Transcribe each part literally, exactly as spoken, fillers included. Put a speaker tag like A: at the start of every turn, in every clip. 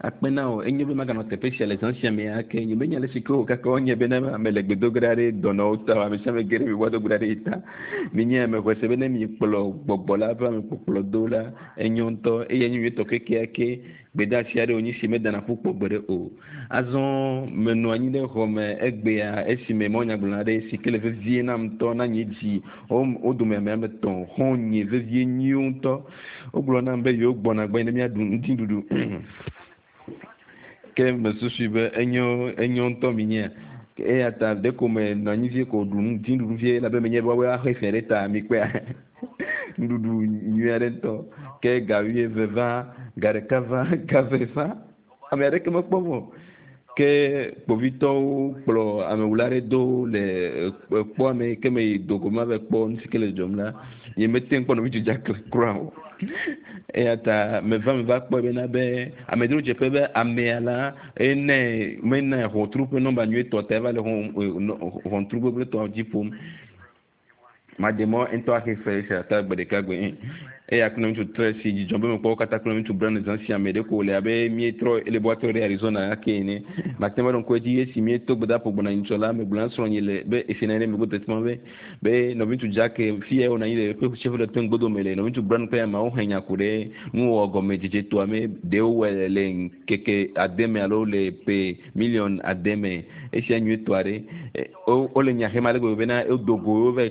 A: Akpe na wò enyo be maganɔ teƒe sia le zã sia me ake nye menya le si ke wo kaka wonye bena ame le gbedogo ɖa ɖe dɔnɔwo ta ame sia ame ge ɖe mi woado gbe ɖa ɖe yi ta minye ame xɔe se be ne mikplɔ gbɔgbɔ la ƒe amekpɔkplɔ do la enyo ŋutɔ eye enyo nyuietɔ kekeake gbedeasi aɖe wònye si medana ƒu kpɔ gbeɖe o azɔ menɔ anyi ɖe xɔ me egbea esime mɔnyagblɔ aɖe si ke le vevie nam ŋutɔ na nye dzi wo dome ame ame etɔ̃ xɔ̃nye vevie nyuiwo ŋutɔ wogblɔ nam be yewo gbɔna gbɔ ne míaɖu ŋutiɖuɖu ke mesusui be enyo enyo ŋutɔ mi nye eya ta ɖeko me nɔ anyi vie ko ɖu ŋutiɖuɖu vie elabe menye be woawoe axe fe ɖe ta mi kpea nuɖuɖu nyui aɖe ŋutɔ ke ga wuieve va ga ɖeka va ga eve va ame aɖeke mekpɔ o ke kpovitɔwo kplɔ amewula aɖe do le kpɔa me ke me yi dogo ma va kpɔ nu si ke le dzɔm la nye mete ŋu kpɔ nɔvi Jack kura o eya ta meva meva kpɔe bena be amedzrodzeƒe be amea la ene mena ʋɔtru ƒe nɔmba nyuietɔ ta eva le ʋɔtru gbegblẽtɔ dzi ƒom maɖe mɔ ŋutɔ axe fe sia ta gbe ɖeka gbe eya kple ŋutsu tre si dzidzɔ be mekpɔ wo katã kple ŋutsu Brown zã sia me ɖeko wòle abe míetrɔ ele be woatrɔ ɖe Arizona ake ene mate ŋu aɖo ŋku edzi esi míeto gbedaƒo gbɔna nyitsɔ la megblɔ na srɔ̃nye le be esi nɔ anyi ɖe megbe teƒe ma be be nɔviŋutsu Jack fi ya wònɔ anyi le eƒe Chevrolet ƒe ŋgbodome le nɔviŋutsu Brown kple ameawo he nya ku ɖe nuwɔwɔ gɔmedzedze toa me ɖewo wɔe le ŋkeke ade me alo le ƒe miliɔn ade me esia nyuietɔ aɖe wole nya hem ale gbegbe bena wodo go wova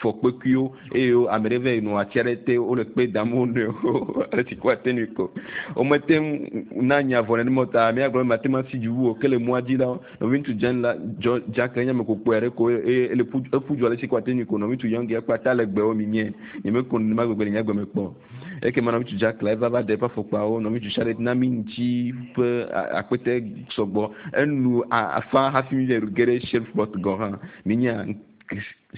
A: fɔ kpekuiwo eye ame ɖe va yi nɔ ati aɖe te wole kpe dam wo nɔewo ale si ko ate ŋui ko womete ŋu na nya vɔ nenema o ta míagblɔ be mate ŋu asi dzi wu o ke le mɔa dzi la nɔviŋutsu Jan la dzɔ Jack nye ame kpokpɔe aɖe ko eye ele ƒu eƒu du ale si ko ate ŋui ko nɔviŋutsu Young ya kpata le gbewo mi nye nyemeko nenema gbegbe le nye agbe me kpɔ ekema nɔviŋutsu Jack la eva va ɖe eƒe afɔkpawo nɔviŋutsu Charlotte na mi ŋuti ƒe akpete sɔgbɔ enu afa hafi mi le ge ɖe Shreveport gɔ hã minya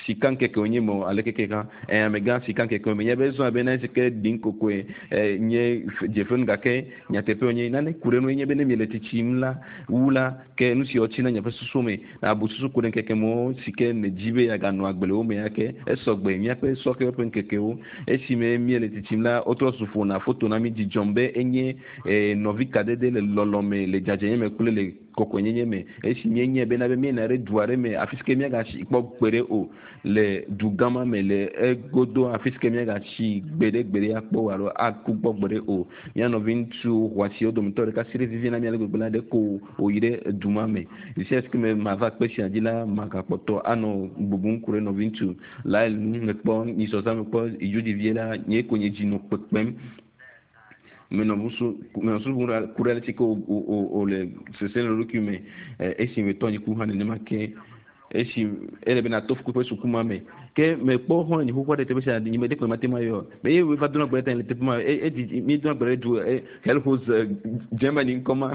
A: sika ŋkeke wonye me ale keke hã ɛ amegã sika ŋkeke me nye be zɔn abe na si ke ɖi ŋkokoe ɛ nye dzeƒe gake nyateƒe wonye nane ku ɖe nu nye be ne mi le tsitsim la wu la ke nu si wotsi na nye ƒe susu me abu susu ku ɖe ŋkeke mewo si ke ne dzi be yeaganɔ agbe le wo me ya ke esɔgbe míaƒe sɔhɛwo ƒe ŋkekewo esime míele tsitsim la wotrɔ zu ƒona foto na mi dzidzɔm be enye ɛ nɔvi kadede le lɔlɔ me le dzadzɛnye me kple le kɔkɔenyenye me esi míenye bena be míena ɖe du aɖe me afi si ke míagatsi kpɔ gbeɖe o le du gã ma me le egodo afi si ke míagatsi gbeɖe gbeɖe akpɔ alo aku gbɔ gbeɖe o mía nɔvi ŋutsu xɔasiwo dometɔ ɖeka si ɖe vivi na mía le gbegbe la ɖe ko wòyi ɖe du ma me sia si ke me mava kpe sia dzi la magakpɔtɔ anɔ bubum ku ɖe nɔvi ŋutsu la nu mekpɔ nyisɔsã mekpɔ idzodzi la nye ko nye dzi nɔ kpekpem menɔ busu menɔ susu ku ɖe ale si ke wòle sese le ɖokui me esi metɔ nyi ku hã nenema ke esi ele bena to ƒe suku ma me ke mekpɔ xɔ nyi xoxo ɖe teƒe sia nye me ɖe kpe mate ma yɔ me ye wova dona gbe ɖe ta le teƒe ma edzi mi dona gbe ɖe du Helhos Germany ŋkɔ ma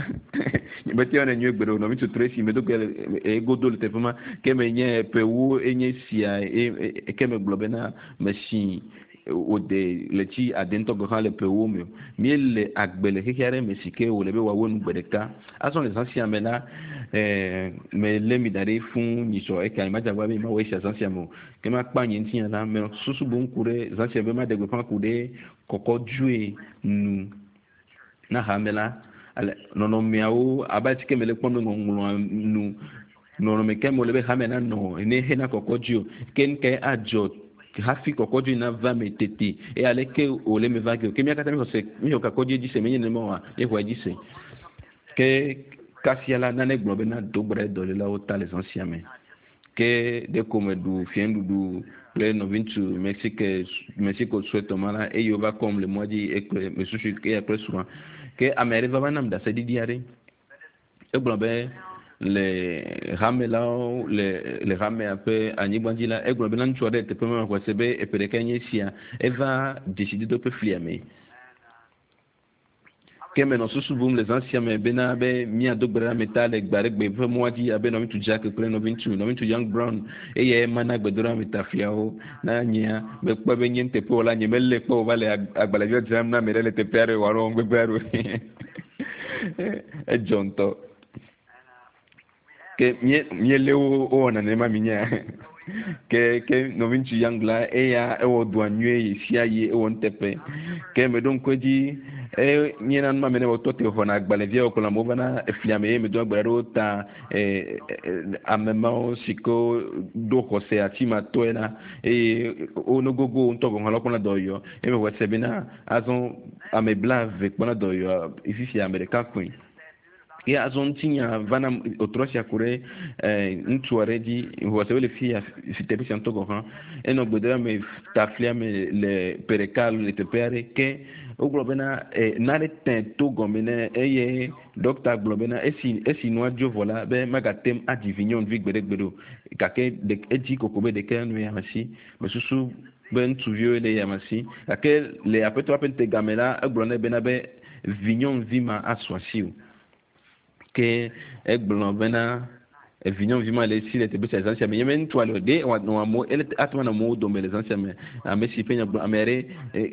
A: nye mete yɔnɛ nyuie gbeɖe o nɔvi tutu esi medo gbe le egodo le teƒe ma ke menye ƒewo enye sia ke megblɔ bena mesi wòde ɣleti ade ŋutɔ gɔ̃ hã le ƒewo me míele agbe le xexe aɖe me si ke wòle be wòawɔ nu gbe ɖeka azɔ le zã sia me la ɛɛ melé mi da ɖi fũ nyitsɔ eke anyi madzagba be mawɔ esia zã sia me o ke makpa nye ŋutinya la me susu boŋ ku ɖe zã sia be maɖe gbeƒã ku ɖe kɔkɔdzoe nu na hame la ale nɔnɔmeawo abe ale si ke mele kpɔm le ŋɔŋlɔa nu nɔnɔme ke me wòle be hame nanɔ ne hena kɔkɔdzoe o ke nu kae adzɔ hafi kɔkɔdzoe nava me tete eye aleke wòle me va ge o ke mía katã míxɔ se míxɔ kɔkɔdzoe dzi se menye nenema oa míexɔe dzi se ke kasia la nane gblɔ bena do gbe ɖe dɔlélawo ta le zã sia me ke ɖeko meɖu fiẽnuɖuɖu kple nɔviŋutsu Mexique Mexico suetɔ ma la eye wova kɔm le mɔa dzi ekple mesusu eya kple srɔ̃a ke ame aɖe va va nam ɖaseɖiɖi aɖe egblɔ be le hame lawo le le hamea ƒe anyigba dzi la egblɔ bena ŋutsu aɖe le teƒe ma xɔ se be eƒe ɖeka nye esia eva dzesidodo ƒe flia me ke menɔ susu bum le zã sia me bena be míado gbe ɖe ame ta le gbe aɖe gbe ƒe mɔa dzi abe nɔviŋutsu Jack kple nɔviŋutsu nɔviŋutsu Young Brown eye mana gbedoɖe ame ta fiawo na nyea mekpɔ be nye nuteƒewɔla nye melé kpɔ wòva le agbalẽviwo dzram na ame ɖe le teƒe aɖe wòanɔ gbegbe aɖe edzɔ ŋutɔ Ke mie miele wo wowɔna nenema mi nya. Ke ke nɔvi ŋutsu Young la eya ewɔ dɔa nyuie yi sia yi ewɔ nuteƒe. Ke meɖo ŋku edzi eye míena nu ma me ne wotɔ te xɔna agbalẽviawo kplɔ amewo vana eflia me ye medo agbalẽ ɖewo ta e, ame mawo si ke ɖo xɔse ati ma tɔe la eye wo nogogo ŋutɔ gɔ̃ hã la wokpɔna dɔyɔ eye mexɔ se bena azɔ ame blaeve kpɔna dɔyɔ fifia ame ɖeka koe. Ye azɔ ŋutinya vana wòtrɔ sia ku ɖe ŋutsu aɖe dzi xɔ se be le fi ya fi teƒe sia ŋutɔ gɔ̃ hã enɔ gbedoɖa me ta flia me le ƒe ɖeka alo le teƒe aɖe ke wogblɔ bena nane te to gɔme ne eye ɖɔkita gblɔ bena esi esi nua dzo vɔ la be magate ŋu adzi vi nyɔnuvi gbeɖegbeɖe o gake edzi koko be ɖeka nu ya si mesusu be ŋutsuviwo le ya si gake le aƒetɔ ƒe ŋutegame la egblɔ nɛ bena be vi nyɔnuvi ma asu asi o ke egblɔ bena evi nyɔnuvi ma le esi le teƒe sia zã sia me nye me ŋutsua le o ɖe wòanɔ amewo ele ate ŋu anɔ amewo dome le zã sia me ame si ƒe nya gblɔ ame aɖe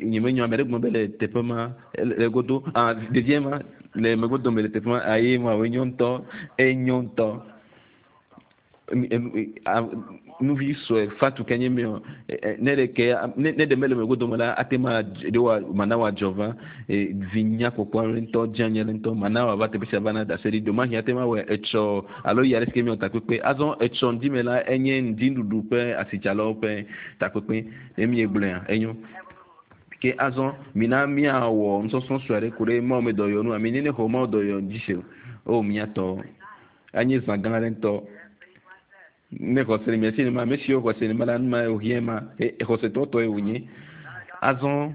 A: nye me nyɔ ame aɖe gblɔ be le teƒe ma le godo ah ɖevia ma le megbe dome le teƒe ma aye ma wo enyo ŋutɔ enyo ŋutɔ nuvi sue fatu ke nye mi o ne ɖe ke ne ɖe mele megbe dome la ate ma ɖe wa mana wa dzɔ va vi nyakpɔkpɔ aɖe ŋutɔ dze anyi ɖe ŋutɔ mana wa va teƒe sia va na ɖase ɖi ɖomahi ate ma wɔ etsɔ alo yi aɖe si ke mi wɔ takpekpe azɔ etsɔ ŋdi me la enye ŋdi nuɖuɖu ƒe asitsalawo ƒe takpekpe ne mi gblɔa enyo ke azɔ mina miawɔ nusɔsrɔ̃ sue aɖe ku ɖe mawu me dɔyɔ nu ami ne ne xɔ mawu dɔyɔ dzi se o miatɔ anye zã gã aɖe ŋutɔ ne xɔse le mia si nema ame siwo xɔse nema la numa wòhiã ma xɔsetɔ tɔe wònye azɔ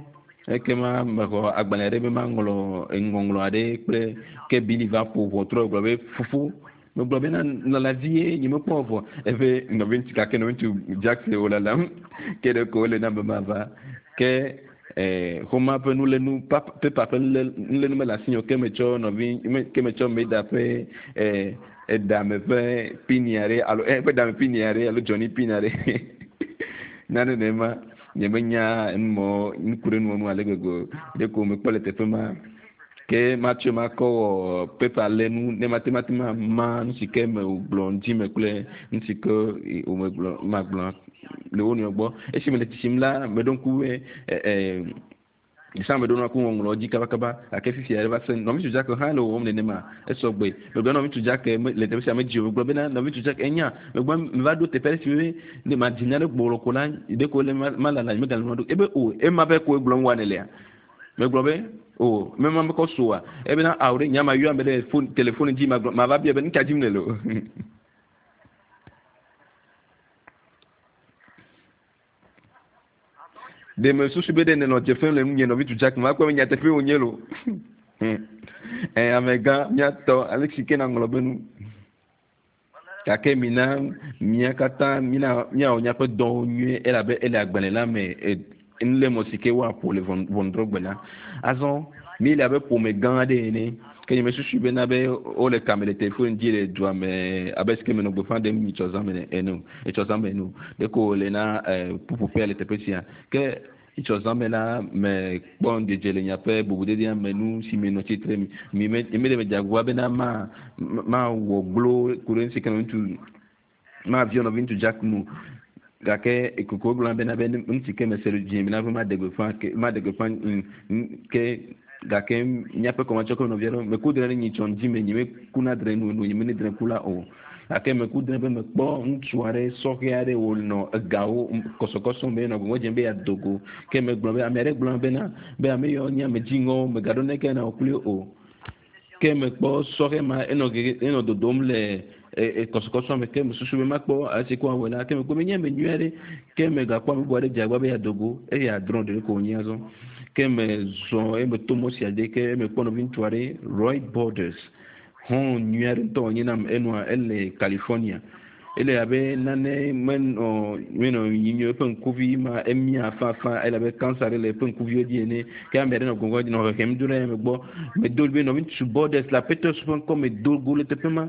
A: ekema mexɔ agbalẽ aɖe be maŋlɔ ŋɔŋlɔ aɖe kple ke Bili va ƒo ʋɔtrɔ gblɔ be fofo megblɔ bena lala vie nye mekpɔ vɔ eƒe nɔvi ŋutsu gake nɔvi ŋutsu Jackson wò lalam ke ɖe ko wole na be mava ke xɔma ƒe nulenu pepa ƒe nulenu mele asi o ke metsɔ nɔvi ke metsɔ Meda ƒe eɖame ƒe pini aɖe alo eƒe ɖame pini aɖe alo Johnny pini aɖe nane nema nye menya numɔ nuku ɖe nuwɔ nu ale gbegbe ɖe ko mekpɔ le teƒe ma ke matsɔe makɔ wɔ pepa lenu ne mate mate ma ma nu si ke me wògblɔ ŋdi me kple nu si ke wòmegblɔ magblɔ le wo nɔewo gbɔ esi mele tsitsim la meɖo ŋku be san meɖo ŋku ŋɔŋlɔ dzi kabakaba gake fifia va se nɔvi ŋutsu Jack hã le wɔwɔm nenema esɔgbe megblɔ nɔvi ŋutsu Jack le teƒe sia medzi o megblɔ bena nɔvi ŋutsu Jack enya megblɔ meva ɖo teƒe aɖe si be ne madzi nya ɖe gblɔ ko la ɖe ko le malala megale nua ɖo ebe o ema ƒe ko egblɔm wa nelea megblɔ be o mema mekɔ soa ebena awo ɖe nya ma yɔ ame ɖe phone telefone dzi magblɔ mava bia be nu ka dzim nele o ɖe me susu be ɖe nenɔ dze fem le nunye nɔvi ŋutsu Jack ma kpɔ be nyateƒe wònye lo ɛ amegã míatɔ ale si ke naŋlɔ be nu gake mina mía katã mina míawɔ míaƒe dɔwo nyuie elabe ele agbalẽ la me nulémɔ si ke woaƒo le ʋɔnudrɔ̃gbe la azɔ mi le abe ƒome gã aɖe ene ke nye mesusu bena be wole kame le telefone dzi le dua me abe si ke menɔ gbeƒã ɖem nyitsɔ zã me ene o etsɔ zã me ene o ɖeko wòle na ƒuƒoƒea le teƒe sia ke etsɔ zã me la mekpɔ ŋudzedze le miaƒe bubudedea me nu si menɔ tsitre mi me me ɖe medze agbagba bena ma mawɔ glo ku ɖe nu si ke ŋutsu maviɔ nɔvi ŋutsu Jack nu gake koko gblɔ bena be nu si ke mese le dzi bena be maɖe gbeƒã ke maɖe gbeƒã ke gake míaƒe kɔmatsɔ ke nɔvia ɖewo meku dre ɖe nyitsɔ ŋdi me nye mekuna dre nu nu nye mene dre ku la o gake meku dre be mekpɔ ŋutsu aɖe sɔhɛ aɖe wònɔ egawo kɔsɔkɔsɔ me nɔ gbɔgbɔ dzem be yeado go ke megblɔ be ame aɖe gblɔ bena be ame yawo nye ame dziŋɔwo megaɖo neke na wò kpli o ke mekpɔ sɔhɛ ma enɔ gege enɔ dodom le kɔsɔkɔsɔ me ke mesusu be makpɔ ale si ko awɔe la ke mekpɔ be nye ame nyui aɖe ke megakpɔ ame bubu aɖe dze agbagba be yeado go eye adrɔ̃ ɖeɖe ko wònye azɔ ke mezɔ eye meto mɔ sia dzi ke mekpɔ nɔvi ŋutsu aɖe Roy Borders hɔn nyui aɖe ŋutɔ wònye nam enɔa ele California ele abe nane menɔ menɔ yiyim eƒe ŋkuvi ma emia fafa ele abe cancer ɖe le eƒe ŋkuviwo dzi ene ke ame aɖe nɔ gbɔgbɔ nɔ hehem do ɖe eme gbɔ medo be nɔvi ŋutsu Borders le aƒetɔ ƒe ŋkɔ medo go le teƒe ma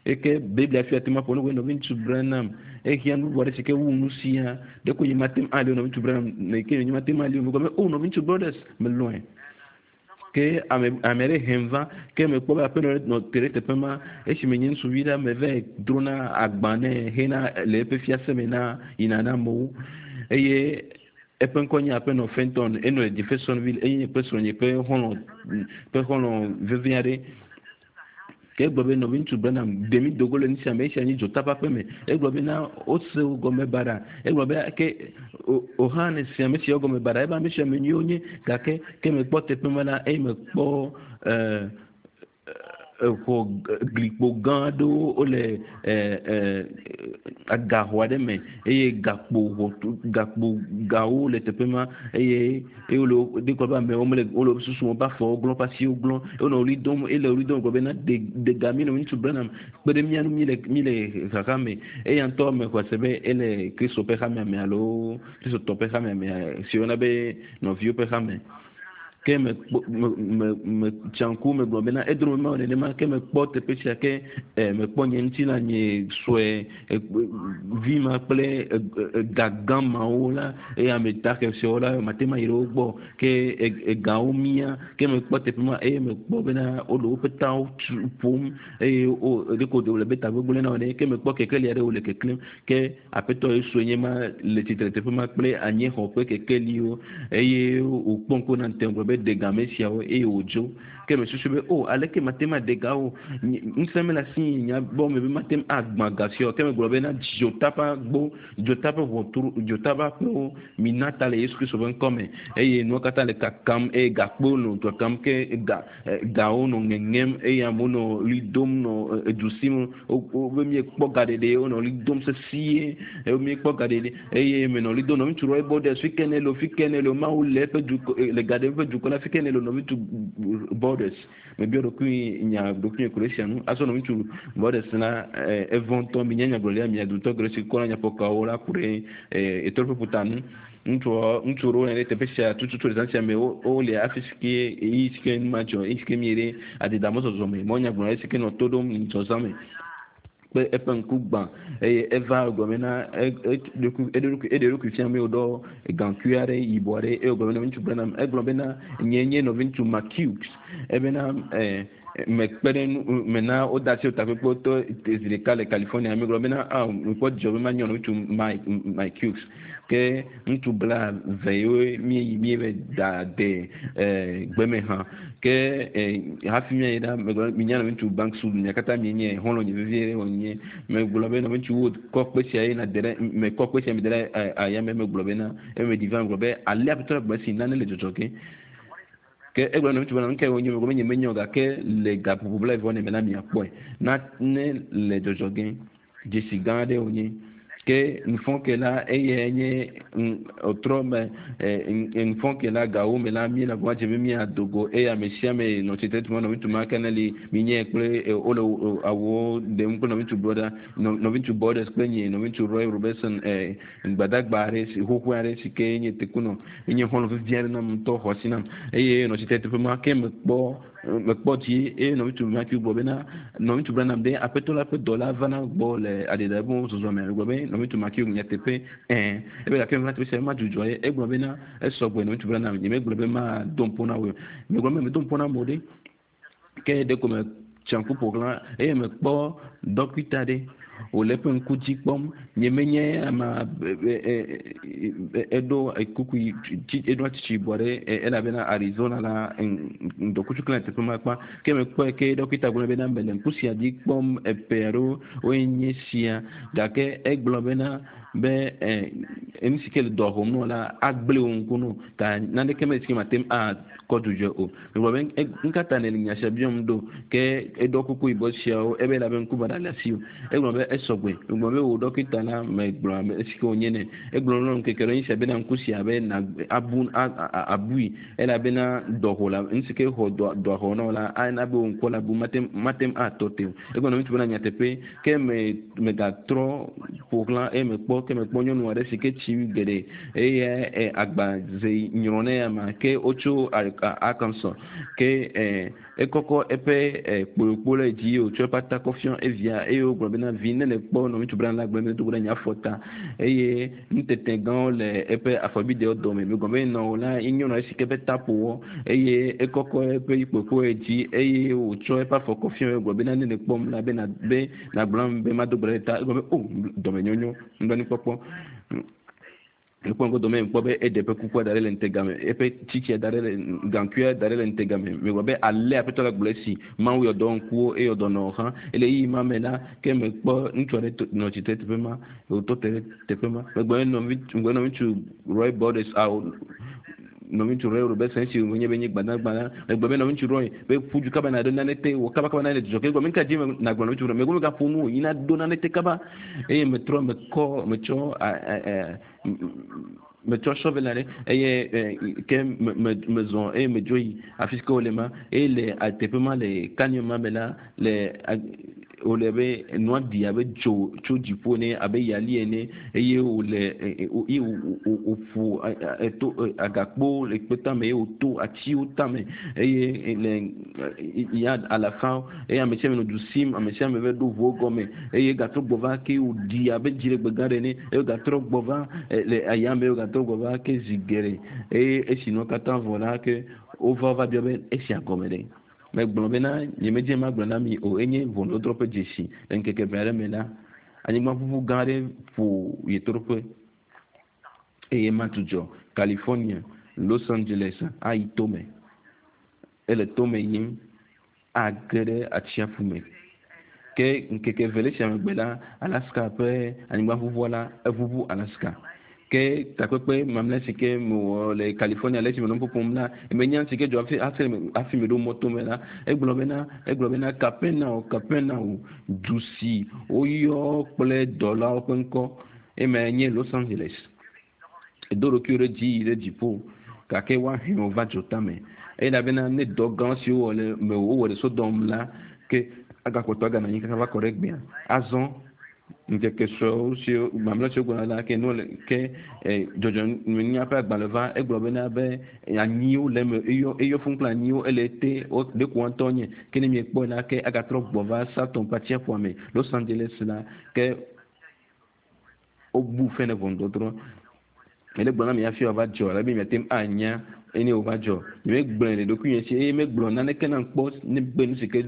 A: eke Biblia fia te ma ƒo nu nɔvi ŋutsu Branham ehia nu bubu aɖe si ke wu nu sia ɖeko nye mate ŋu ali nɔvi ŋutsu Branham ke nye mate ŋu ali o megblɔ be o nɔvi ŋutsu Borders melɔ̃e Ke ame ame aɖe hem va ke mekpɔ be aƒenɔ ɖe nɔ te ɖe teƒe ma esime nye ŋutsuvi ɖe me va drona agba nɛ hena le eƒe fiase me na yina na amewo eye eƒe ŋkɔ nye aƒenɔ Fenton enɔ le Jeffersonville eye nye kple srɔ̃nye ƒe xɔlɔ̃ ƒe xɔlɔ̃ vevi aɖe ke egblɔ be nɔvi Branham ɖe mi dogo le nu sia me esia nye dzota ƒe aƒe me egblɔ bena wose wo gɔme baɖa egblɔ be ke o hã ne si ame siawo gɔme baɖa ebe ame sia ame nyuiwo nye gake ke mekpɔ teƒe ma la eye mekpɔ ɛɛ exɔ glikpo gã aɖewo wole ɛɛ agaxɔ aɖe me eye gakpo ʋɔtru gakpo gawo le teƒe ma eye eye wole ɖe kɔ be amewo mele wole susu woƒe afɔwo glɔ̃ woƒe asiwo glɔ̃ wonɔ ɣli dom ele ɣli dom gblɔ bena de de ga mi nɔvi ŋutsu Branham kpe ɖe mía ŋu mi le mi le xaxa me eya ŋutɔ me xɔ se be ele Kristo ƒe hamea me alo Kristotɔ ƒe hamea me si woyɔna be nɔviwo ƒe hame ke me me me me tsa ŋku me gblɔ bena edro me mawɔ nenema ke mekpɔ teƒe sia ke ɛ mekpɔ nye ŋutilã nye sue vi ma kple ga gã mawo la eye ame dahe siawo la mate ma yi ɖe wo gbɔ ke egawo mia ke mekpɔ teƒe ma eye mekpɔ bena wole woƒe tawo tu ƒom eye wo ɖeko wòle be tagbegblẽ na wo ene ke mekpɔ kekeli aɖe wole keklẽm ke aƒetɔ Yesu nye ma le tsitre teƒe ma kple anyixɔ ƒe kekeliwo eye wòkpɔ ŋku na ŋutɛ gblɔ be de ga ame siawo eye wòdzo ke mesusu be o aleke mate ma de ga wo ŋusẽ mele asi nya gbɔ me be mate agbã ga siawo ke megblɔ bena dzota ƒe agbo dzota ƒe ʋɔtru dzota ƒe aƒewo mina ta le Yesu Kristo ƒe ŋkɔ me eye nuwo katã le kakam eye gakpowo nɔ kakam ke ga gawo nɔ ŋeŋem eye amewo nɔ ɣli dom nɔ edu sim wobe miekpɔ ga ɖeɖe wonɔ ɣli dom sesie eye miekpɔ ga ɖeɖe eye menɔ ɣli dom nɔvi ŋutsu Roy Borders fi ke ne le fi ke ne le Mawu le eƒe dukɔ le ga ɖe eƒe dukɔ la fi ke ne le nɔvi ŋutsu Borders mebiɔ ɖokui nya ɖokui ku ɖe sia nu azɔ nɔvi ŋutsu Borders la evɔ ŋutɔ mi nye nyagblɔɖia mia dutɔ geɖe si kɔna nyafɔkawo la ku ɖe etoɖoƒe ƒuta nu ŋutsu ŋutsu ɖewo le teƒe sia tututu le zã sia me wole afi si ke ɣeyiɣi si ke nu ma dzɔ ɣeyiɣi si ke mi ɖe adidamɔzɔzɔ me mɔ nyagblɔɖia si ke nɔ to ɖom zɔzã me kple eƒe ŋku gbã eye eva gblɔ bena eɖe ɖokui fia me wòɖɔ gaŋkui aɖe yibɔ aɖe eye wògblɔ bena ŋutsu Branham egblɔ bena nye nye nɔvi ŋutsu McHughes ebena ɛɛ mekpe ɖe nu mena woda asi takpekpe tɔ zi ɖeka le California megblɔ bena ah mekpɔ dzidzɔ be manyɔ nɔvi ŋutsu Mike Mike Hughes ke ŋutsu bla ve yewo míeyi míeve da de ɛɛ gbeme hã ke ɛ hafi míayi ɖa megblɔ minya nɔvi ŋutsu Banks Wood mia katã mienye xɔlɔ̃ nye vevie wònye megblɔ be nɔvi ŋutsu Wood kɔ kpe sia ye na de ɖe mekɔ kpe sia mi de ɖe ayame megblɔ bena eye meɖi va megblɔ be ale aƒetɔ la gblɔ esi nane le dzɔdzɔ ge ke egblɔ nɔvi ŋutsu bena nu ka wònye megblɔ be nye menye o gake le gaƒoƒo blaeve vɔ ne me na miakpɔe nane le dzɔdzɔ ge dzesi gã aɖe wònye ke nufɔke la eye nye ɔtrɔ me nufɔke la gawo me la mi le agba dze be miado go eye ame sia ame nɔ tsitre tuma nɔvi ŋutsu ma ke ne li mi nye kple wole awuwo ɖem kple nɔvi ŋutsu brother nɔvi ŋutsu Borders kple nye nɔvi ŋutsu Roy Robertson gbadagba aɖe si xoxo aɖe si ke nye tekunɔ enye xɔlɔ̃ vevi aɖe nam ŋutɔ xɔ asi nam eye nɔ tsitre teƒe ma ke mekpɔ mekpɔ dzi eye nɔvi ŋutsu Matthew gblɔ bena nɔvi ŋutsu Branham ɖe aƒetɔ la ƒe dɔla vana gbɔ le aɖiɖa zɔzɔ me gblɔ be nɔvi ŋutsu Matthew nyateƒe ɛɛ ebe gake meva teƒe sia ma dzudzɔ ye egblɔ bena esɔgbe nɔvi ŋutsu Branham nye megblɔ be ma do ŋpo na wo megblɔ be medo ŋpo na amewo ɖe ke ɖeko me tsa ŋku ƒo xlã eye mekpɔ dɔkita ɖe wòle eƒe ŋku dzi kpɔm nye menye ama eɖo kuku eɖo atsitsi yibɔ ɖe elabena Arizona la ŋdɔkutsu klẽ teƒe ma kpa ke mekpɔe ke dɔkita gblɔ bena mele ŋku sia dzi kpɔm eƒe aɖewo woe nye sia gake egblɔ bena be ɛ nu si ke le dɔ xɔm nɔ la agblẽ wò ŋku nɔ ta naneke mele si ke mate ŋu akɔ dzudzɔe o megblɔ be ŋkata ne le nya sia biɔm ɖo ke eɖɔ kuku yibɔ siawo ebe elabe ŋku baɖa le asi o egblɔ be esɔgbe megblɔ be wò dɔkita la megblɔ ame si ke wònye nɛ egblɔ nɔ ŋkeke ɖe sia bena ŋku sia be na abu abui elabena dɔxɔ la nu si ke xɔ dɔ dɔa xɔ nɔ la ana be wò ŋku la bu mate mate ŋu atɔ te o egblɔ na ŋutsu bena nyateƒe ke me megatrɔ ƒo xlã eye mekpɔ gbɔ ke mekpɔ nyɔnu aɖe si ke tsi geɖe eye agba ze nyrɔ ne ya ma ke wotso Arkansas ke ekɔkɔ eƒe kpoyokpo le dzi wòtsɔ eƒe ata kɔ fiɔ evia eye wogblɔ bena vi ne le kpɔ nɔviŋutsu Branham la gblɔ be do ɖe nye afɔ ta eye nutete gãwo le eƒe afɔbidewo dome megblɔ be nɔ la nyɔnu aɖe si ke ƒe ta ƒo wɔ eye ekɔkɔ eƒe kpoyokpo le dzi eye wòtsɔ eƒe afɔ kɔ fiɔ gblɔ bena ne le kpɔm la be na be nagblɔ be mado gbe ɖe ta egblɔ be o dɔmenyonyo nublanuikpɔkpɔ mekpɔ ŋgɔ dɔme kpɔ be eɖe eƒe kukua da ɖe le ŋutega me eƒe tsitsia da ɖe le gaŋkuia da ɖe le ŋutega me megblɔ be ale aƒetɔ la gblɔ esi mawu yɔ dɔ ŋkuwo eye dɔ nɔ hã ele ɣeyiɣi ma me la ke mekpɔ ŋutsu aɖe nɔ tsitre teƒe ma wòtɔ te ɖe teƒe ma megblɔ ne nɔvi megblɔ nɔviŋutsu Roy Borders awo nɔviŋutsu Roy Robertson esi wònye be nye gbadagba la megblɔ be nɔviŋutsu Roy be ƒu du kaba na ɖo nane te wɔ kaba kaba na le dzidzɔ ke egblɔ mi ka dzi nagblɔ nɔviŋutsu Roy megblɔ megaƒo nu o yina ɖo nane te kaba eye metrɔ mekɔ metsɔ metsɔ shovel aɖe eye ke me mezɔ eye medzo yi afi si ke wole ma eye le teƒe ma le canyon ma me la le wòle be nua ɖi abe dzo tso dziƒo ene abe yali ene eye wòle eye wòƒo eto agakpo le kpe tame eye wòto atiwo tame eye le ya alafa eye ame sia ame nɔ du sim ame sia ame va ɖo ʋuwo gɔme eye gatrɔ gbɔ va ke wòɖi abe dziɖegbe gã ɖe ene eye gatrɔ gbɔ va le ayame eye gatrɔ gbɔ va ke zi geɖe eye esi nua katã vɔ la ke wova va biɔ be esia gɔme ɖe megblɔ bena nyemedze magblɔ na mi o enye ʋɔnudɔdrɔ̃ ƒe dzesi le ŋkeke eve aɖe me la anyigbaʋuʋu gã aɖe ƒo ɣetoɖoƒe eye madzudzɔ California Los Angeles ayi tome ele tome yim age ɖe atsiaƒu me ke ŋkeke eve le sia megbe la Alaska ƒe anyigbaʋuʋua la eʋuʋu Alaska ke takpekpe mamlɛ si ke mewɔ le California le esime nɔ ƒoƒom la menya si ke dzɔ hafi hafi hafi meɖo mɔto me la egblɔ bena egblɔ bena Kapernaum Kapernaum du si woyɔ kple dɔlawo ƒe ŋkɔ ema nye Los Angeles edo ɖokuiwo ɖe dzi yi ɖe dziƒo gake woahe wo va dzotame elabena ne dɔ gã siwo wɔ le me wowɔ le Sodom la ke agakpɔtɔ aganɔ anyi kaka va kɔ ɖe gbea azɔ ŋkeke suewo siwo mamlɛ siwo gbɔna la ke nu le ke dzɔdzɔmenunya ƒe agbalẽ va egblɔ bena be anyiwo le eme eyɔ eyɔ fún kple anyiwo ele te ɖeko ŋutɔ nye ke ne miekpɔe la ke agatrɔ gbɔ va Saturn ƒe atsiaƒua me Los Angeles la ke wobu fe ne ʋɔnudɔdrɔ̃ ele gblɔ na mi hafi wòava dzɔ ale be miate ŋu anya eye wòva dzɔ nyemegblɔe le ɖokuinye si eye megblɔ naneke nam kpɔ ne be nu si ke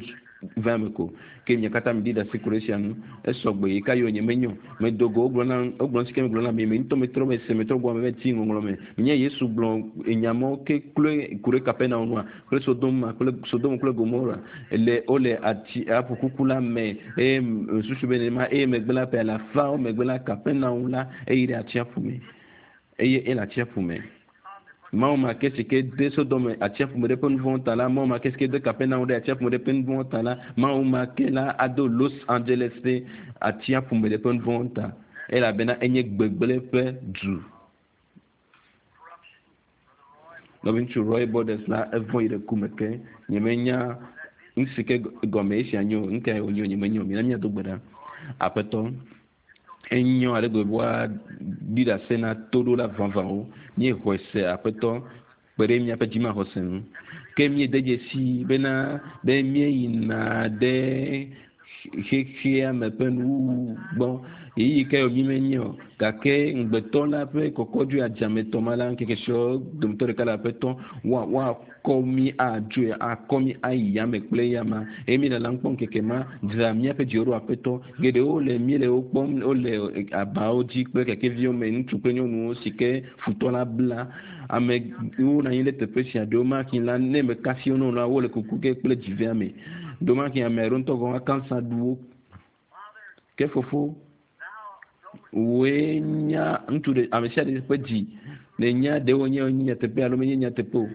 A: va eme ko ke mia katã mi ɖi ɖase ku ɖe esia ŋu esɔgbe yi ka yɔ nye menyo medo go wogblɔ na wogblɔ nu si ke megblɔ na mi me ŋutɔ metrɔ me se metrɔ gbɔ me va ti ŋɔŋlɔ me menye Yesu gblɔ enyamawo ke kloe ku ɖe Kapernaum nua kple Sodom kple Sodom kple Gomora le wole ati aƒu kuku la me eye susu be nenema eye megbe la ƒe alafawo megbe la Kapernaum la eyi ɖe atsiaƒu me eye ele atsiaƒu me Mawu ma ke si ke de Sodom atsiaƒu me ɖe eƒe nu vɔ̃ ta la Mawu ma ke si ke de Kapernaum ɖe atsiaƒu me ɖe eƒe nu vɔ̃ ta la Mawu ma ke la ado Los Angeles ɖe atsiaƒu me ɖe eƒe nu vɔ̃ ta elabena enye gbegblẽ ƒe du. Nɔviŋutsu Roy Borders la evɔ̃ yi ɖe ku me ke nyemenya nu si ke gɔme esia nye o nu kae wònye o nyemenya o mina míado gbe ɖa aƒetɔ enyo ale gbegbe woaɖi ɖase na toɖola vavãwo míexɔe se aƒetɔ kpe ɖe míaƒe dzimaxɔse ŋu ke míede dzesi bena be míeyina ɖe xexea me ƒe nuwuwu gbɔ ɣeyiɣi ke yɔ mímenye o gake ŋugbetɔ la ƒe kɔkɔdzoe adzametɔ ma la ŋkeke siawo dometɔ ɖeka le aƒetɔ woa woakɔ mí adzoe akɔ mí ayi yame kple yama eye míele la kpɔm ŋkeke ma dzra míaƒe dziwo ɖo aƒetɔ geɖewo le míele wo kpɔm wole abawo dzi kple kekeviwo me ŋutsu kple nyɔnuwo si ke futɔ la bla amewo nɔ anyi ɖe teƒe sia ɖewo maki la ne meka fi wo la wole kuku ge kple dzivea me ɖewo maki ame aɖewo ŋutɔ gɔ̃ kansa ɖu wo ke fofo wòe nya ŋutsu ɖe ame sia ɖe ƒe dzi ne nya ɖewo nye nyateƒe alo menye nyateƒe o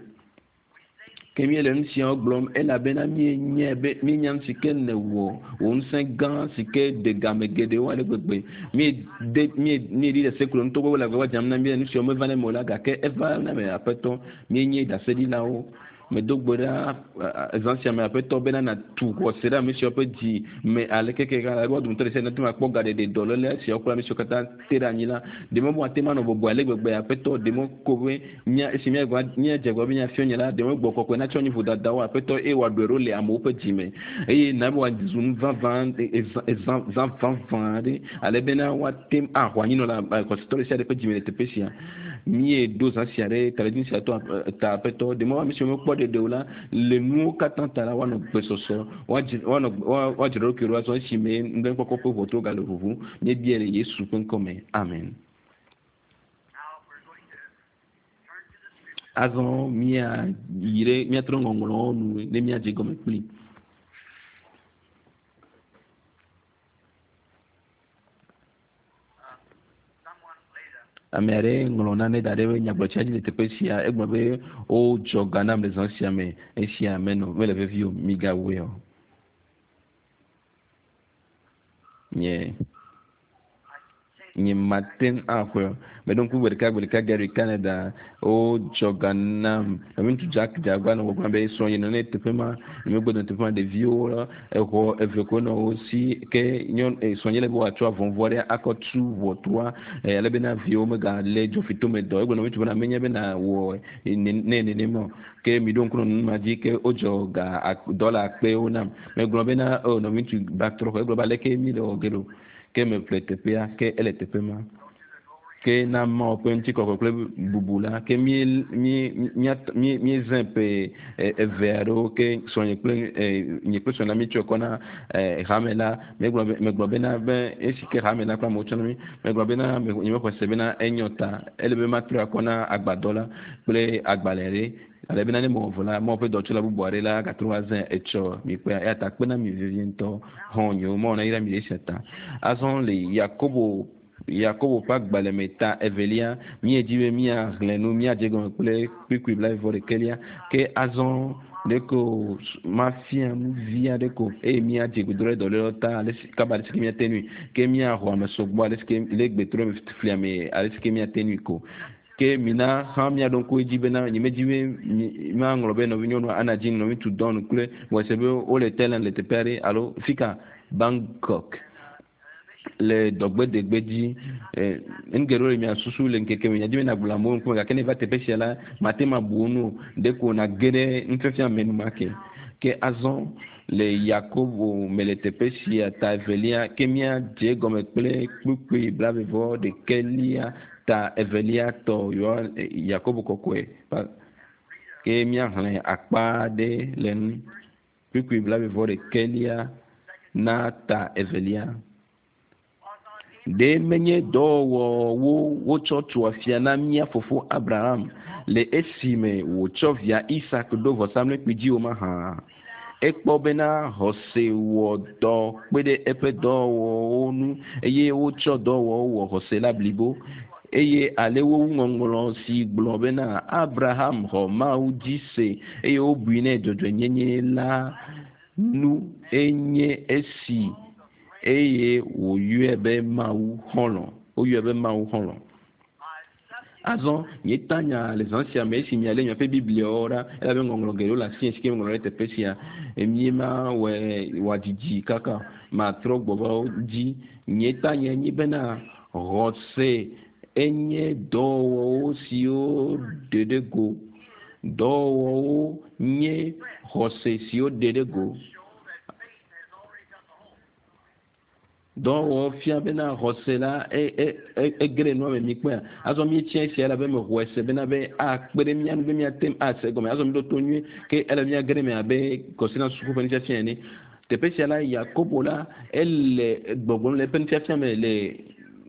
A: ke míele nu siawo gblɔm elabena míenyae be míenya nu si ke nèwɔ wò ŋusẽ gã si ke de game geɖewo ale gbegbe míede míe míeɖi ɖase klo ŋutɔ gbɔ le agbagba dzam na mí nu siawo meva ne me o la gake eva na me aƒetɔ míenye ɖaseɖilawo Medo gbe ɖa zã sia me aƒetɔ bena natu xɔse ɖe ame siawo ƒe dzi me ale keke ale be wo dometɔ ɖe sia ɖe nate ŋu akpɔ gaɖeɖe dɔléle siawo kple ame siwo katã te ɖe anyi la ɖe me woate ŋu anɔ bɔbɔe ale gbegbe aƒetɔ ɖe me ko be mía esi míagba míadze agbagba be míafiɔ nye la ɖe me gbɔ kɔkɔe natsɔ nyi vodadawo aƒetɔ eye wòaɖɔe ɖo le amewo ƒe dzi me eye na be wòazu nu vavã zã zã vavã aɖe ale bena woate ŋu axɔ anyinɔ le xɔsetɔ ɖe sia ɖe ƒe dzi me le teƒe sia míeɖo zã sia ɖe taɖodzinu sia tɔ ta aƒetɔ ɖe me ame siwo mekpɔ ɖeɖe o la le nuwo katã ta la woanɔ gbesɔsɔ woanɔ woadzra ɖokui ɖo azɔ esime nublanui ƒe ʋɔtruwo gale ʋuʋu míebia le Yesu ƒe ŋkɔ me amen. Azɔ míayi ɖe míatrɔ ŋɔŋlɔwo nu ne míadze gɔme kpli. Ame aɖe ŋlɔ nane da ɖe nyagblɔtsia dzi le teƒe sia egblɔ be wodzɔ ga nam le zã sia me esia menɔ mele vevi o migawɔe o. Nye nye mate ŋu axɔe o. Meɖo ŋku gbe ɖeka gbe ɖeka Gary Canada wodzɔ ga nam nɔviŋutsu Jack Dzagba nɔ gbɔgblɔm be srɔ̃nye nɔ ne teƒe ma nyemegbe nɔ teƒe ma ɖeviwo exɔ eve koe nɔ wo si ke nyɔnu srɔ̃nye le be wòatsɔ avɔvɔ aɖe akɔ tu ʋɔtrua ale bena viwo megalé dzofitome dɔ egblɔ nɔviŋutsu bena menye bena wɔ ne nenema o ke miɖo ŋku nɔ nu ma dzi ke wodzɔ ga dɔla akpewo nam megblɔ bena o nɔviŋutsu ba trɔ xɔ egblɔ be aleke mi le wɔ ge ɖo ke meƒle teƒea ke ele teƒe ma ke na Mawu ƒe ŋutikɔkɔe kple bubu la ke mí mí mí míezẽ ƒe eve aɖewo ke srɔ̃nye kple nye kple srɔ̃nye la míetsɔe kɔ na hame la megblɔ be megblɔ bena be esi ke hame la kple amewo tsɔ na mí megblɔ bena nye mexɔ se bena enyo ta ele be matrɔe akɔ na agbadɔ la kple agbalẽ ɖe ale bena ne mewɔ vɔ la Mawu ƒe dɔtsɔla bubu aɖe la gatrɔ va zẽ etsɔ mi kpea eya ta kpena mi vevie ŋutɔ xɔ̃nyewo Mawu nayra mi ɖe esia ta azɔ le Yakobo Yakobo ƒe agbalẽ me ta evelia míedzi be míaxlẽ nu míadze gɔme kple kpukpui blaeve ɖekɛlia ke azɔ ɖeko mafia nu vi aɖe ko eye míadze gbedoɖa dɔlélewo ta ale si kaba ale si ke míate nui ke míaxɔ ame sɔgbɔ ale si ke le gbedoɖa flia me ale si ke míate nui ko ke mina hã míaɖo ŋku edzi bena nyemedzi be maŋlɔ be nɔvinyɔnu ana dzi nɔviŋutsu Don kple wɔse be wole Thailand le teƒe aɖe alo fika Bangkok le dɔgbedegbe dzi nu geɖewo le mia susu le ŋkeke me miadi be nagblɔ amewo ŋkume gake ne va teƒe sia la mate ŋu abu wo nu o ɖeko nage ɖe nufiafia me enumake ke azɔ le Yakobo me le teƒe sia ta evelia ke míadze gɔme kple kpukpui blaeve ɖekɛlia ta evelia tɔ yɔ Yakobo kɔkɔe ke míaxlẽ akpa aɖe le nu kpukpui blaeve ɖekɛlia na ta evelia. Ɖe menye dɔwɔwɔwo wotsɔ tu afia na mía fofo Abraham le esime wòtsɔ via Isak ɖo vɔsamlekpui dzi o mahã. Ekpɔ bena xɔse wɔ dɔ kpe ɖe eƒe dɔwɔwɔwo ŋu eye wotsɔ dɔwɔwɔwo wɔ xɔse la blibo eye ale wowu ŋɔŋlɔ si gblɔ bena Abraham xɔ Mawu dzi se eye wobui nɛ dzɔdzɔenyenye la nu enye esi eye wòyɔe be Mawu xɔlɔ̃ woyɔe be Mawu xɔlɔ̃. Azɔ nye tanya le zã sia me esi mialé miaƒe Bibliawo ɖa elabe ŋɔŋlɔ geɖewo le asi si ke meŋlɔ ɖe teƒe sia míema wɔe wòadzidzi kaka matrɔ gbɔ va wo dzi. Nye tanya nye bena xɔse enye dɔwɔwɔwo siwo ɖe ɖe go. Dɔwɔwɔwo nye xɔse siwo ɖe ɖe go. Dɔwɔwɔ fia bena xɔse la ege ɖe nua me mikpɔea azɔ míetsia esia elabe mexɔe se bena be akpe ɖe mía ŋu be míate ŋu ase gɔme azɔ míɖo to nyuie ke ele míage ɖe me abe kɔsina suku ƒe nufiafia ene. Teƒe sia la Yakobo la ele gbɔgblɔm le eƒe nufiafia me le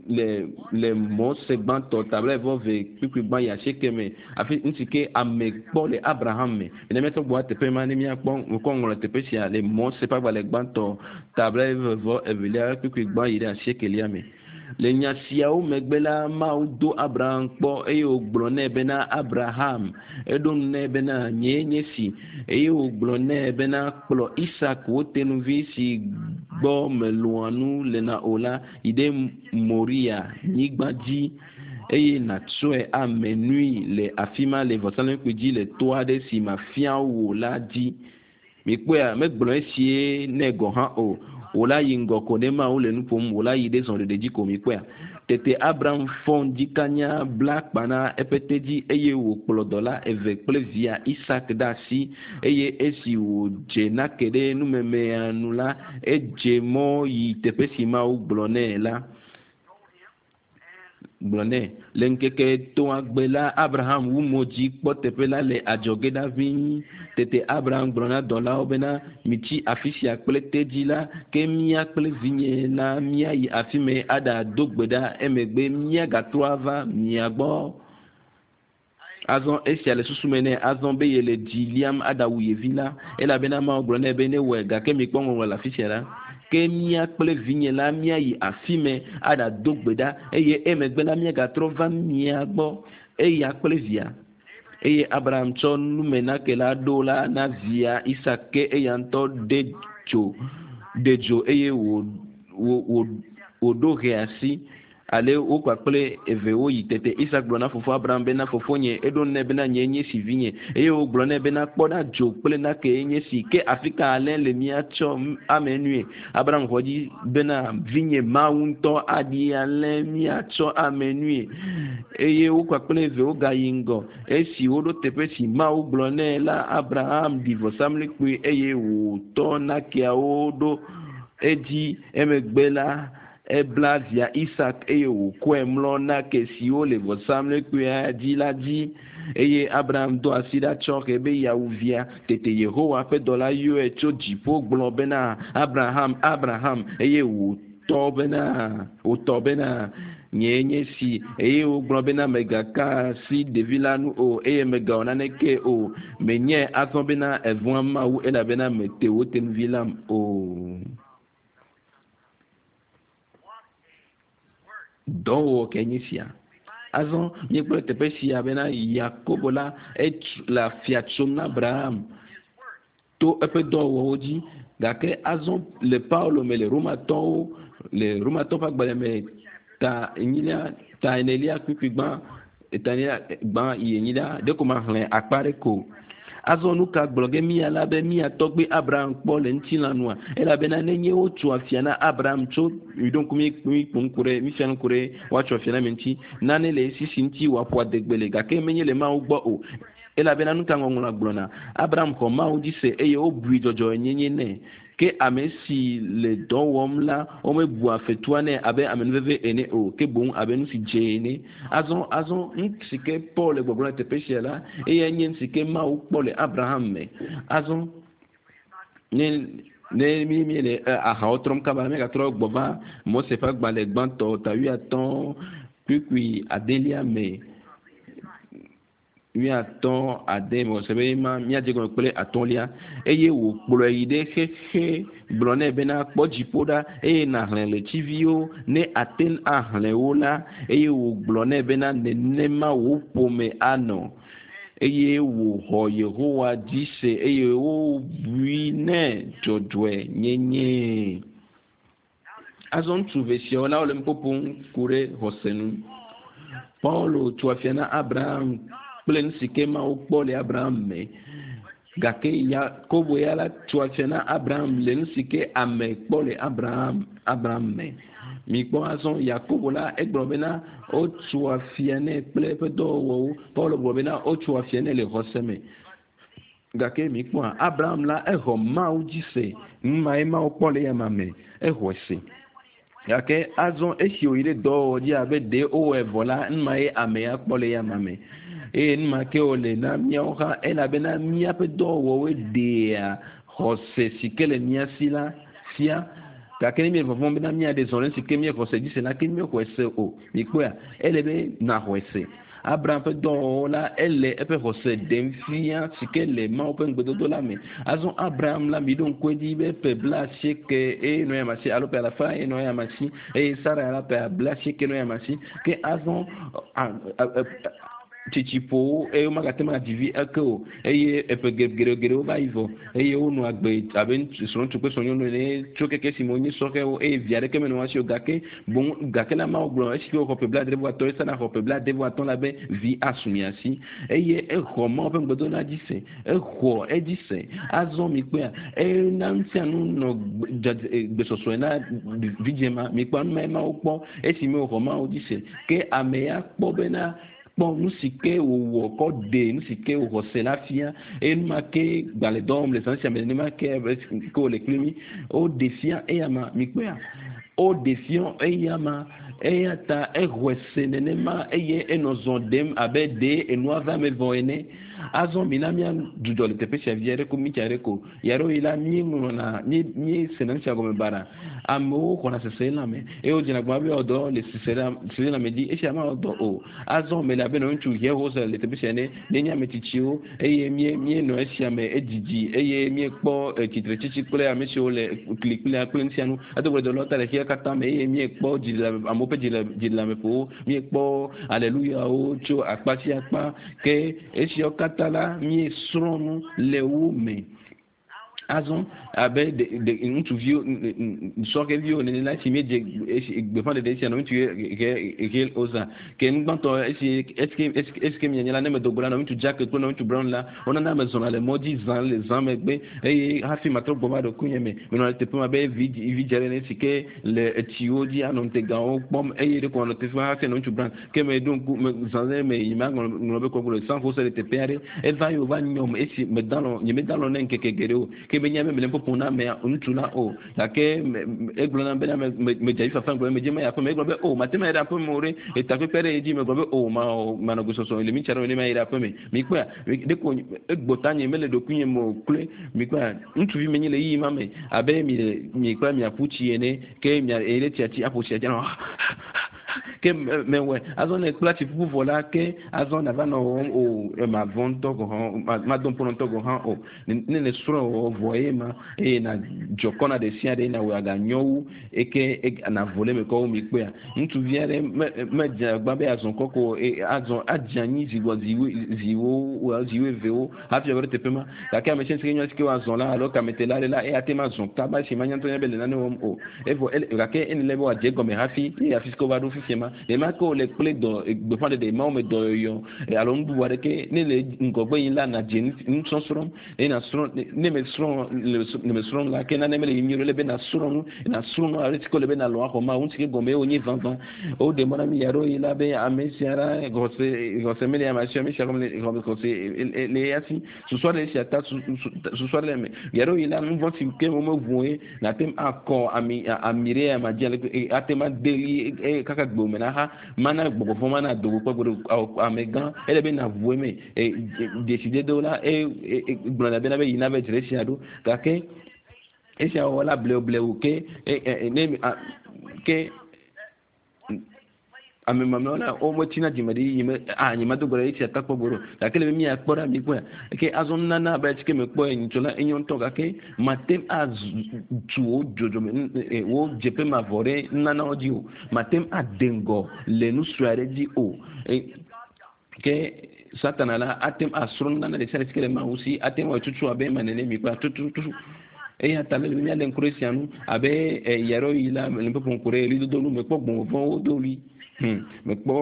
A: le le Mose gbãtɔ ta blaeve ve kpukpui gbã yi asieke me afi nu si ke ame kpɔ le Abraham me. Ne míatrɔ gbɔ teƒe ma ne míakpɔ ŋkɔ ŋlɔ teƒe sia le Mose ƒe agbalẽ gbãtɔ ta blaeve vɔ evelia kpukpui gbã yi ɖe asiekelia me. Le nya siawo megbe la Mawu do Abraham kpɔ eye wògblɔ nɛ bena Abraham eɖo nu nɛ bena nyee nye si eye wògblɔ nɛ bena kplɔ Isak wò tenuvi si gbɔ melɔ̃a nu lena o la yi ɖe Moria nyigba dzi eye nàtsɔe ame nui le afi ma le vɔsamlekpui dzi le to aɖe si mafia wò la dzi. Mikpɔea, megblɔ esie nɛ gɔ̃ hã o. Wò la yi ŋgɔ ko ne Mawu le nu ƒom, wò la yi ɖe zɔɖeɖe dzi ko mikpɔea. Tete Abraham fɔ ŋdikanya bla akpa na eƒe tedzi eye wòkplɔ dɔla eve kple via Isak ɖe asi eye esi wòdze nake ɖe numemea nu la, edze mɔ yi teƒe si Mawu gblɔ nɛ la. Gblɔ nɛ le ŋkeke etɔ̃agbe la Abraham wu mo dzi kpɔ teƒe la le adzɔge ɖa ʋĩi. Tete Abraham gblɔ na dɔlawo bena mitsi afi sia kple tedzi la ke mía kple vinye la míayi afi mɛ aɖado gbe ɖa emegbe míagatrɔ ava mia gbɔ. Azɔ esia le susu me nɛ azɔ be yele dzi liam aɖawu ye vi la elabena Mawu gblɔ nɛ be ne wɔe gake mikpɔ ŋɔŋlɔ le afi sia la ke mía kple vinye la míayi afi mɛ aɖado gbe ɖa eye emegbe la míagatrɔ va mia gbɔ eya kple via. Eye Abraham tsɔ numenake la ɖo la na via Isak ke eya ŋutɔ ɖe dzo ɖe dzo eye wò wò wòɖo hɛ asi ale wo kpakple eve woyi tete Isak gblɔ na fofoa Abraham bena fofonye eɖo nɛ bena nye nye si vinye eye wògblɔ nɛ bena kpɔ ɖa dzo kple nake nye si ke afi ka alẽ le míatsɔ ame nue. Abraham xɔ dzi bena vinye Mawu ŋutɔ aɖi alẽ míatsɔ ame nue eye wo kpakple eve wogayi ŋgɔ esi woɖo teƒe si Mawu gblɔ nɛ la Abraham ɖi vɔsamlekpui eye wòtɔ nakeawo ɖo edzi emegbe la ebla via Isak eye wòkɔe mlɔ nake siwo le vɔsamlekpuia dzi la dzi eye Abraham do asi ɖa tsɔ he be yeawu via. Tete Yehowa ƒe dɔla yɔe tso dziƒo gblɔ bena Abraham, Abraham eye wòtɔ bena wòtɔ bena nyee nye si eye wògblɔ bena mègaka asi ɖevi la nu o eye mègawɔ naneke o menyae azɔ bena èvɔ̃a Mawu elabena mète wò tenuvi lam o. Dɔwɔwɔ ke nye sia. Azɔ míekpɔ teƒe sia bena Yakobo la etu le afia tsom na Abraham to eƒe dɔwɔwɔwo dzi gake azɔ le Paulo me le Romatɔwo le Romatɔwo ƒe agbalẽ me ta enyilia ta enelia kpukpui gbã ta enelia gbã yi enyilia ɖeko maxlẽ akpa ɖe ko. Azɔ nu ka gblɔ ge mía la be mía tɔgbe Abraham kpɔ le ŋutilã nua elabena nenye wotso afia na Abraham tso miɖo ŋku mi mi kpo ŋku ɖe mifia ŋku ɖe woatso afia na mi ŋuti nane le esi si ŋuti wòaƒo adegbe le gake menye le Mawu gbɔ o elabena nu ka ŋɔŋlɔa gblɔna Abraham xɔ Mawu dzi se eye wobui dzɔdzɔenyenye nɛ ke ame si le dɔ wɔm la womebua fetua nɛ abe amenuveve ene o ke boŋ abe nu si dze ene. Azɔ azɔ nu si ke Paul le gbɔgblɔm le teƒe sia la eyae nye nu si ke Mawu kpɔ le Abraham me. Azɔ ne ne mi mi le ahawo trɔm kaba míagatrɔ gbɔ va Mose ƒe agbalẽ gbãtɔ ta wuiatɔ̃ kpukpui adelia me wuiatɔ̃ ade mɔse be ma míadze gɔme kple atɔ̃lia eye wòkplɔe yi ɖe xexe gblɔ nɛ bena kpɔ dziƒo ɖa eye nàxlẽ ɣletiviwo ne ate ŋu axlẽ wo la eye wògblɔ nɛ bena nenema wò ƒome anɔ eye wòxɔ Yehowa dzi se eye wobui nɛ dzɔdzɔenyenye. Azɔ ŋutsu eve siawo la wole nu ƒoƒom ku ɖe xɔse nu. Paulo tso afia na Abraham kple nu si ke Mawu kpɔ le Abraham me gake Yakobo ya la tso afia na Abraham le nu si ke ame kpɔ le Abraham Abraham me. Mikpɔ azɔ Yakobo la egblɔ bena wotso afia nɛ kple eƒe dɔwɔwɔwo. Paulo gblɔ bena wotso afia nɛ le xɔse me. Gake mikpɔa Abraham la exɔ Mawu dzi se nu mae Mawu kpɔ le eyama me exɔe se. Gake azɔ esi wòyi ɖe dɔwɔwɔ dzi abe ɖe wowɔe vɔ la nu mae amea kpɔ le eyama me. Eye nu ma ke wòle na míawo hã elabena míaƒe dɔwɔwɔwoe ɖea xɔse si ke le mía si la fia. Gake ne míele vɔvɔ̃m bena míaɖe zɔ ɖe si ke míexɔ se dzi se la ke míexɔe se o. Mikpɔea ele be nàxɔe se. Abraham ƒe dɔwɔwɔ la ele eƒe xɔse ɖem fia si ke le Mawu ƒe ŋugbedodo la me. Azɔ Abraham la miɖo ŋku edzi be ƒe blaasieke eye nɔ eyama si alo ƒe alafa eye nɔ eyama si eye Sara la ƒe blaasieke nɔ eyama si ke azɔ Tsitsi ƒo wo eye womagate ŋu adzi vi eke o eye eƒe geɖegeɖewo va yi vɔ eye wonɔ agbe abe srɔ̃ŋutsu kple srɔ̃nyɔnu ene tso keke si me wonye sɔhɛwo eye vi aɖeke menɔ wo si o gake boŋ gake la Mawu gblɔ esi ke woxɔ ƒe blaadre vɔ atɔ̃ Sara xɔ ƒe blaade vɔ atɔ̃ la be vi asu mia si eye exɔ Mawu ƒe ŋugbedodo dzi se exɔ edzi se azɔ mi kpɔa ena nu sia nu nɔ gbesɔsɔe na vidzĩ ma mi kpɔ nu ma Mawu kpɔ esi me wòxɔ Mawu dzi se ke ame ya kpɔ bena kpɔ nu si ke wòwɔ kɔ ɖe nu si ke wòxɔ se la fia eye nu ma ke gbalẽ dɔ wɔm le zã sia me nenema ke ke wòle kpli mi woɖe fia eya ma mi kpɔa woɖe fia eya ma eya ta exɔe se nenema eye enɔ zɔ ɖem abe ɖe enua va me vɔ ene azɔ mi na mía dzudzɔ le teƒe sia vi aɖe ko mi tsa ɖe ko yaɖewo yi la míeŋlɔna mí míesena nu sia gɔme baɖa amewo xɔna sese lãme eye wodzena gbã be yewoa dɔ le sese lãme dzi esia mawɔ dɔ o azɔ me le abe nɔ ŋutsu yewo le teƒe sia ne míenye ame tsitsiwo eye mí míenɔ esia me edzidzi eye míekpɔ tsitretsitsi kple ame siwo le kli kple kple nu sia nu ado gbe dɔ ta le xexea katã me eye míekpɔ dziɖe amewo ƒe dziɖeleameƒowo míekpɔ aleluyawo tso akpa sia akpa ke esiawo katã la míesrɔ̃ nu le wo me azɔ abe de de ŋutsuviwo sɔhɛviwo nene la esi míedze esi gbeƒãɖeɖe esia nɔ ŋutsu he he wozã ke nugbãtɔ esi esi esi esi mianya la ne medo go la nɔ ŋutsu Jack kple nɔ ŋutsu Brown la wonana me zɔna le mɔ dzi zã le zã megbe eye hafi matrɔ gbɔ va ɖokuinye me menɔ le teƒe ma be vi vi dze ɖe ne si ke le etsiwo dzi anɔ ŋutegawo kpɔm eye ɖeko manɔ teƒe ma hafi nɔ ŋutsu Brown ke me ɖo ŋku me zã ɖe me yi ma ŋlɔ ŋlɔ be kɔkɔ le San Jose le teƒe aɖe eva yi wòva nyɔm esi meda lɔ nye meda lɔ ne ŋkeke geɖewo ke menya be mele ƒoƒom na amea ŋutsu la o gake egblɔ nam bena medze avi fafa gblɔ be medze ma yi aƒeme egblɔ be o mate ma yi ɖe aƒeme o ɖe etakpekpe ɖe dzi megblɔ be o ma manɔ gbesɔsɔ le mi tsa ɖe ne ma yi ɖe aƒeme mikpɔa ɖeko egbɔ ta nye mele ɖokuinye me o kloe mikpɔa ŋutsuvi menye le yiyi ma me abe mi le mikpɔa miaƒu tsi ene ke mia eyi ɖe tsia tsi aƒo tsia tsi anɔ ke mewɔe azɔ ne kpla tsi ƒuƒu vɔ la ke azɔ nava nɔ wɔm o ma vɔ ŋutɔ gɔ hã ma do ŋpɔ ŋutɔ gɔ hã o ne le srɔ̃ wɔ vɔ ye ma eye na dzɔ kɔ na ɖe sia ɖe na wɔ aganyɔ wu eke na vo le me kɔ wo mi kpɔa ŋutsuvi aɖe me medze agba be azɔ kɔkɔ azɔ adze anyi zi gbɔ ziwo ziwo ziwo evewo hafi ava ɖo teƒe ma gake ame sia si ke nyɔ si ke woazɔ la alo kametela ɖe la eya te ma zɔ kaba esi ma nya ŋutɔ nya be le nane wɔm o evɔ gake ene le be wòadze egɔme hafi eye afi si ke wova ɖo fifia ma nema ke wòle kple dɔ gbeƒãɖeɖe mawo me dɔyɔyɔ alo nu bubu aɖeke ne le ŋgɔgbe yi la nadze nusɔsrɔ̃ eye nasrɔ̃ ne me srɔ̃ le me srɔ̃m la ke nane mele yim nyuie le be nasrɔ̃ nu nasrɔ̃ nu ale si ke wòle be nalɔ axɔ ma ŋuti ke gɔme wonye vavã woɖe mɔ na mi yaɖewo yi la be ame sia la xɔse xɔse mele ame si ame sia gɔme xɔse le eya si susu aɖe sia ta susu aɖe le eme yaɖewo yi la nu vɔ si ke womeʋu ye nate ŋu akɔ ami ami ɖe ama dzi ale ate ŋu ade ɣli kaka gbe me na ha mana gbɔgbɔvɔ mana dogo kpɔ gbɔdo amegã ele be naʋu eme dzesidedewo la e gblɔna bena be yina be dzre sia ɖo gake esia wɔwɔ la blewu blewu ke ne ke ame mamlɛwo la wometsina dzime ɖi yi me a nye medo gbe ɖe esia ta kpɔ gbɔ ɖo gake le be miakpɔ ɖa mi kpɔa ke azɔ nunana abe tsi ke mekpɔ nyitsɔ la enyo ŋutɔ gake mate ŋu atu wo dzodzome wo dzeƒe mavɔ ɖe nunanawo dzi o mate ŋu ade ŋgɔ le nu sue aɖe dzi o ke satana la ate ŋu asrɔ̃ nunana ɖe sia ɖe si ke le mawu si ate ŋu awɔe tutu abe ema nene mi kpɔa tututu eya ta mele be míalé ŋku ɖe sia nu abe yaɖewo yi la le ƒoƒo ŋku ɖe ɣlidodo nu mekpɔ gbɔgbɔvɔwo do ɣli hmm mekpɔ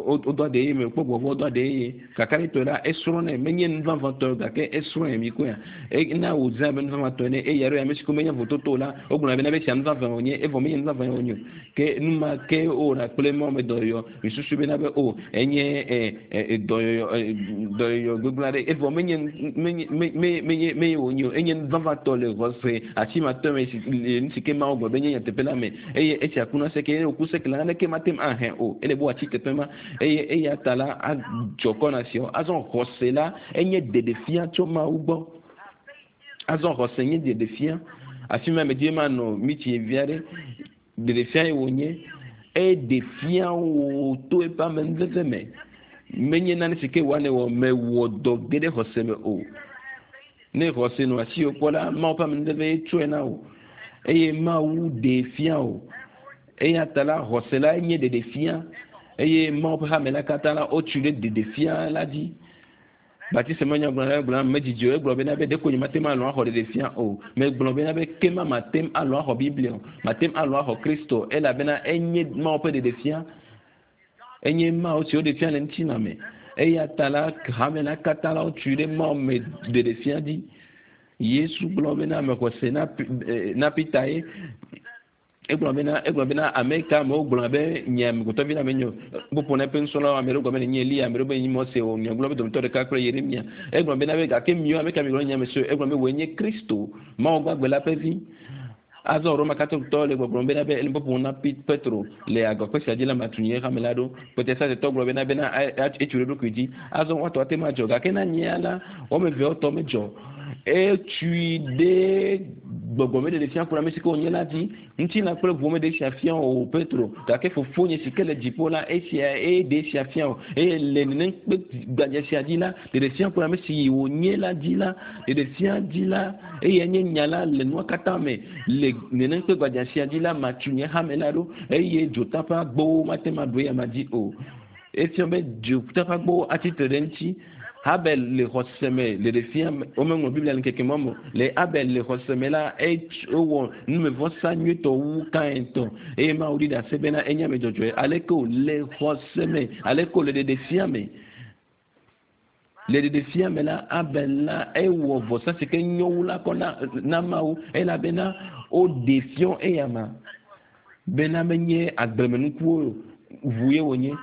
A: wodɔ aɖe ye mekpɔ gbɔgbɔ do aɖe ye kakaɖetɔe la esrɔ̃nɛ menye nu vavãtɔ gake esrɔ̃e mi koa ena wòzã abe nu vavãtɔ ene eye aɖewo ame si ko menye vototo la wogblɔna bena be sia nu vavã wònye evɔ menye nu vavã wònye o ke nu ma ke wowɔna kple mɔ me dɔyɔyɔ misusu bena be o enye dɔyɔyɔ dɔyɔyɔ gbegblẽ aɖe evɔ menye menye menye menye wònye o enye nu vavãtɔ le xɔse asimatɔ me si nu si ke Mawu gblɔ be nye nyateƒe la me eye esia kuna seke eye wòku seke la naneke mate ŋu ahẽ o ele be wòatsi teƒe ma eye eya ta la adzɔ kɔ na siawo azɔ xɔse la enye ɖeɖefia tso Mawu gbɔ azɔ xɔse nye ɖeɖefia afi ma medzi be manɔ mitsi vi aɖe ɖeɖefia ye wònye eɖe fia wò to eƒe amenuveve me menye nane si ke wòa ne wɔ mewɔ dɔ ge ɖe xɔse me o ne xɔse nɔ asiwò kpɔ la Mawu ƒe amenuveve ye tsɔe na wò eye Mawu ɖee fia wò eya ta la xɔse la nye ɖeɖefia Eye Mawu ƒe hame la katã la wotui ɖe ɖeɖefia la dzi. Batiste me nyagblɔ la gblɔ medzidzi o egblɔ bena be ɖeko nye mate ŋu alɔ̃ axɔ ɖeɖefia o. Megblɔ bena be ke ma mate ŋu alɔ̃ axɔ Biblia o. Mate ŋu alɔ̃ axɔ Kristo elabena enye Mawu ƒe ɖeɖefia. Enye Mawu si woɖe fia le ŋutilã me. Eya ta la hame la katã la wotui ɖe Mawu me ɖeɖefia dzi. Yesu gblɔ bena mexɔ se na na Peter ye egblɔ bena egblɔ bena ame ka amewo gblɔ be nye amegbetɔvi la menye ƒoƒo na eƒe nusrɔ̃lawo ame ɖewo gblɔ be nye Eliya ame ɖewo be nye Mose o nyagblɔ be dometɔ ɖeka kple Yeremia egblɔ bena be gake miwo ame ka mi gblɔ nye ame siwo egblɔ be wòe nye Kristo Mawu gbagbe la ƒe vi. Azɔ Roma Katolikotɔwo le gbɔgblɔm bena be ele ƒoƒom na Petro le agɔkpe sia dzi la matu nye hame la ɖo. Protestantitɔ gblɔ bena bena etsu ɖe eɖokui dzi. Azɔ woatɔ ate ŋu adzɔ gake na nyea la woame eveawo tɔ medzɔ. Etui ɖe gbɔgbɔmeɖeɖefia ku ɖe ame si ke wònye la dzi. Ŋutilã kple ʋu meɖe esia fia o Petro gake fofonye si ke le dziƒo la esia eye ɖe esia fia o eye le nenem kpe gbadza sia dzi la ɖeɖefia ku ɖe ame si wònye la dzi la ɖeɖefia dzi la eye nye nya la le nua katã me le nenem kpe gbadza sia dzi la matu nye hame la ɖo eye dzota ƒe agbowo mate ŋu aɖo eya ma dzi o. Efia be dzota ƒe agbowo atsitre ɖe eŋuti. Abel le xɔse me le ɖefia womeŋlɔ Biblia le ŋkeke ma me o. Le Abel le xɔse me la ewɔ numevɔsa nyuietɔ wu Kain tɔ eye Mawu ɖi ɖase bena enye ame dzɔdzɔe. Aleke wòle xɔse me, aleke wòle ɖeɖefia me. Le ɖeɖefia me la Abel la ewɔ vɔsa si ke nyo wu la kɔ na na Mawu elabena woɖe fiɔ eyama bena menye agblemenukuwo ʋu ye wònye.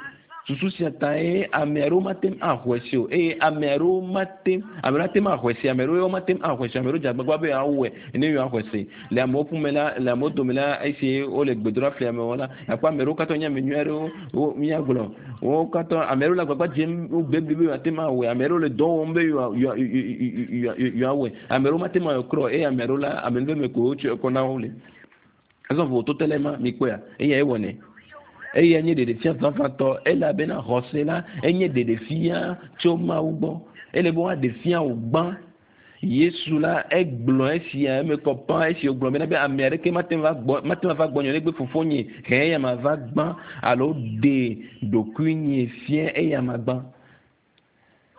A: Susu sia ta ye ame aɖewo mate ŋu axɔe se o eye ame aɖewo mate ame aɖewo ate ŋu axɔe se ame aɖewo mate ŋu axɔe se ame aɖewo dze agbagba be yewoawɔe ne yewoaxɔe se le amewo ƒume la le amewo dome la esi wole gbedoɖa fli amewo la akpɔ ame aɖewo katã nye ame nyui aɖewo wo míagblɔ wo katã ame aɖewo le agbagba dzem wogbe blibo yewoate ŋu awɔe ame aɖewo le dɔ wɔm be yewoawɔe ame aɖewo mate ŋu awɔe krɔ eye ame aɖewo la ame nu me ko wotsɔe kɔ na wo le azɔ vovototo le ema mikpɔea eya ewɔnɛ. Eya nye ɖeɖefia vavãtɔ elabena xɔse la enye ɖeɖefia tso Mawu gbɔ. Ele be woaɖe fia wò gbã. Yesu la egblɔ esia eme kɔ pã esi wògblɔ bena be ame aɖeke mate ŋu va gbɔ mate ŋu ava gbɔnye negbe fofonye he eya ma va gbã alo ɖe ɖokuinye fia eya ma gbã.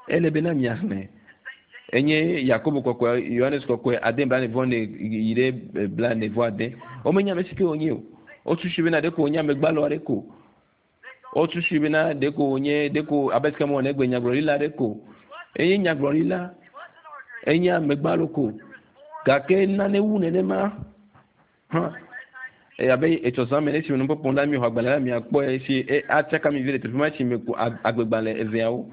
A: Ele bena miaxlẽ. Enye Yakobo kɔkɔe, Yohanes kɔkɔe ade blaene vɔ ene yi ɖe blaene vɔ ade. Womenya ame si ke wònye o. Wosusui bena ɖeko wònye amegbalo aɖe ko. Wosusui bena ɖeko wònye ɖeko abe sike mewɔ negbe nyagblɔɖila aɖe ko. Enye nyagblɔɖila, enye amegbalo ko. Gake nane wu nenema hã. Abe etsɔ zã me ne esi me nukpɔkpɔ la mi xɔ agbalẽ la miakpɔe esi atsaka mi vi ɖe teƒe ma esi me ku agbegbalẽ eveawo.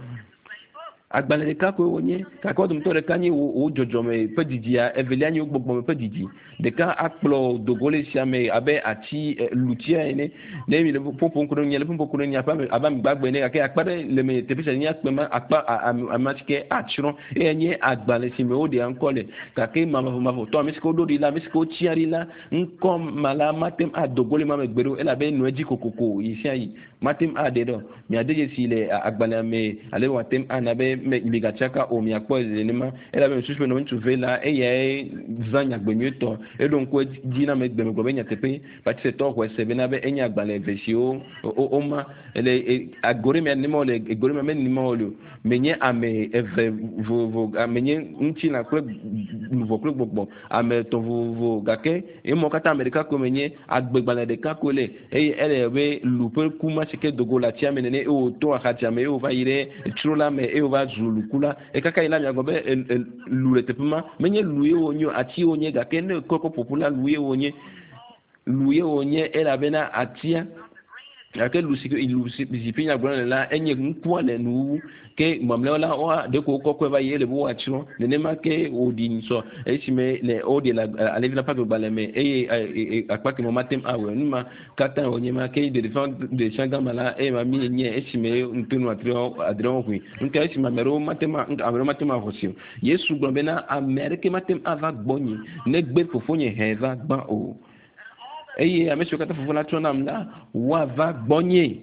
A: Agbalẽ ɖeka koe wònye gake wo dometɔ ɖeka nye wò dzɔdzɔme ƒe didia, evelia nye wò gbɔgbɔme ƒe didi. Ɖeka akplɔ dogo le sia me abe ati lutia ene. Ne mi le ƒoƒom ku ɖe nye le ƒoƒom ku ɖe nye abe abe amegbagbe ene gake akpa ɖe le me teƒe sia nye akpe ma akpa ame si ke atsrɔ̃ eye nye agbalẽ si me woɖea ŋkɔ le gake mavɔmavɔtɔ ame si ke woɖo ɖi la ame si ke wotsia ɖi la ŋkɔ ma la mate ŋu ado go le ma me gbe ɖo elabe nɔ edzi kokoko yi sia yi mate ŋu aɖe ɖe o. Miade dzesi le agbalẽa me ale wòate ŋu ana be migatsaka o miakpɔe nenema elabe mesusu be ŋutsu ve la eyae zã nyagbe nyuietɔ eɖo ŋku dzi na ame gbe megblɔ be nyateƒe Batistɔ xɔe se bena be enye agbalẽ eve siwo woma le ago ɖe mia nenema wole ego ɖe mia menenema wole o menye ame eve vovovo menye ŋutilã kple luʋɔ kple gbɔgbɔ ame etɔ̃ vovovo gake emɔ katã ame ɖeka koe menye agbegbalẽ ɖeka koe le eye ele be lu ƒe ku ma si ke dogo le atsia me nene eye wòto axatsia me eye wòva yi ɖe tsro la me eye wòva zu luku la ekaka yi la miagblɔ be lu le teƒe ma menye lu ye wònye o ati wònye gake ne kɔkɔ ƒoƒu la lu ye wònye lu ye wònye elabena atia gake lu si lu si ƒe nyagblɔ le la enye ŋkua le nuwuwu ke mamlɛawo la woa ɖeko wokɔkɔe va yi ele be woatsrɔ̃ nenema ke wòɖi ŋusɔ esime le woɖe le alevi la ƒe agbegbalẽ me eye akpa keme mate ŋu awɔe nu ma katã wònye ma ke ɖeɖefia ɖefia gama la eye ma mi nye esime ŋutonu adreawo ʋui ŋutɔ esime ame aɖewo mate ŋu ame aɖewo mate ŋu axɔ si o. Yesu gblɔ bena ame aɖeke mate ŋu ava gbɔnye negbe fofonye hɛ va gbã o. Eye ame siwo katã fofo la tsɔ nam la woava gbɔnye.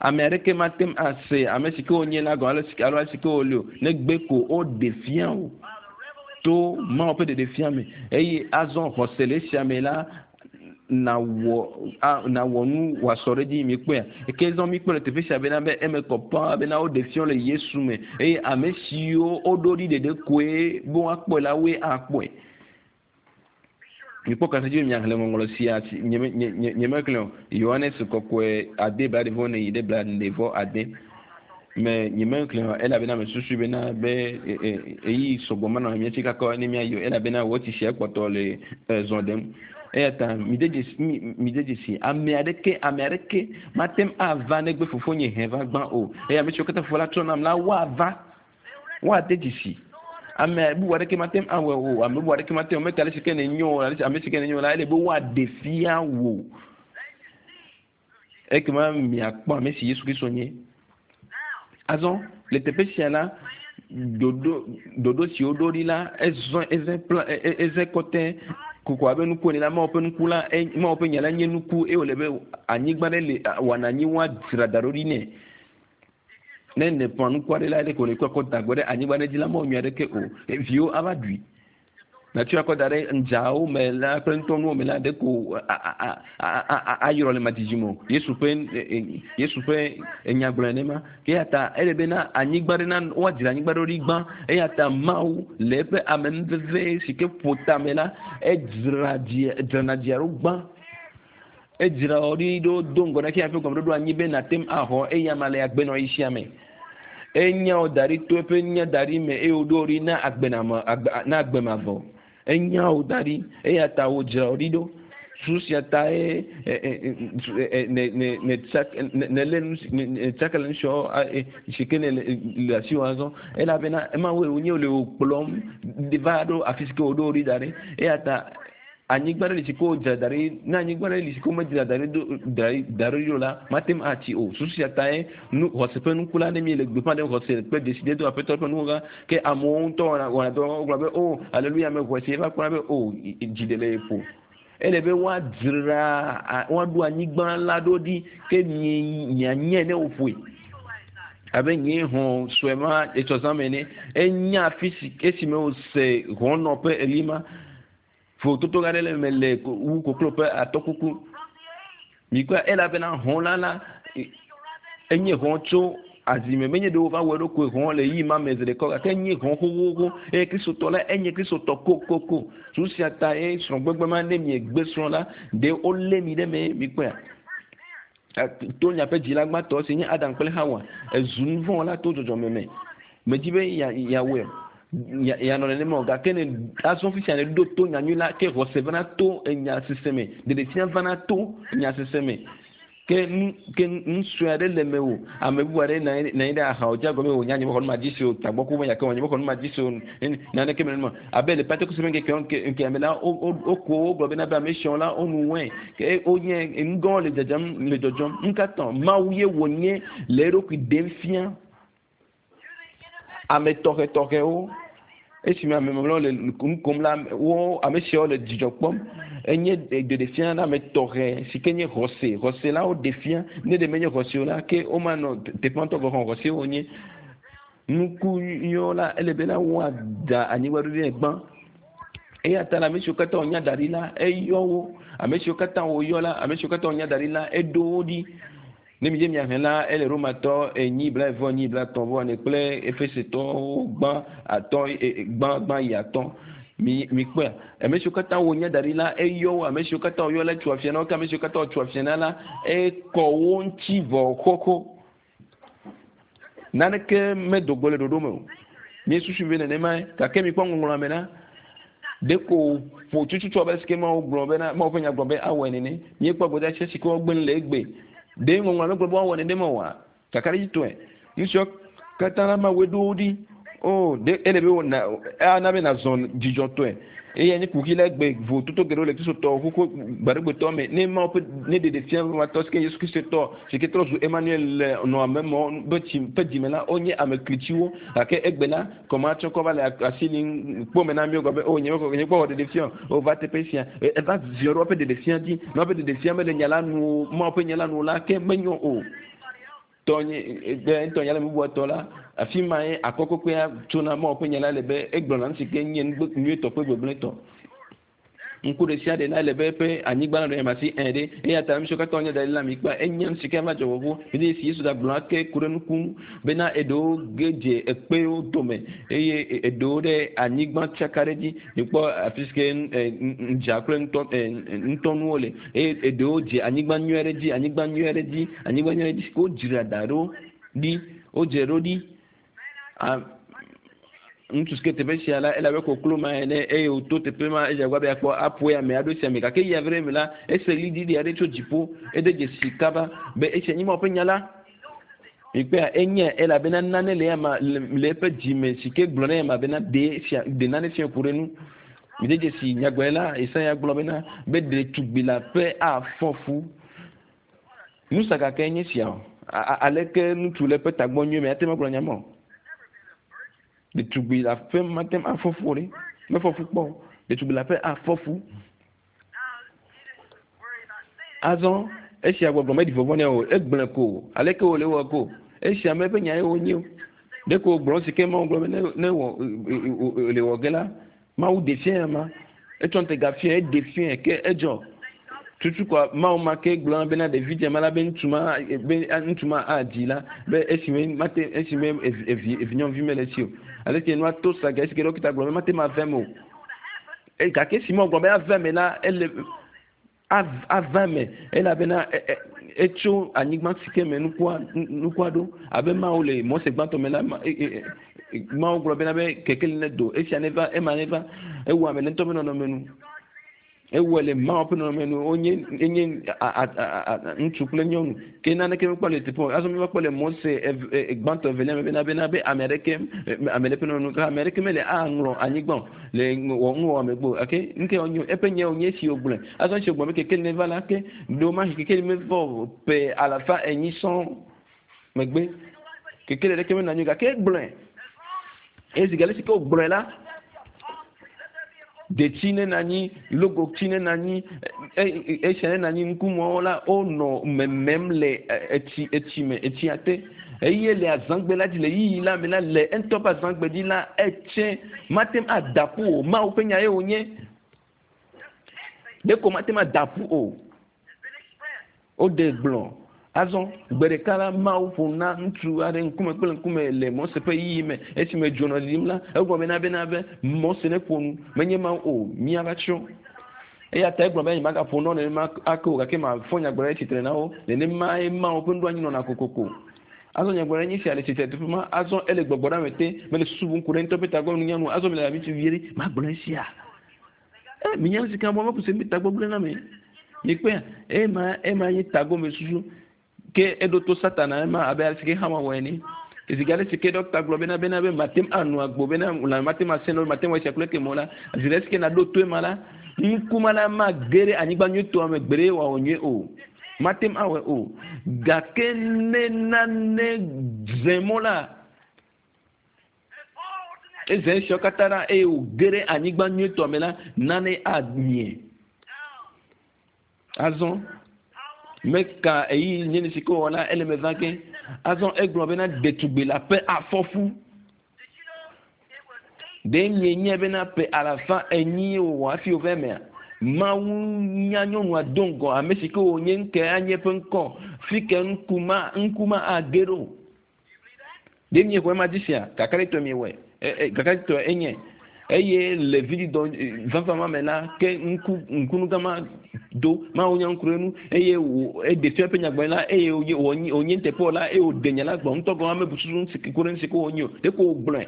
A: Ame aɖeke mate ŋu ase ame si ke wonye la gɔme alo ale si ke wole o negbe ko woɖe fia o to Mawu ƒe ɖeɖefia me eye azɔ xɔse le esia me la nawɔ nawɔ nu wòasɔ ɖe edzi mi kpɔea ke zɔn mi kpɔ le teƒe sia bena be eme kɔ paa bena woɖe fiɔ le Yesu me eye ame siwo woɖo ɖi ɖeɖe koe be woakpɔe la woe akpɔe. Mikpɔ kasa dzi be miaxlẽ ŋɔŋlɔ sia nye nye nye mexlẽ o Yohanes kɔkɔe ade bla ɖe vɔ ne yi ɖe bla ɖe vɔ ade me nye mexlẽ o elabena me susu bena be eyi sɔgbɔ manɔ mía tsi kakɔ ne míayi o elabena wɔ tsi sia kpɔtɔ le zɔ ɖem eya ta mi de dzesi mi de dzesi ame aɖeke ame aɖeke mate ŋu ava negbe fofonye hẽ va gbã o eye ame siwo katã fofo la trɔ nam la woava woade dzesi ame bubu aɖeke mate ŋu awɔe o ame bubu aɖeke mate ŋu meka ale si ke ne nyo ale si ame si ke ne nyo la ele be woaɖe fia wò ekema miakpɔ ame si Yesu Kristo nye azɔ le teƒe sia la ɖoɖo ɖoɖo si woɖo ɖi la ezɔ eze plan eze kɔtɛ koko abe nuku ene la Mawu ƒe nuku la Mawu ƒe nya la nye nuku eye wòle be anyigba ɖe le wɔna anyi woadzra da ɖo ɖi nɛ ne ne ƒã nuku aɖe la ɖe ko ne kɔ kɔ da gbɔ ɖe anyigba ɖe dzi la mawɔ nyui aɖeke o viwo ava ɖui natsɔ akɔ da ɖe ŋdzawo me la kple ŋutɔnuwo me la ɖe ko ayɔrɔ le madzidzi me o Yesu ƒe Yesu ƒe enyagblɔ nenema eya ta ele bena anyigba ɖe na woadzra anyigba ɖe ɖi gbã eya ta Mawu le eƒe amenuveve si ke ƒo tame la edzra dzi dzrana dzia ɖo gbã edzra wɔ ɖi ɖo do ŋgɔ na ke ƒe gɔmeɖoɖo anyi be nate ŋu axɔ eya ma le agbenɔɣi sia me enya wo da ɖi to eƒe nya da ɖi me eye woɖo ɖi na agbename agbe na agbemavɔ enya wo da ɖi eya ta wodzra wo ɖi ɖo su sia ta ye ne ne ne tsa ne lé nu ne tsaka le nu siawo si ke ne le asi wò azɔ elabena ema woe wonye le wò kplɔm va ɖo afi si ke woɖo ɖi da ɖi eya ta anyigba ɖe li si ke wodzra da ɖi ne anyigba ɖe li si ke womedzra da ɖi ɖo da ɖi ɖo la mate ŋu atsi o susu sia ta ye nu xɔse ƒe nuku la ne mi le gbeƒã ɖem xɔse kple dzesi dedo aƒetɔ ƒe nuwo la ke amewo ŋutɔ wɔna wɔna dɔ wogblɔ be o aleluya me xɔse va kpɔna be o dzi ɖe le ye ƒo ele be woadzra woaɖo anyigba la ɖo ɖi ke mie mianye ne woƒoe abe nye hɔn sue ma etsɔ zã me ene enya afi si esime wose hɔnɔ ƒe eli ma vototo aɖe le me le wu koklo ƒe atɔkuku mikpɔe elabena hɔn la la enye hɔn tso azime menye ɖe wova wɔ eɖokui hɔn le yi ma me zi ɖeka gake enye hɔn xoxoxo eye kristotɔ la enye kristotɔ kokoko su sia ta ye srɔ̃gbegbe ma ne miegbe srɔ̃ la ɖe wolé mi ɖe me mikpɔea to miaƒe dzila gbãtɔ si nye Adam kple Hawa ezu nu vɔ̃ la to dzɔdzɔme me medzi be ya yawɔe yanɔ nenema o gake ne azɔ fisia ne ɖo to nyanyui la ke xɔse vana to enya sese me ɖeɖefia vana to enya sese me ke nu ke nu sue aɖe le me o ame bubu aɖe na anyi ɖe ahawo dzi agɔme o nya nye mexɔ nu ma dzi se o tagbɔku me gake nye mexɔ nu ma dzi se o naneke me nenema abe le Pentekoste ƒe ŋkeke ŋkeke me la woko wogblɔ bena be ame siawo la wonu wɔe ke wonye nugãwo le dzadzam le dzɔdzɔm nukatã Mawu ye wònye le eɖokui ɖem fia ame tɔxɛtɔxɛwo esime ame mamlɛwo le nu kom la wo ame siawo le dzidzɔ kpɔm enye ɖeɖefia na ame tɔxɛ si ke nye xɔse xɔse la woɖe fia ne ɖe menye xɔse o la ke womanɔ teƒe ŋutɔ gɔ̃ hã xɔse wonye nuku nyuiwo la ele bena woada anyigba ɖo ɖe gbã eya ta la ame siwo katã wonya da ɖi la eyɔ wo ame siwo katã woyɔ la ame siwo katã wonya da ɖi la eɖo wo ɖi ne mi dze miaxlẽ la ele romatɔ enyi blaeve enyi blaetɔ̃ vɔ ene kple efesetɔwo gbã atɔ̃ gbã gbã yi atɔ̃ mi mi kpɔe ame siwo katã wonya da ɖi la eyɔ wo ame siwo katã woyɔ la tso afia na wo ke ame siwo katã wotso afia na la ekɔ wo ŋuti vɔ xoxo naneke medo go le ɖoɖo me o míesusu be nenema gake mikpɔ ŋɔŋlɔa me la ɖeko ƒo tututu abe si ke Mawu gblɔ bena Mawu ƒe nya gblɔ be awɔe nene míekpɔ gbedeasi si ke wogbe le egbe ɖe ŋɔŋlɔa megblɔ be woawɔ nenema oa kakaɖedzitɔe nu siawo katã la Mawu ɖo wo ɖi o ɖe ele be wona ana be nazɔ dzidzɔtɔe eye nye kuxi la egbe vototo geɖewo le kristotɔwo xoxo gbaɖegbetɔ me ne Mawu ƒe ne ɖeɖefia vatɔ si ke Yesu Kristo tɔ si ke trɔ zu Emmanuel le nɔ ame mɔ ƒe tsi ƒe dzime la wonye ame klitsiwo gake egbe la kɔmatsɔ kɔ va le asi li kpɔ me na míwo gblɔ be o nye nye kpɔ wɔ ɖeɖefia o va teƒe sia eva ziɔ ɖe woƒe ɖeɖefia dzi ne woƒe ɖeɖefia mele nya la nu Mawu ƒe nya la nu la ke menyo o tɔnye ɖe ŋutɔ nya la bubua tɔ la afi ma ye akɔkɔkɔea tsona Mawu ƒe nya la le be egblɔna nu si ke nye nyuietɔ kple gbegblẽtɔ Ŋku ɖe sia ɖe la ele be eƒe anyigba la nɔ yamasi ɛ ɖe eya ta nu siwo katã wonye da ɖi la mi kpa enye nu si ke va dzɔ vɔvɔ eye si Yesu gagblɔ ake ku ɖe nuku ŋu bena eɖewo ge dze ekpewo dome eye eɖewo ɖe anyigba tsaka ɖe dzi mikpɔ afi si ke ŋdza kple ŋutɔ ŋutɔnuwo le eye eɖewo dze anyigba nyui aɖe dzi anyigba nyui aɖe dzi anyigba nyui aɖe dzi si ke wodzra da ɖo ɖi wodzra ɖo ɖi ŋutsu si ke teƒe sia la ele abe koklo ma ene eye wòto teƒe ma edze agbagba be yeakpɔ aƒoe ame aɖewo sia me gake eya ve ɖe eme la ese ɣliɖiɖi aɖe tso dziƒo ede dzesi kaba be esia nye Mawu ƒe nya la mikpɔa enye elabena nane le ama le eƒe dzime si ke gblɔ na ema bena ɖe fia ɖe nane fia ku ɖe nu mide dzesi nyagblɔɖila Yesaya gblɔ bena be ɖetugbi la ƒe afɔ fu nusa gake nye sia o aleke ŋutsu le eƒe tagbɔ nyuie me ate ŋu agblɔ nya ma o ɖetugbi la ƒe mate ŋu afɔ fu o ɖe mefɔ fu kpɔ o ɖetugbi la ƒe afɔ fu azɔ esia gbɔgblɔ meɖi vɔvɔ nɛ o egblẽ ko aleke wòle wɔ ko esia me ƒe nya ye wonye o ɖeko wògblɔ si ke Mawu gblɔ be ne ne wɔ le wɔ ge la Mawu ɖe fia ya ma etsɔ ŋutega fia eɖe fia ke edzɔ tutu kɔ Mawu ma ke gblɔ bena ɖevi dze ma la be ŋutsu ma be ŋutsu ma adzi la be esime mate esime evi evi nyɔnuvi mele esi o aleke nua to sa ge esi ke ɖɔkita gblɔ be mate ma ve me o e gake esi ma gblɔ be ave me la ele ava me elabena etso anyigba si ke me nukua nukua ɖo abe Mawu le Mose gbãtɔ me la Mawu gblɔ bena be kekeli ne do esia ne va ema ne va ewɔ ame le ŋutɔ ƒe nɔnɔme nu ewɔ le Mawu ƒe nɔnɔme nu wonye enye ŋutsu kple nyɔnu ke naneke mekpɔ le teƒe o azɔ mi va kpɔ le Mose gbãtɔ evelia me bena bena be ame aɖeke ame ɖe ƒe nɔnɔme nu ame aɖeke mele aŋlɔ anyigba o le wɔ nuwɔwɔ megbe o gake nke wonye eƒe nye wonye esi wògblɔe azɔ esi wògblɔ be kekeli ne va la ke ɖewomahi kekeli meva o ƒe alafa enyi sɔŋ megbe kekeli ɖeke menɔ anyi o gake egblɔe eye zi geɖe si ke wògblɔe la detsi ne nɔ anyi logotsi ne nɔ anyi esia ne nɔ anyi ŋkumɔwo la wonɔ memem le etsi etsi me etsia te eye le azãgbe la dzi le yiyi la me la le ŋutɔ ƒe azãgbe dzi la etse mate ŋu ada ƒu o Mawu ƒe nya ye wònye ɖeko mate ŋu ada ƒu o woɖe gblɔ azɔ gbe ɖeka la Mawu ƒo na ŋutsu aɖe ŋkume kple ŋkume le Mose ƒe yiyi me esime dzo nɔ ɖiɖim la egblɔ bena bena be Mose ne ƒo nu menye Mawu o míava tsrɔ̃ eya ta egblɔ be nyemagaƒo nɔ nenema ake o gake mafɔ nyagblɔɖi tsitre na wo nenema ye Mawu ƒe nuɖoanyi nɔna kokoko azɔ nyagblɔɖi nye sia le tsitre teƒe ma azɔ ele gbɔgbɔ ɖe ame te mele susu bum ku ɖe ŋutɔ ƒe tagbɔ nunya nu azɔ mele abi vie ɖe magblɔ esia e minya nu si ke bɔ meku se mi tagbɔ gblẽ na me mikpɔa ema ema nye tagbɔ me susu ke eɖo to Satana ema abe ale si ke Xawa wɔ ene zi geɖe si ke ɖɔkita gblɔ bena bena be mate ŋu anu agbo bena lãme mate ŋu asẽ na mate ŋu esia kple ke mɔ la zi ɖe si ke naɖo to ema la ŋkuma la ma ge ɖe anyigba nyuitɔa me gbe ɖe wòawɔ nyuie o mate ŋu awɔe o gake ne nane ze mɔ la eze esiawo katã la eye wòge ɖe anyigba nyuitɔa me la nane amie azɔ meka eyi nye nu si ke wòwɔ la ele me va ke azɔ egblɔ bena ɖetugbi la ƒe afɔfu ɖe mienye bena ƒe alafa enyi wòwɔ hafi wòva emea Mawu nya nyɔnua do ŋgɔ ame si ke wònye ŋke anye eƒe ŋkɔ fi ke ŋkuma ŋkuma age ɖo ɖe miexɔe ma dzi sia kakaɖetɔe miewɔe kakaɖetɔe enye eye le vidzidɔ vava ma me la ke ŋku ŋkunugama do Mawu nya ŋku ɖe nu eye wò eɖe fia eƒe nyagblɔɖi la eye wònye wònye teƒe la eye wòɖe nya la gblɔ ŋutɔ gɔme ame bu susu ku ɖe nu si ke wònye o ɖeko wògblɔe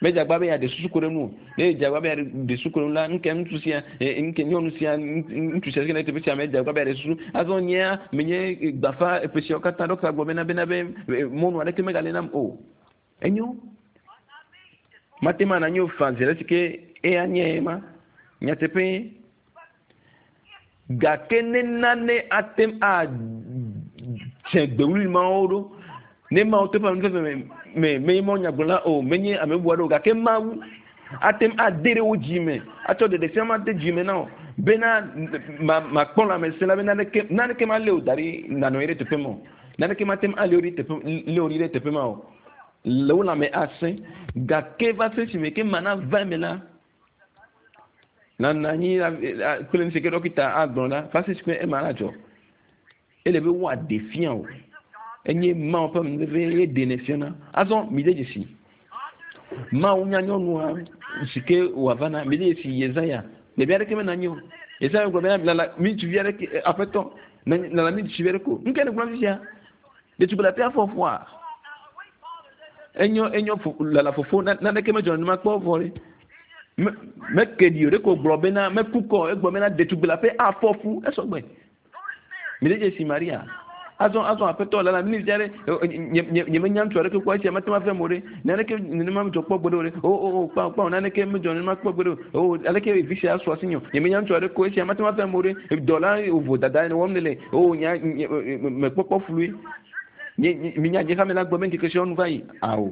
A: medze agba be yeaɖe susu ku ɖe nu o ne edze agba be yeaɖe susu ku ɖe nu la ŋke ŋutsu sia ŋke nyɔnu sia ŋutsu sia si ke le teƒe sia medze agba be yeaɖe susu azɔ nyea menye gbafa eƒe siawo katã ɖɔkita gblɔ bena bena be mɔnu aɖeke megale nam o enyo mate ma nanyo fa zi ɖe si ke eya nye ma nyateƒe gake ne nane ate ŋu adze gbewuli mawo ɖo ne Mawu to ƒe ame me me menye Mawu nyagblɔla o menye ame bubu aɖe o gake Mawu ate ŋu ade ɖe wo dzi me atsɔ ɖeɖe fia ma de dzi me na wo bena ma makpɔ lãmesẽ la be naneke naneke ma lé o da ɖi nanɔ anyi ɖe teƒe ma o naneke mate ŋu alé wo ɖi teƒe lé wo ɖi ɖe teƒe ma o le wo lãme asẽ gake va se esime ke mana va eme la Nana anyi kple nu si ke ɖɔkita agblɔ la va se si ke ema la dzɔ. Ele be woaɖe fia o. Enye Mawu ƒe amenuveve ye ɖenɛ fiana. Azɔ mi de dzesi. Mawu nya nyɔnua si ke wòava na mi de dzesi Yesaya. Ɖevi aɖeke mena anyi o. Yesaya gblɔ bena lala mi ŋutsuvi aɖeke aƒetɔ lala mi ŋutsuvi aɖeke o. Nu ka nègblɔm fifia? Ɖetugbi le aƒea fɔfɔa. Enyo enyo lala fofo naneke medzɔ nenema kpɔ vɔ ɖe. Meke ɖi o ɖeko gblɔ bena meku kɔ egblɔ bena ɖetugbi le aƒe afɔ fu esɔgbe. Mi de dzesi Maria. Azɔ azɔ aƒetɔ lala mi via ɖe nye nye nye menya ŋutsu aɖeke kpɔ esia mate ŋu ave mo ɖe naneke nenema medzɔ kpɔ gbeɖe o ɖe o o o kpa kpa naneke medzɔ nenema kpɔ gbeɖe o o aleke vi sia su asi nye nye menya ŋutsu aɖeke o esia mate ŋu ave mo ɖe dɔla vovo dada ene wɔm ne le o nya mekpɔkpɔ flui nye nye minya nye hame la gbɔ be ŋkeke siawo nu va yi awo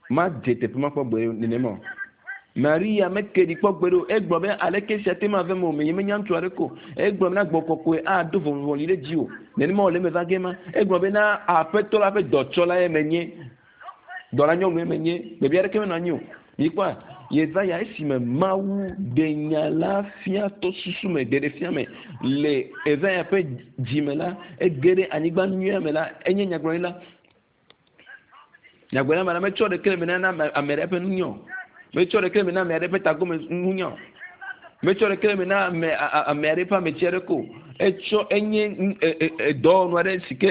A: ma dze teƒe ma kpɔ gbe nenema o. Maria meke ɖi kpɔ gbeɖe o egblɔ be aleke sia te ma ve me o menye menya ŋutsu aɖeke o egblɔ bena gbɔ kɔkɔe ado vɔvɔli ɖe dzi o nenema wòle eme va ge ma egblɔ bena aƒetɔ la ƒe dɔtsɔla ye menye dɔla nyɔnu ye menye ɖevi aɖeke menɔ anyi o mikpɔa Yesaya esime Mawu ɖe nya la fia to susu me ɖeɖe fia me le Yesaya ƒe dzime la ege ɖe anyigba nyuia me la enye nyagblɔɖila nyagblɔɖila ma la metsɔ ɖeke le me na ame aɖe ƒe nunya o metsɔ ɖeke le me na ame aɖe ƒe tagome nunya o metsɔ ɖeke le me na ame ame aɖe ƒe ametsi aɖe ko etsɔ enye dɔwɔnu aɖe si ke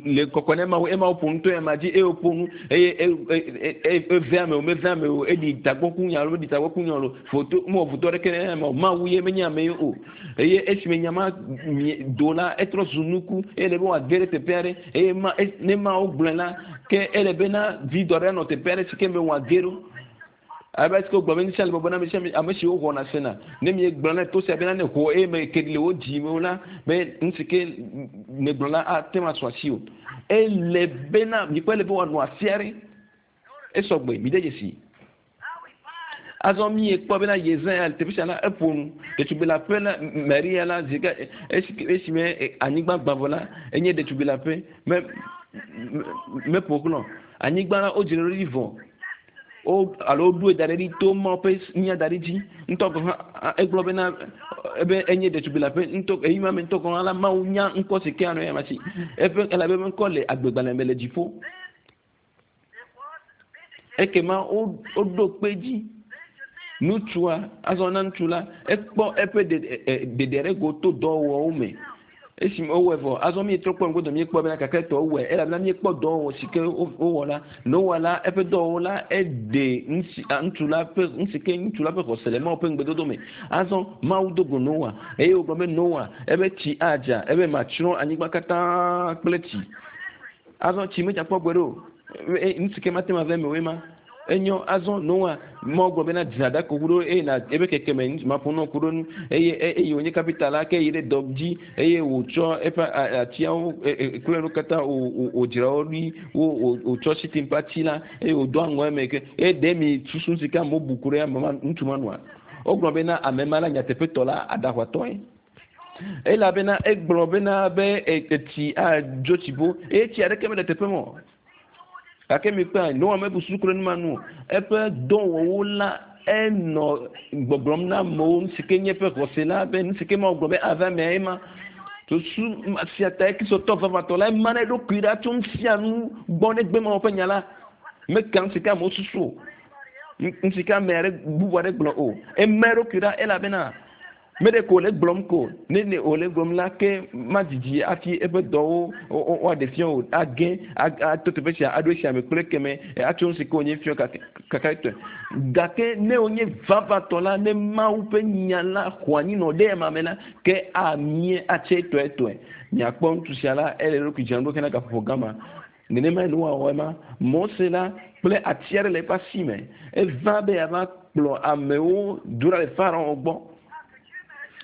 A: le kɔkɔ ne Mawu ema woƒo nu to ema dzi eye woƒo nu eye eve ame o meve ame o eɖi tagbɔkunya alo meɖi tagbɔkunya o foto mewɔ foto aɖeke ne ame o Mawu ye menye ame ye o eye esime nya ma do la etrɔ zu nuku eye le be wòage ɖe teƒe aɖe eye ma ne Mawu gblɔe la ke ele bena vidɔ aɖe nɔ teƒe aɖe si ke me wòage ɖo abe esike wogblɔ be nusia le bɔbɔ na ame sia ame ame siwo xɔna sena ne mi gblɔ na to sia bena ne xɔ eye me ke le wo dzi me o la be nu si ke ne gblɔ la ate ŋu asu asi o ele bena mikpɔ ele be wòanɔ afi aɖe esɔgbe mi de dzesi azɔ mi kpɔ bena Yesaya le teƒe sia la eƒo nu ɖetugbi le aƒe la Maria la zi ke esime anyigba gbã vɔ la enye ɖetugbi le aƒe me meƒo xlɔ anyigba la wodzra ɖo ɖi vɔ wo alo woɖoe da ɖe ɖi to Mawu ƒe nya da ɖe dzi ŋutɔ gɔ̃ hã egblɔ bena ebe enye ɖetugbi le aƒe ŋutɔ eyi ma me ŋutɔ gɔ̃ hã la Mawu nya ŋkɔ si ke anɔ eya ma si eƒe elabe eƒe ŋkɔ le agbegbalẽ me le dziƒo ekema wo woɖo kpe dzi ŋutsua azɔ na ŋutsu la ekpɔ eƒe ɖeɖe ɖe go to dɔwɔwɔwo me esime wowɔe vɔ azɔ mi trɔ kpɔ ŋgodo mi kpɔ bena kake tɔ wowɔe elabena mi kpɔ dɔwɔwɔ si ke wowɔ la Noa la eƒe dɔwɔwɔ la eɖe ŋusi ŋutsu la ƒe ŋusi ke ŋutsu la ƒe xɔse le Mawu ƒe ŋugbedodo me azɔ Mawu do go Noa eye wògblɔ be Noa ebe tsi adza ebe matsrɔ̃ anyigba katã kple tsi azɔ tsi medza kpɔ gbe ɖe o ŋusi ke mate ŋu ave eme o ema enyo azɔ Noa Mawu gblɔ bena dzra ɖako ku ɖo eye na ebe keke me maƒo nɔ ku ɖo nu eye eye wònye kapita la ke yi ɖe dɔ dzi eye wòtsɔ eƒe atiawo kple nu katã wòdzra wo ɖi wo wòtsɔ sitim ƒe ati la eye wòdo aŋɔ eme ke eye ɖe mi susu si ke amewo bu ku ɖe ame ma ŋutsu ma nua wogblɔ bena ame ma la nyateƒetɔ la aɖaʋatɔe elabena egblɔ bena be etsi adzo tsi bo eye tsi aɖeke mele teƒe me o gake mi kpea Noa mebu susu ku ɖe nu ma nu o eƒe dɔwɔwɔ la enɔ gbɔgblɔm na amewo nu si ke nye eƒe xɔse la be nu si ke Mawu gblɔ be ava emea ema susu sia ta kristotɔ vavãtɔ la ema na eɖokui ɖa tso nu sia nu gbɔ ne gbe Mawu ƒe nya la meka nu si ke amewo susu o nu si ke ame aɖe bubu aɖe gblɔ o ema eɖokui ɖa elabena me ɖe ko wòle gblɔm ko ne ne wòle gblɔm la ke madzidzi hafi eƒe dɔwo woaɖe fia o age ato teƒe sia aɖo esia me kple keme atso nu si ke wònye fia kakatɔe gake ne wònye vavãtɔ la ne Mawu ƒe nya la xɔ anyi nɔ ɖe ema me la ke amie atse tɔetɔe miakpɔ ŋutsu sia la ele eɖokui dzram ɖo hena gaƒoƒo gama nenema Noa wɔ ema Mose la kple ati aɖe le eƒe asi me eva be yeava kplɔ amewo do ɖa le Farao gbɔ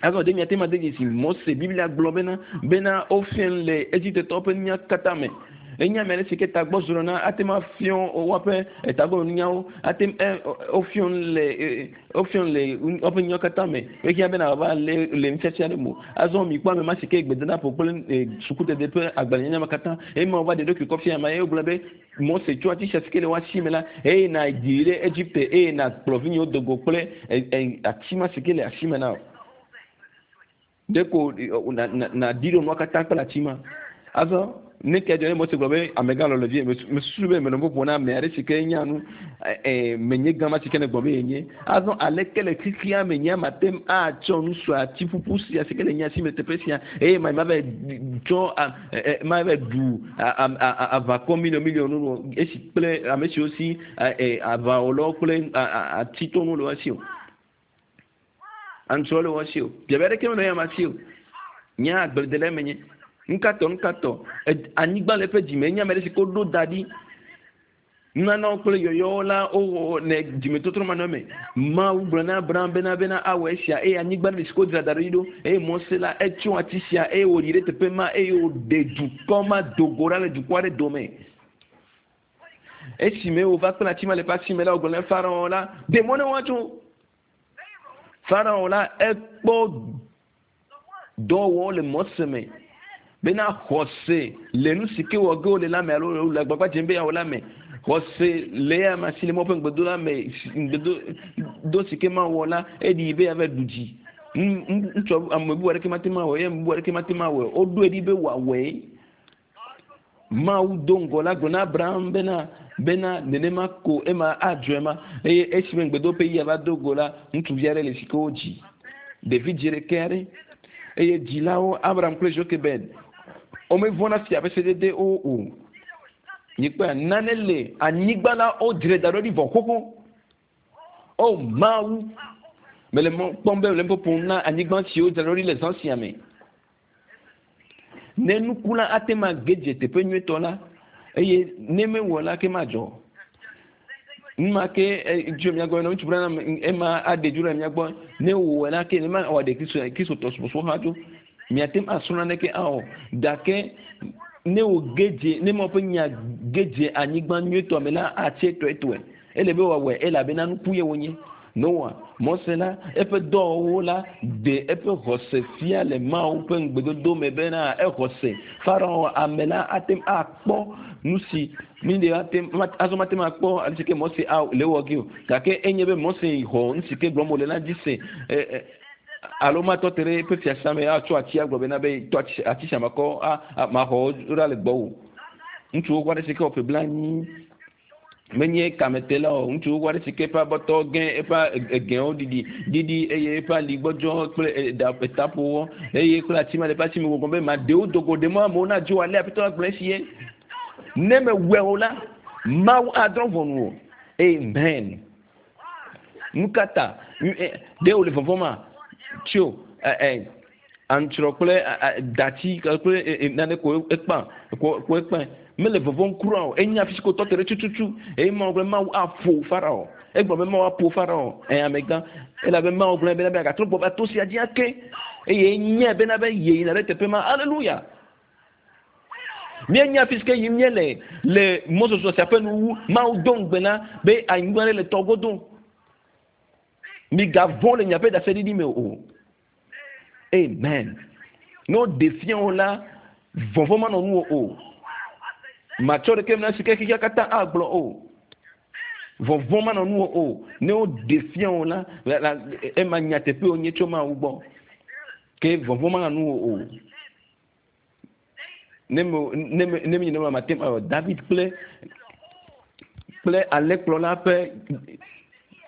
A: azɔ ɖe miate ma de dzesi Mose Biblia gblɔ bena bena wofia nu le Egiptetɔwo ƒe nunya katã me Enye ame aɖe si ke tagbɔ zrɔ̃ na ate ŋu afiɔ woƒe tagbɔnunyawo ate ŋu wofiɔ le wofiɔ le woƒe nyawo katã me. Ehiã bena wòava le le nufiafia ɖe me. Azɔ mi kpɔ ame ma si ke gbedadaƒo kple sukudede ƒe agbalẽnyanya me katã eye wova ɖe ɖokui kɔ fia ame ye wogblɔ be Mose tsɔ ati sia si ke le woasi me la eye na yi ɖe Egipte eye na kplɔ vinyewo do go kple ati ma si ke le asi me na wò. Ɖeko na na na ɖi ɖo nua katã kple ati ma. Azɔ ne ke dzɔ ne Mose gblɔ be amegã lɔ le vie mesusu be menɔ ƒoƒo na ame aɖe si ke nya nu ɛ menye gã ma si ke ne gbɔ be yenye. Azɔ aleke le xexea me nye mate ŋu atsɔ nu sue ati ƒuƒu sia si ke le nye asi me teƒe sia eye ma ma va tsɔ ma va ɖu aʋakɔ miliɔn miliɔn nu esi kple ame siwo si aʋawɔlawo kple atitɔnuwo le wo si o. Aŋutrɔ le wo si o. Biabia ɖeke menɔ ya ma si o. Nye agbledela menye. Nukatɔ nukatɔ anyigba le eƒe dzime enye ame ɖe si ke woɖo da ɖi. Nunanawo kple yɔyɔwo la wowɔ le dzimetɔtrɔ manɔ me. Mawu gblɔ na Abraham bena bena awɔ esia eye anyigba ɖe si ke wodzra da ɖi ɖo eye Mose la etsɔ ati sia eye wòyi ɖe teƒe ma eye wòɖe dukɔ ma do go ɖa le dukɔ aɖe dome. Esime wòva kple ati ma le eƒe asi me la wògblɔ na Farao la ɖe mɔ ne woatso. Farao la ekpɔ dɔwɔwɔ le Mose me. Bena xɔse le nu si ke wɔ ge wole la me alo le agbagba dzem be yeawɔ la me. Xɔse le ya ma si le Mawu ƒe ŋugbedo la me ŋugbedo si ke mawɔ la eɖi be yeava ɖu dzi. Ŋutsu ame bubu aɖeke mate ŋu awɔe eye ame bubu aɖeke mate ŋu awɔe. Woɖoe ɖi be wòawɔe. Mawu do ŋgɔ la gblɔ na Abraham bena bena nenema ko ema adzɔe ma eye esime ŋugbedo ƒe yia va do go la ŋutsuvi aɖe le si ke wodzi. Ɖevi dzi ɖeke aɖe eye dzilawo Abraham kple Jochebed womevɔ̃na fia ƒe sedede wo o. Mikpɔe nane le anyigba la wodzrae da ɖo ɖi vɔ xoxo. O Mawu mele mɔ kpɔm be le ƒoƒom na anyigba si wodzra ɖo ɖi le zã sia me. Ne nuku la ate ŋu age dze teƒe nyuietɔ la eye ne mewɔ la ke madzɔ. Numa ke tso mia gbɔ ŋutsu bla ema aɖe dzo ɖe mia gbɔ ne wòwɔe la ke ne ma wɔ ɖe kristu kristotɔ subɔsubɔ hã dzo. Miate ŋu asrɔ̃ naneke awɔ gake ne wò ge dze ne Mawu ƒe nya ge dze anyigba nyuietɔ me la atse tɔetɔe. Ele be wòawɔe elabena nuku ye wònye. Noa, Mose la, eƒe dɔwɔwɔwo la ɖe eƒe xɔse fia le Mawu ƒe ŋugbedodo me bena exɔse. Farao ame la ate ŋu akpɔ nu si mi ɖe ate azɔ mate ŋu akpɔ ale si ke Mose le wɔ ge o. Gake enye be Mose xɔ nu si ke gblɔm wòle la dzi se alo matɔ te ɖe eƒe fiasa me atsɔ ati agblɔ bena be tɔ ati sia makɔ maxɔ wo ɖa le gbɔwò. Ŋutsuwo kɔ aɖe si ke wɔ ƒe blanyi menye kametela o. Ŋutsuwo kɔ aɖe si ke eƒe abɔtɔ gẽ eƒe egẽwo ɖiɖi ɖiɖi eye eƒe ali gbɔdzɔ kple etaƒowɔ eye kple ati ma le eƒe asi me gbɔgbɔ be maɖewo do go ɖe mɔ amewo nadzo ale aƒetɔ la gblɔ esi ye. Ne mewɔe o la, Mawu adrɔ̃ ʋɔnu o. Amen. Nu ka ta ɖe wòle vɔvɔ̃m ma? Tso ɛ aŋutrɔ kple dati kple nane ko ekpã ko ekpã mele vɔvɔ̃m kura o. Enye afi si ko tɔ te ɖe tututu eye Mawu gblɔ Mawu aƒo Farao. Egblɔ be Mawu aƒo Farao. Ɛ amegã elabe Mawu gblɔ bena be agatrɔ gbɔ va to sia dzi ake eye enyae bena be yeyina ɖe teƒe ma. Aleluya. Míenya afi si ke yim míele le mɔzɔzɔ sia ƒe nuwu. Mawu do ŋugbe na be anyigba ɖe le tɔ godo. Migavɔ̃ le miaƒe ɖaseɖiɖi me o. Amen. Ne woɖe fia wo la, vɔvɔ̃ manɔ nuwò o. Matsɔ ɖeke na si ke xexea katã agblɔ o. Vɔvɔ̃ manɔ nuwò o. Ne woɖe fia wo la, ema nyateƒe wònye tso Mawu gbɔ. Ke vɔvɔ̃ manɔ nuwò o. Ne me ne me ne mi ne ma te awɔ David kple kple alẽkplɔla ƒe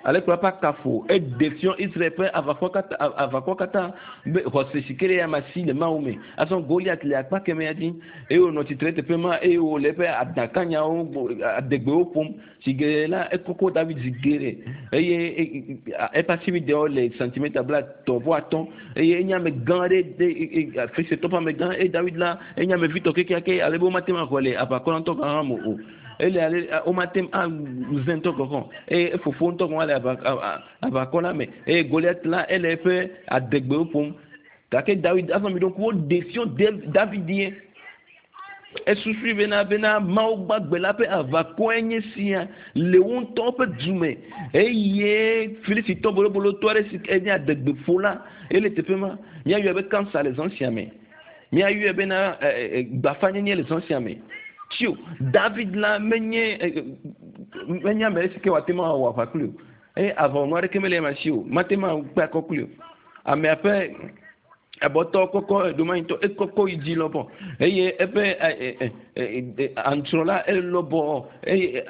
A: alẽkplɔla ƒe akafo eɖe fiɔ Israel ƒe aʋakɔ katã aʋakɔ katã be xɔse si ke ɖe ya ma si le Mawu me. Azɔ Goliat le akpa kemɛa dzi eye wònɔ tsitre teƒe ma eye wòle eƒe adakanyawo adegbewo ƒom. Si geɖe la ekɔkɔ David zi geɖe eye eƒe asibidewo le santimeta blaetɔ̃ vɔ atɔ̃ eye enye ame gã aɖe de Filistitɔ ƒe amegã eye David la enye ame vitɔ kekeake ale be womate ŋu axɔe le aʋakɔ la ŋutɔ gɔ̃ hã me o. Ele ale womate ŋu aze ŋutɔ gɔ̃ hã eye efofo ŋutɔ gɔ̃ hã le aʋakɔ la me eye Goliat la ele eƒe adegbewo ƒom gake David azɔ mi ɖo ŋku woɖe fiɔ David ye. Esusui bena bena Mawu gbagbe la ƒe aʋakɔe nye sia le wo ŋutɔ ƒe dume eye Filistitɔ bolobolotɔ aɖe si ke nye adegbeƒola ele teƒe ma. Míayɔe be kansa le zã sia me. Míayɔe bena gbafanyenye le zã sia me. Tio David la menye menye ame ɖe si ke wòate ŋu awɔ aʋa kpli o. Eye aʋawɔnu aɖeke mele ema si o. Mate ŋu akpe akɔ kpli o. Amea ƒe abɔtɔ kɔkɔ edomanyitɔ ekɔkɔ yi dzi lɔbɔ eye eƒe aŋutrɔ la elɔbɔ eye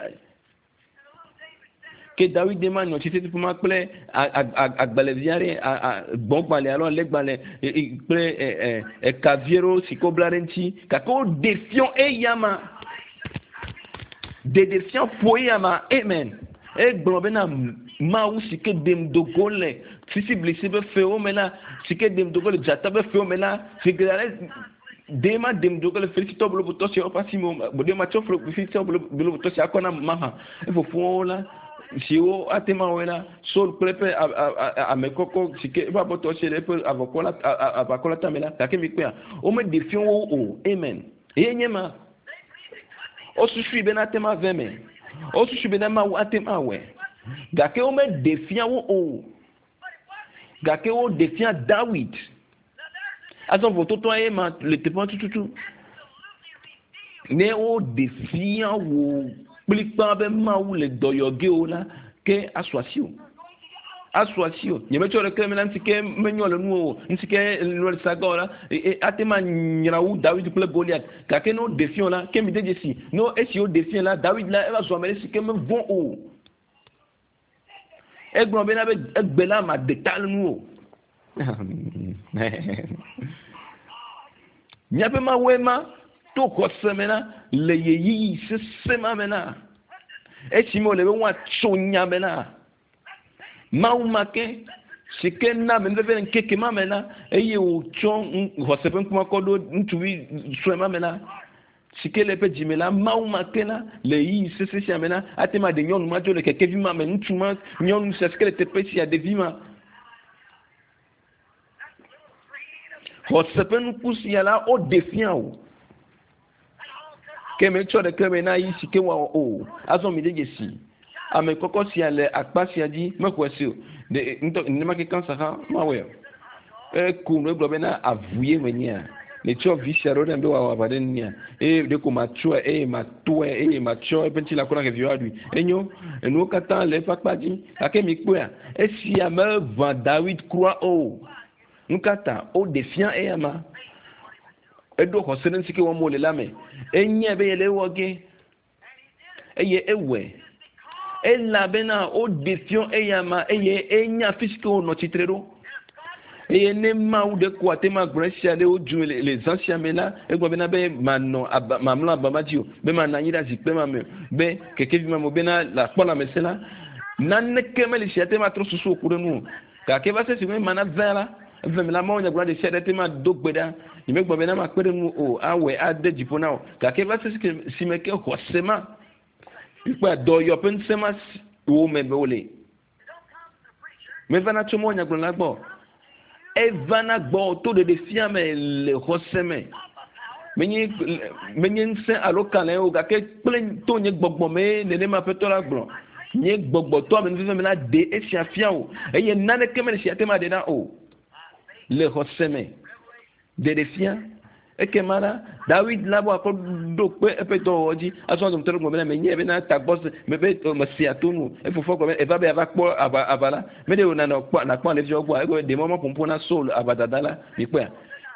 A: ke Dawid ma nɔ tsitre teƒe ma kple agbalẽvi aɖe gbɔgbalẽ alo alẽgbalẽ kple ekavi aɖewo si ke wobla ɖe ŋuti gake woɖe fiɔ eya ma ɖeɖefia ƒo eya ma amen. Egblɔ bena Mawu si ke ɖem do go le sisiblisi ƒe fewo me la si ke ɖem do go le dzata ƒe fewo me la si ke ale ɖe ma ɖem do go le Filistitɔ bolobotɔ siawo ƒe asi me o ɖe ma tsɔ Filistitɔ bolobotɔ sia akɔ na maha efofowo la siwo ate ŋu awɔe la Saul kple eƒe ame kɔkɔ si ke eƒe abɔtɔ si le eƒe avɔkɔ la aʋakɔ la tame la gake mi kpɔa womeɖe fia wo o amen. Eye nye ma wosusui bena ate ŋu ave me wosusui bena Mawu ate ŋu awɔe gake womeɖe fia wo o gake woɖe fia Dawid. Azɔ vototoa ye ma le teƒea tututu ne woɖe fia wo kplikpa be Mawu le dɔyɔ ge o la ke asu asi o asu asi o nyemetsɔ ɖeke me la ŋuti ke menyɔ le nu o ŋuti ke nu le saga o la ate ma nyra wu Dawid kple Goliat gake ne woɖe fia o la ke mi de dzesi ne esi woɖe fia la Dawid la eva zu ame ɖe si ke mevɔ̃ o. Egblɔ bena be egbe la ma de ta le nu o. Míaƒe Mawue ma to xɔse me la le ɣeyiɣi sesẽ ma me la esime wòle be woatso nya me la Mawu ma ke si ke na amenuveve le ŋkeke ma me la eye wòtsɔ xɔse ƒe ŋkume kɔ ɖo ŋutsuvi sue ma me la si ke le eƒe dzime la Mawu ma ke la le ɣeyiɣi sesẽ sia me la ate ŋu aɖe nyɔnu ma dzo le kekevi ma me ŋutsu ma nyɔnu sia si ke le teƒe sia ɖevi ma xɔse ƒe nuku sia la woɖe fia o ke metsɔ ɖeke me na yi si ke wɔwɔ o azɔ mi de dzesi ame kɔkɔ sia le akpa sia dzi mexɔe si o ɖe ŋutɔ nenema ke kansa hã mawɔe o eku nu egblɔ bena avu ye menyea netsɔ vi sia ɖo ɖe be wòawɔ aʋa ɖe nunyea eye ɖeko matsɔe eye matɔe eye matsɔ eƒe ŋuti la kɔ na xeviwo aɖui enyo enuwo katã le eƒe akpa dzi gake mi kpɔea esia meʋã Dawid kura o nu ka ta woɖe fia eya ma eɖo xɔse ɖe ŋuti ke wɔm wòle la me enyae be yele ewɔ ge eye ewɔe elabena woɖe fia eya ma eye enya afi si ke wònɔ tsitre ɖo eye ne Mawu ɖe ko ate ŋu agblɔ esia ɖe wodzu le le zã sia me la egblɔ bena be manɔ aba mamlɔ aba ma dzi o be manɔ anyi ɖe azikpe ma me o be kekevi ma me o bena le akpɔ lãmesẽ la naneke mele si ate ŋu atrɔ susu wò ku ɖe nu o gake va se si me mana vɛ la eve me la Mawu nyagblɔ ɖe sia ɖe te ma do gbe ɖa nyemegblɔ bena makpe ɖe nu o awɔe ade dziƒo na wò gake va se si me ke xɔse ma kpɔe dɔyɔ ƒe ŋusẽ ma wo me be wole mevana tso Mawu nyagblɔla gbɔ evana gbɔ to ɖeɖe fia me le xɔse me menye menye ŋusẽ alo kalẽ o gake kple to nye gbɔgbɔ me nenema Aƒetɔ la gblɔ nye gbɔgbɔ to amenuveve me la ɖe esia fia o eye naneke mele si ate ma ɖe na o le xɔse me ɖeɖe fia ekema la Dawid la bɔ akɔ ɖo kpe eƒe dɔwɔwɔ dzi azɔ dometɔ ɖe gblɔ bena menye bena tagbɔ mebe mesea to nu efofoa gblɔ be eva be ava kpɔ aʋa aʋa la meɖe wò nanɔ kpɔ nakpɔ alẽviawo gbɔa egblɔ be ɖe mɔ maƒoƒo na Saul aʋadada la mikpɔea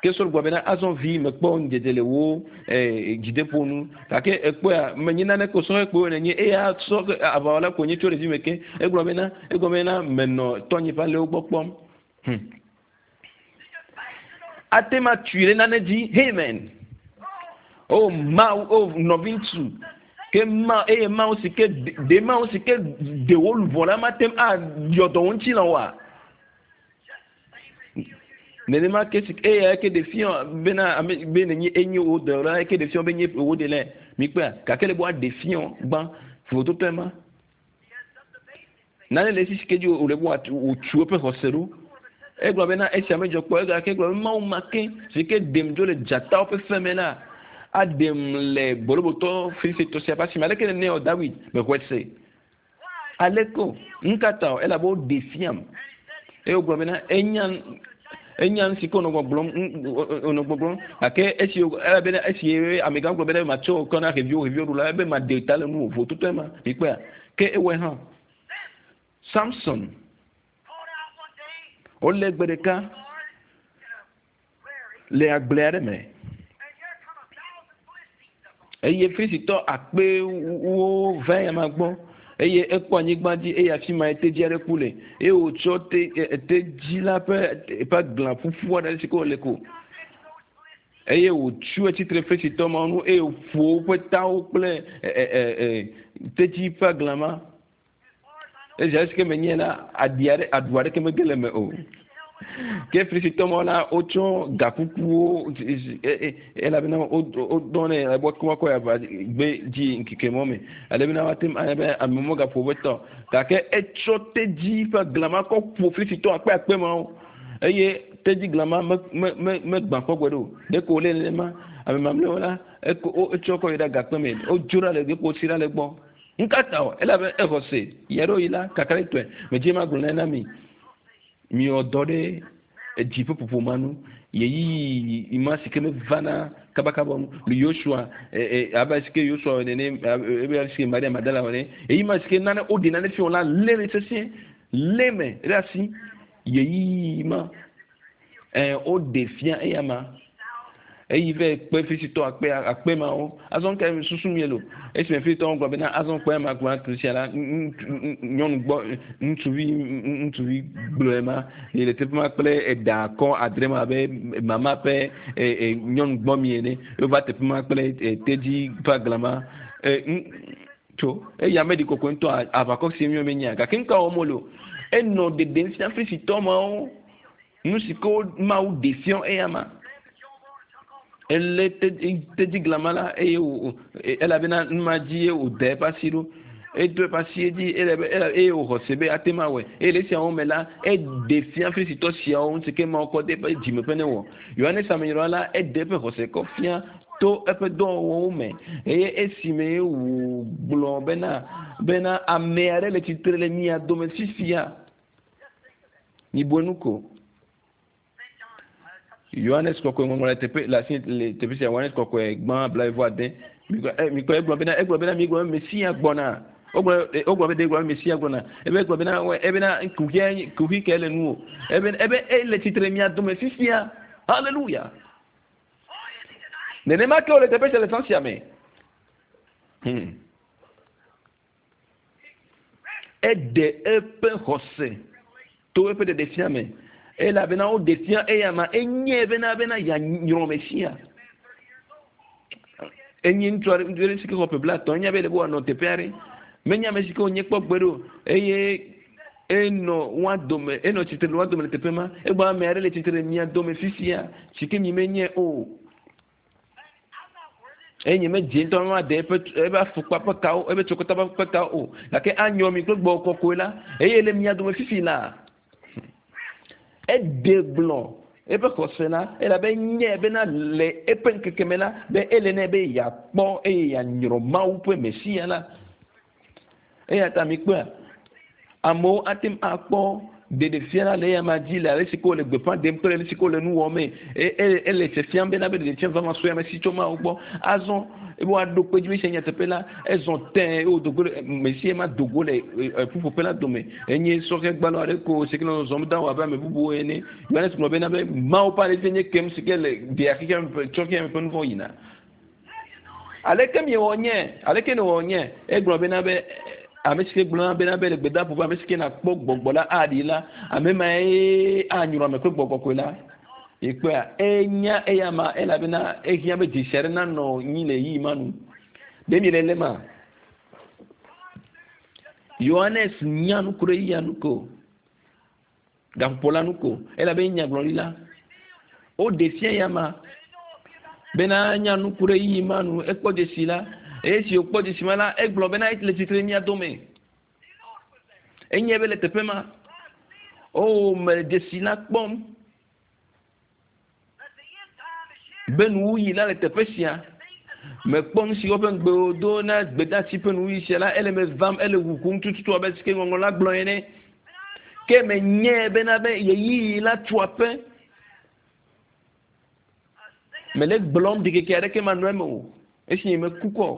A: ke Saul gblɔ bena azɔ vi mekpɔ ŋudzedze le wò dzideƒo nu gake ekpɔea menye naneke o sɔhɛ kpoe nenye eya sɔ aʋawɔla ko nye tso ɖevi me ke egblɔ bena egblɔ bena menɔ tɔnye ƒe alẽwo gbɔ kpɔm hmm. Ate ma tui ɖe nane dzi amen o Mawu o nɔviŋutsu ke ma eye Mawu si ke ɖe Mawu si ke ɖe wo luʋɔ la mate ŋu ayɔ dɔ wo ŋuti la oa nenema ke si eya ke ɖe fia bena ame be nenye enye wo dɔ la ke ɖe fia be nye wo de lɛ mikpɔa gake le be woaɖe fia gbã vovototɔe ma nane le esi si ke dzi wòle be wòtsu eƒe xɔse ɖo egblɔ bena esia medzɔ kpɔ egake gblɔ be Mawu ma ke si ke ɖem dzo le dzatawo ƒe fe me la Aɖem le bolobotɔ Filistitɔ sia ƒe asi me. Aleke nene wɔ David mexɔe se? Aleke o? Nu ka ta o? Elabe woɖe fiam. Eye wogblɔ bena enya enya nu si ke wònɔ gbɔgblɔm wònɔ gbɔgblɔm gake esi elabena esi amegã gblɔ bena matsɔ kɔ na xeviwo xeviwo ɖu la ebe maɖe ta le nuwò vototoe ma mikpɔea ke ewɔe hã. Samson wolé gbe ɖeka le agble aɖe me eye Filistitɔ akpewo va eyama gbɔ eye ekpɔ anyigba dzi eye afi ma tedzi aɖe ku le eye wòtsɔ te tedzi la ƒe ƒe glã ƒuƒu aɖe si ke wòle ko eye wòtsu etsitre Filistitɔ mawo nu eye wòƒo woƒe tawo kple tedzi ƒe glã ma. Esi ale si ke menye la aɖi aɖe aɖu aɖeke mege le eme o. Ke Filistitɔ mawo la wotsɔ gakukuwo elabena wodɔ nɛ ebe woakɔ yi aʋa gbe dzi ŋkeke mɔ me alebena woate ŋu be ame megaƒo woƒe tɔ gake etsɔ tedzi ƒe glã ma kɔ ƒo Filistitɔ akpe akpe mawo eye tedzi glã ma me me me megbã kpɔ gbe ɖe o. Ɖeko wòle nenema ame mamlɛwo la eko etsɔ kɔ yi ɖe agakpe me wodzo ɖa le ɖeko wotsi ɖa le gbɔ. Nu ka ta o? Elabe exɔ se yi aɖewo yi la kakaɖetɔe medze ma gblɔ na mi miwɔ dɔ ɖe edzi ƒe ƒoƒo ma nu yeyiyi ma si ke mevana kabakaba nu le Yosua abe si ke Yosua nene ebe si ke Maria Magdala wɔ ne eyi ma si ke nane woɖe nane fi wɔ la lé le sesĩe lé me ɖe asi yeyiyi ma ɛ woɖe fia eya ma eyi vɛ kpe Filistitɔ akpe akpe mawo azɔ ke susu mi lo esime Filistitɔwo gblɔ bena azɔ kpe ma gblɔ tu sia la nyɔnu gbɔ ŋutsuvi ŋutsuvi gblɔe ma yi le teƒe ma kple eɖa kɔ adre ma abe mama ƒe nyɔnu gbɔ mi ene wova teƒe ma kple tedzi ƒe agla ma tso eya meɖi kɔkɔe ŋutɔ aʋakɔ si mi menya gake nuka wɔm wole o enɔ ɖeɖem fia Filistitɔ mawo nu si ke Mawu ɖe fia eya ma. Elé tedzi glama la eye wò elabena nu ma dzi ye wòda eƒe asi ɖo edo eƒe asi dzi eye wòxɔ se be ate ŋu awɔe eye le esiawo me la eɖe fia Filistitɔ siawo ŋuti ke Mawu kɔ de eƒe dzime ƒe ne wɔ. Yohanes Amenyrɔla la eɖe eƒe xɔse kɔ fia to eƒe dɔwɔwɔwo me eye esime wògblɔ bena bena ame aɖe le tsitre le mia dome fifia. Mibue nu ko. Yohanes kɔkɔe ŋɔŋlɔ le teƒe le asi le teƒe sia Yohanes kɔkɔe gbã blaeve vɔ ade mikpɔ egblɔ bena egblɔ bena mi gblɔ be Mesia gbɔna wogblɔ wogblɔ be de gblɔ be Mesia gbɔna ebe egblɔ bena ebena kuxia kuxi ke le nu o ebe ebe ele tsitre mia dome fifia hallelujah nenema ke wòle teƒe sia le sã sia me hmm. Eɖe eƒe xɔse to eƒe ɖeɖefia me elabena woɖe fia eya ma enye bena bena yeanyrɔ Mesia enye ŋutsu aɖe ŋutsu aɖe si ke xɔ ƒe blaetɔ̃ enya be ele be wòanɔ teƒe aɖe menye ame si ke wònye kpɔ gbe ɖo eye enɔ woa dome enɔ tsitre le woa dome le teƒe ma egblɔ ame aɖe le tsitre le mia dome fifia si ke mi menye o eye nye medze ŋutɔ ma de eƒe eƒe afɔkpa ƒe kawo eƒe tsokota ƒe kawo o gake anyrɔ mi kple gbɔgbɔ kɔkɔe la eye le mia dome fifi la eɖe gblɔ eƒe xɔse la elabe nye bena le eƒe ŋkeke me la be ele nɛ be yeakpɔ eye yeanyrɔ Mawu ƒe Mesia la eya ta mikpɔa amewo ate ŋu akpɔ ɖeɖefia la le eya ma dzi le ale si ke wole gbeƒã ɖem kple ale si ke wole nu wɔm ele fiafiam bena be ɖeɖefia vava sue ame si tso Mawu gbɔ azɔ ebe woaɖo kpe dzi be sia nyateƒe la ezɔ tẽ eye wòdo go le Mesia ma do go le ƒuƒoƒe la dome enye sɔhɛ gbalɔ aɖe ko si ke nɔ zɔzɔm da wɔ abe ame bubuwo ene Yohanes gblɔ bena be Mawu ƒe ale nye kem si ke le ɖea xexea me ƒe tsɔ xexea me ƒe nu vɔ̃ yina aleke miewɔ nye aleke newɔ nye egblɔ bena be ame si ke gblɔ bena be le gbedaƒo be ame si ke nakpɔ gbɔgbɔ la aɖi la ame ma ye anyrɔ ame kple gbɔgbɔ kɔkɔe la ekpɔa enya eya ma elabena ehiã be dzesi aɖe nanɔ nyi le ɣeyiɣi ma nu ɖe mi le le ma Yohanes nya nu ku ɖe eya nu ko gaƒoƒo la nu ko elabe nyagblɔɖi la woɖe fia ya ma bena nya nu ku ɖe ɣeyiɣi ma nu ekpɔ dzesi la eye si wòkpɔ dzesi ma la egblɔ bena le tsitre mia dome enye be le teƒe ma o mele dzesi la kpɔm be nuwuyi la le teƒe sia Mekpɔ nu si woƒe ŋugbewo do na gbedasi ƒe nuwuyi sia la ele me vam ele ʋuʋum tututu abe si ke ŋɔŋlɔ la gblɔ ene. Ke menyae bena be ɣeyiɣi la tu aƒe. Mele gblɔm ɖikeke aɖeke manɔ eme o. Esi nye meku kɔ.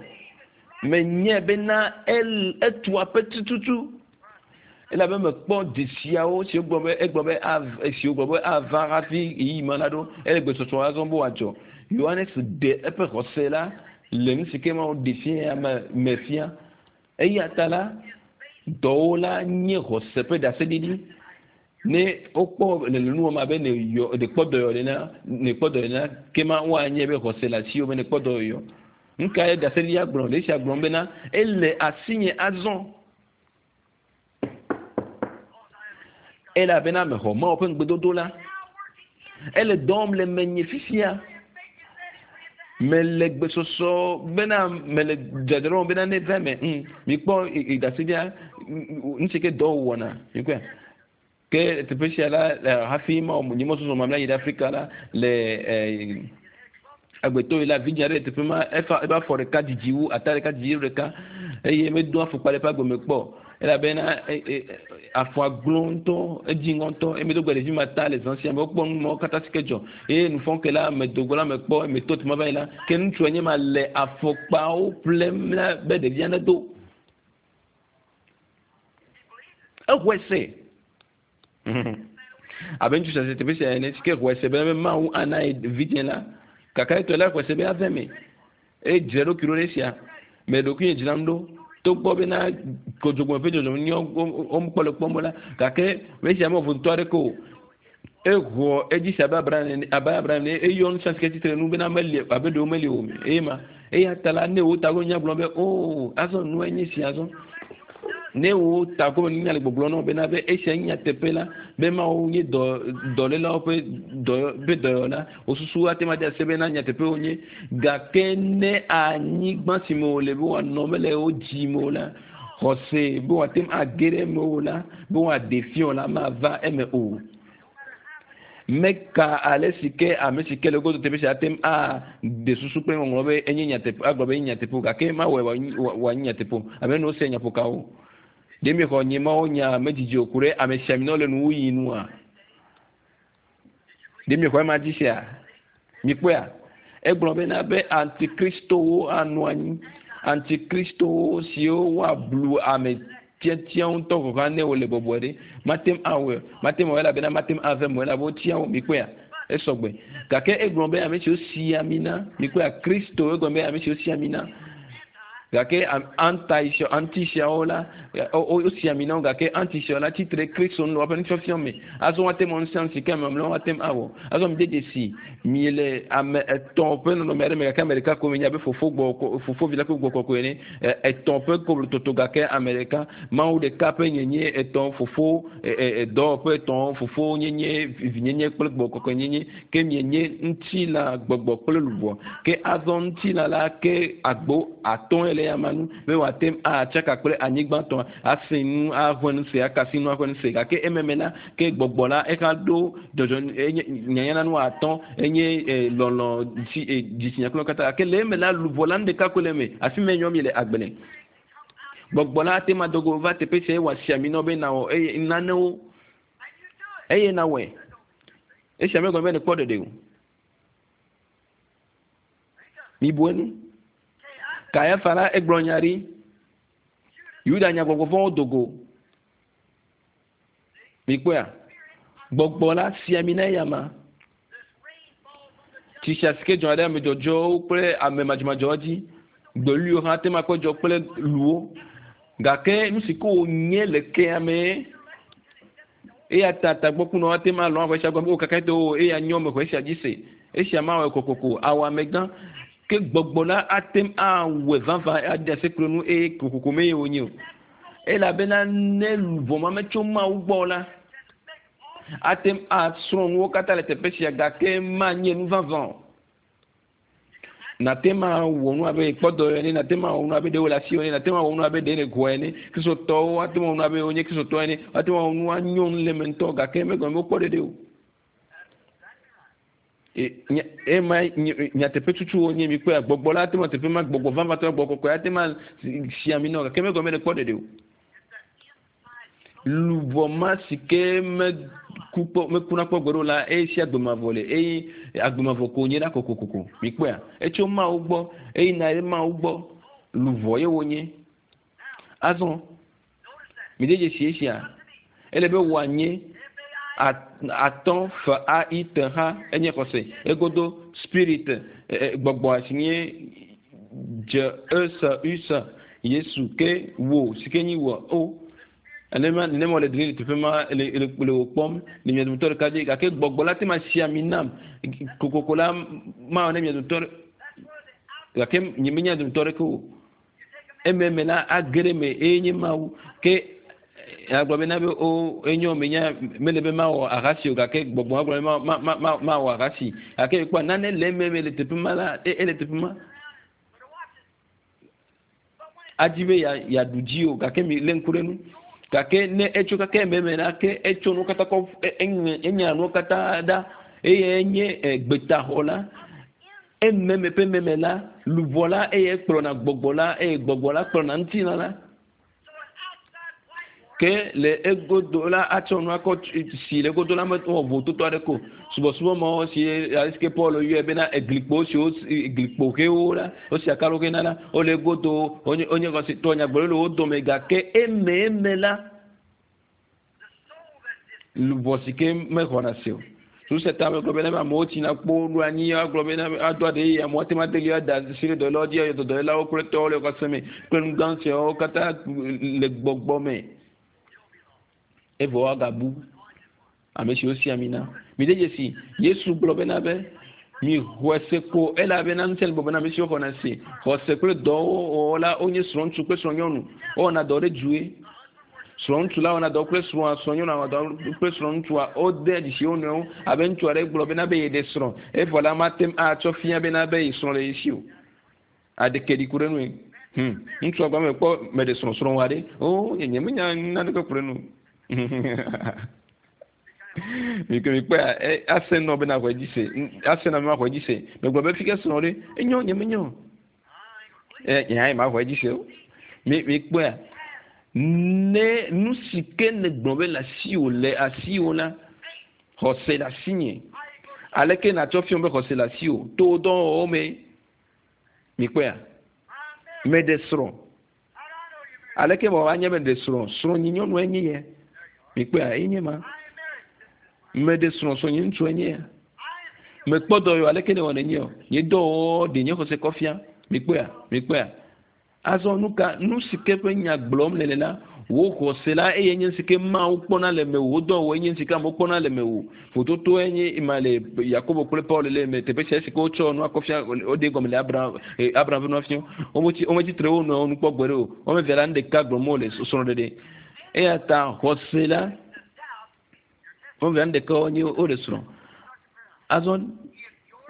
A: Menyae bena el etu aƒe tututu. Elabe mekpɔ dzesiawo siwo gblɔ be egblɔ be av siwo gblɔ be ava hafi ɣeyiɣi ma la ɖo. Ele gbesɔsɔ azɔ be wòadzɔ. Yohanes ɖe eƒe xɔse la le nu si ke Mawu ɖe fia me me fia. Eya ta la dɔwo la nye xɔse ƒe ɖaseɖiɖi. Ne wokpɔ le nu wɔm abe ne yɔ ne kpɔ dɔyɔ nena ne kpɔ dɔyɔ nena ke ma woanye be xɔse le asiwò be ne kpɔ dɔyɔ. Nu kae ɖaseɖiɖia gblɔ? Le esia gblɔm bena ele asinye azɔ. Elabena mexɔ Mawu ƒe ŋugbedodo la. Ele dɔ wɔm le menye fifia. Mele gbesɔsɔ bena mele dzadzraɖo bena ne va eme. Mm, mikpɔ ɖaseɖia nu si ke dɔ wɔna. Mikpɔe. Ke teƒe sia la hafi ma nye mɔzɔzɔ mamlɛ yi ɖe Afrika la le eh, agbetɔ yi la vidzĩ aɖe le teƒe ma efa eƒe afɔ ɖeka didi wu ata ɖeka didi wu ɖeka eye medo afɔkpa ɖe eƒe agbe me kpɔ elabena afɔa glo ŋutɔ edzi ŋutɔ eye medo gbe ɖevi ma ta le zã sia me wokpɔ nu mawo katã si ke dzɔ eye nufɔke la medo go la mekpɔ meto teƒe ma va yi la ke ŋutsua nye ma le afɔkpawo ƒlem la be ɖevia nedo. Exɔe se. Abe ŋutsu sia teƒe sia ene si ke xɔe se be Mawu ana ye vidzĩ la kaka etɔ la xɔe se be ave me eye dzra ɖokui ɖo ɖe esia me ɖokui dzram ɖo togbɔ bena kodzogbe ƒe dzɔdzɔme nyɔ womekpɔ le kpɔm la gake esia me vodotɔ aɖeke o exɔ edzi se abe Abraham ene abe Abraham ene eyɔ nu sia si ke tsitre nu bena meli abe ɖewo meli o eye ma eya ta la ne wo ta ko nya gblɔ be o azɔ nua nye sia azɔ ne wo ta ko nya le gbɔgblɔ na bena be esia nye nyateƒe la be Mawu nye dɔ dɔlélawo ƒe dɔ ƒe dɔyɔla wosusu ate ma de ase bena nyateƒe wonye gake ne anyigba si me wòle be wòanɔ mele wo dzi me o la xɔse be wòate ŋu age ɖe eme o la be wòaɖe fia la mava eme o. Meka ale si ke ame si ke le godo teƒe sia ate ŋu aɖe susu kple ŋɔŋlɔ be enye nyateƒe agblɔ be enye nyateƒe o gake mawɔe wòanyi nyateƒe o abe ne wose nyaƒokawo. Ɖe miexɔ nye Mawu nya medzidzi o ku ɖe ame sia ame le nuwuyi nua? Ɖe miexɔ ema dzi sia? Mikpɔea? Egblɔ bena be antikristowo anɔ anyi. Antikristowo siwo woablu ame tiatia ŋutɔ gɔ̃ hã ne wole bɔbɔe ɖe. Mate ŋu awɔe mate ŋu awɔe elabena mate ŋu ave me elabe wotia wo mikpɔea? Esɔgbe. Gake egblɔ be ame siwo si ami na mikpɔea? Kristo egblɔ be ame siwo si ami na. Gake anti antisiawo la wosi ami na wo gake antisiawo la tsitre Kristo nu le woƒe nufiafia me. Azɔ woate ŋu nu sia nu si ke ame mamlɛwo ate ŋu awɔ. Azɔ mi de dzesi mi le ame etɔ̃ ƒe nɔnɔme aɖe me gake ame ɖeka ko mi nya be fofo gbɔ fofo vi la kple gbɔ kɔkɔe ene. Etɔ̃ ƒe koblototo gake ame ɖeka Mawu ɖeka ƒe nyenye etɔ̃ fofo dɔwɔƒe etɔ̃ fofo nyenye vinyenye kple gbɔ kɔkɔe nyenye ke mienye ŋutilã gbɔgbɔ kple luʋɔ. Ke azɔ ŋutilã la ke agbo atɔ̃ le ya ma nu be wòate ŋu atsaka kple anyigba tɔ ase nu aʋe nu se akasi nu aʋe nu se gake ememe la ke gbɔgbɔ la exa ɖo dzɔdzɔ enye nyanyana nu atɔ̃ enye lɔlɔ dzi dzitsinya kple katã gake le eme la luʋɔ la nu ɖeka koe le eme afi ma nyɔ mi le agbe le. Gbɔgbɔ la ate ma dogo va teƒe sia eye wòasi ami na wo be nawɔ eye nanewo eye nawɔe. Esia megɔme be nekpɔ ɖeɖe o. Mibu enu. Kayafa la egblɔ nya ɖi. Yuda nya gbɔgbɔ vɔ̃wo do go. Mikpɔea? Gbɔgbɔ la si ami na eya ma. Tsi sia si ke dzɔna ɖe ame dzɔdzɔwo kple ame madzɔmadzɔwo dzi. Gbeluiwo hã ate ŋu akpɔ dzɔ kple luwo. Gake nu si ke wònye le kea me eya ta tagbɔkunɔwo ate ŋu alɔ̃ aʋa sia gɔme o kaka to o eya nyɔ me xɔ esia dzi se. Esia mawɔe kokoko awɔ amegã. Ke gbɔgbɔ la ate ŋu awɔe vavã ade asi kple nu eye kokoko me ye wònye o. Elabena ne luʋɔ ma metso Mawu gbɔ la, ate ŋu asrɔ̃ nuwo katã le teƒe sia gake manye nu vavã o. Nate ŋu awɔ nu abe kpɔ dɔ ene, nate ŋu awɔ nu abe ɖe wole asiwò ene, nate ŋu awɔ nu abe ɖe nègɔe ene. Kristotɔwo ate ŋu awɔ nu abe wonye kristotɔ ene, ate ŋu awɔ nu anyɔ nu le eme ŋutɔ gake megɔme be wokpɔ ɖeɖe o. Ema nyateƒe tutu wonye mi kpɔe gbɔgbɔ la ate ŋu teƒe ma gbɔgbɔ vavãtɔ gbɔgbɔ kɔkɔe ate ma si ami nɔ gake megɔme ɖe kpɔ ɖeɖe o. Luʋɔ ma si ke meku kpɔ mekuna kpɔ gbeɖe o la eye si agbemavɔ le eye agbemavɔ ko nye la kokokoko mi kpɔea etso Mawu gbɔ eye na ɖe Mawu gbɔ luʋɔ ye wonye. Azɔ mi de dzesi esia ele be wòanye atɔ f a i t h enye xɔse egodo spirit gbɔgbɔ si nye dze e s u s Yesu ke wo si ke nyi wɔ o nenema nenema wòle dri le teƒe ma le le le wò kpɔm le mia dometɔ ɖeka dzi gake gbɔgbɔ la te ma si ami nam kokoko la ma wɔ ne mia dometɔ gake nye menya dometɔ ɖeke o ememe la age ɖe me eye nye Mawu ke agblɔ bena be o enyo menya mele be mawɔ ahasi o gake gbɔgbɔ agblɔ be ma ma ma mawɔ ahasi gake kpɔ nane le ememe le teƒe ma la e ele teƒe ma adi be ya yaɖu dzi o gake mi lé ŋku ɖe nu gake ne etso kake ememe la ke etso nuwo katã kɔ enya nuwo katã ɖa eye enye gbetaxɔ la ememe ƒe meme la luʋɔ la eye kplɔna gbɔgbɔ la eye gbɔgbɔ la kplɔna ŋutilã la ke le egodo la atsɔ nu akɔ si le egodo la me wɔ vototo aɖe ko subɔsubɔ mawo si ale si ke Paul yɔe bena eglikpo siwo glikpo ʋewo la wosi akalo ʋe na la wole egodo wonye wonye xɔsetɔ nyagblɔɖi le wo dome gake eme eme la luʋɔ si ke mexɔna se o. Susu ta me gblɔ bena amewo tsina kpo ɖo anyi agblɔ bena ado aɖe yi amewo ate ŋu ade li ada asi ɖe dɔwɔlawo dzi eye dɔwɔlawo kple tɔwo le xɔse me kple nu gã siawo katã le gbɔgbɔ me. Evɔ woagabu ame siwo si ami na. Mi de dzesi Yesu gblɔ bena be mi xɔe se ko elabena ŋusẽ le gbɔgbɔ na ame siwo xɔna se. Xɔse kple dɔwɔwɔ la wonye srɔ̃ŋutsu kple srɔ̃nyɔnu. Wowɔna dɔ ɖe due. Srɔ̃ŋutsu la wɔna dɔ kple srɔ̃a, srɔ̃nyɔnua wɔna dɔ kple srɔ̃ŋutsua. Wode dzesi wo nɔewo abe ŋutsu aɖe gblɔ bena be yeɖe srɔ̃ evɔ la mate ŋu atsɔ fia bena be ye srɔ̃ le ye si o. Aɖeke ɖi ku ɖe nue. Hmm. Ŋutsua gblɔ be kpɔ meɖe srɔ̃ srɔ̃ wa ɖe. O nye nye menya naneke ku ɖe nu. Mi ke mi kpɔe ase nɔ bena xɔe dzi se ase nɔ be ma xɔe dzi se megblɔ be fi ke srɔ̃ ɖe enyo nye menyo ɛ nye hã ma xɔe dzi se o mi mi kpɔea ne nu si ke ne gblɔ be le asiwò le asiwò la xɔse le asinye aleke natsɔ fiɔ be xɔse le asiwò to dɔwɔwɔ me mi kpɔea meɖe srɔ̃ aleke mɔ anye be ɖe srɔ̃ srɔ̃ nyi nyɔnu enye yɛ mi kpɔea enye ma meɖe srɔ̃ srɔ̃ nye ŋutsu enye ya mekpɔ dɔ yɔ aleke ne wɔ ne nye o nye dɔwɔwɔ ɖe nye xɔse kɔ fia mi kpɔea mi kpɔea azɔ nu ka nu si ke ƒe nya gblɔm le le la wò xɔse la eye nye si ke Mawu kpɔna le mewò wò dɔwɔwɔ nye si ke amewo kpɔna le mewò vototo enye ma le Yakobo kple Paul le me teƒe sia si ke wotsɔ nu akɔ fia woɖe gɔme le Abraham Abraham ƒe nua fia wometsi wometsi tre wo nɔewo nu kpɔ gbe ɖe o wɔme eve la nu ɖeka gblɔm wole srɔ̃ɖeɖe eya ta xɔse la wɔme eve la nu ɖeka wonye wole srɔ̃ azɔ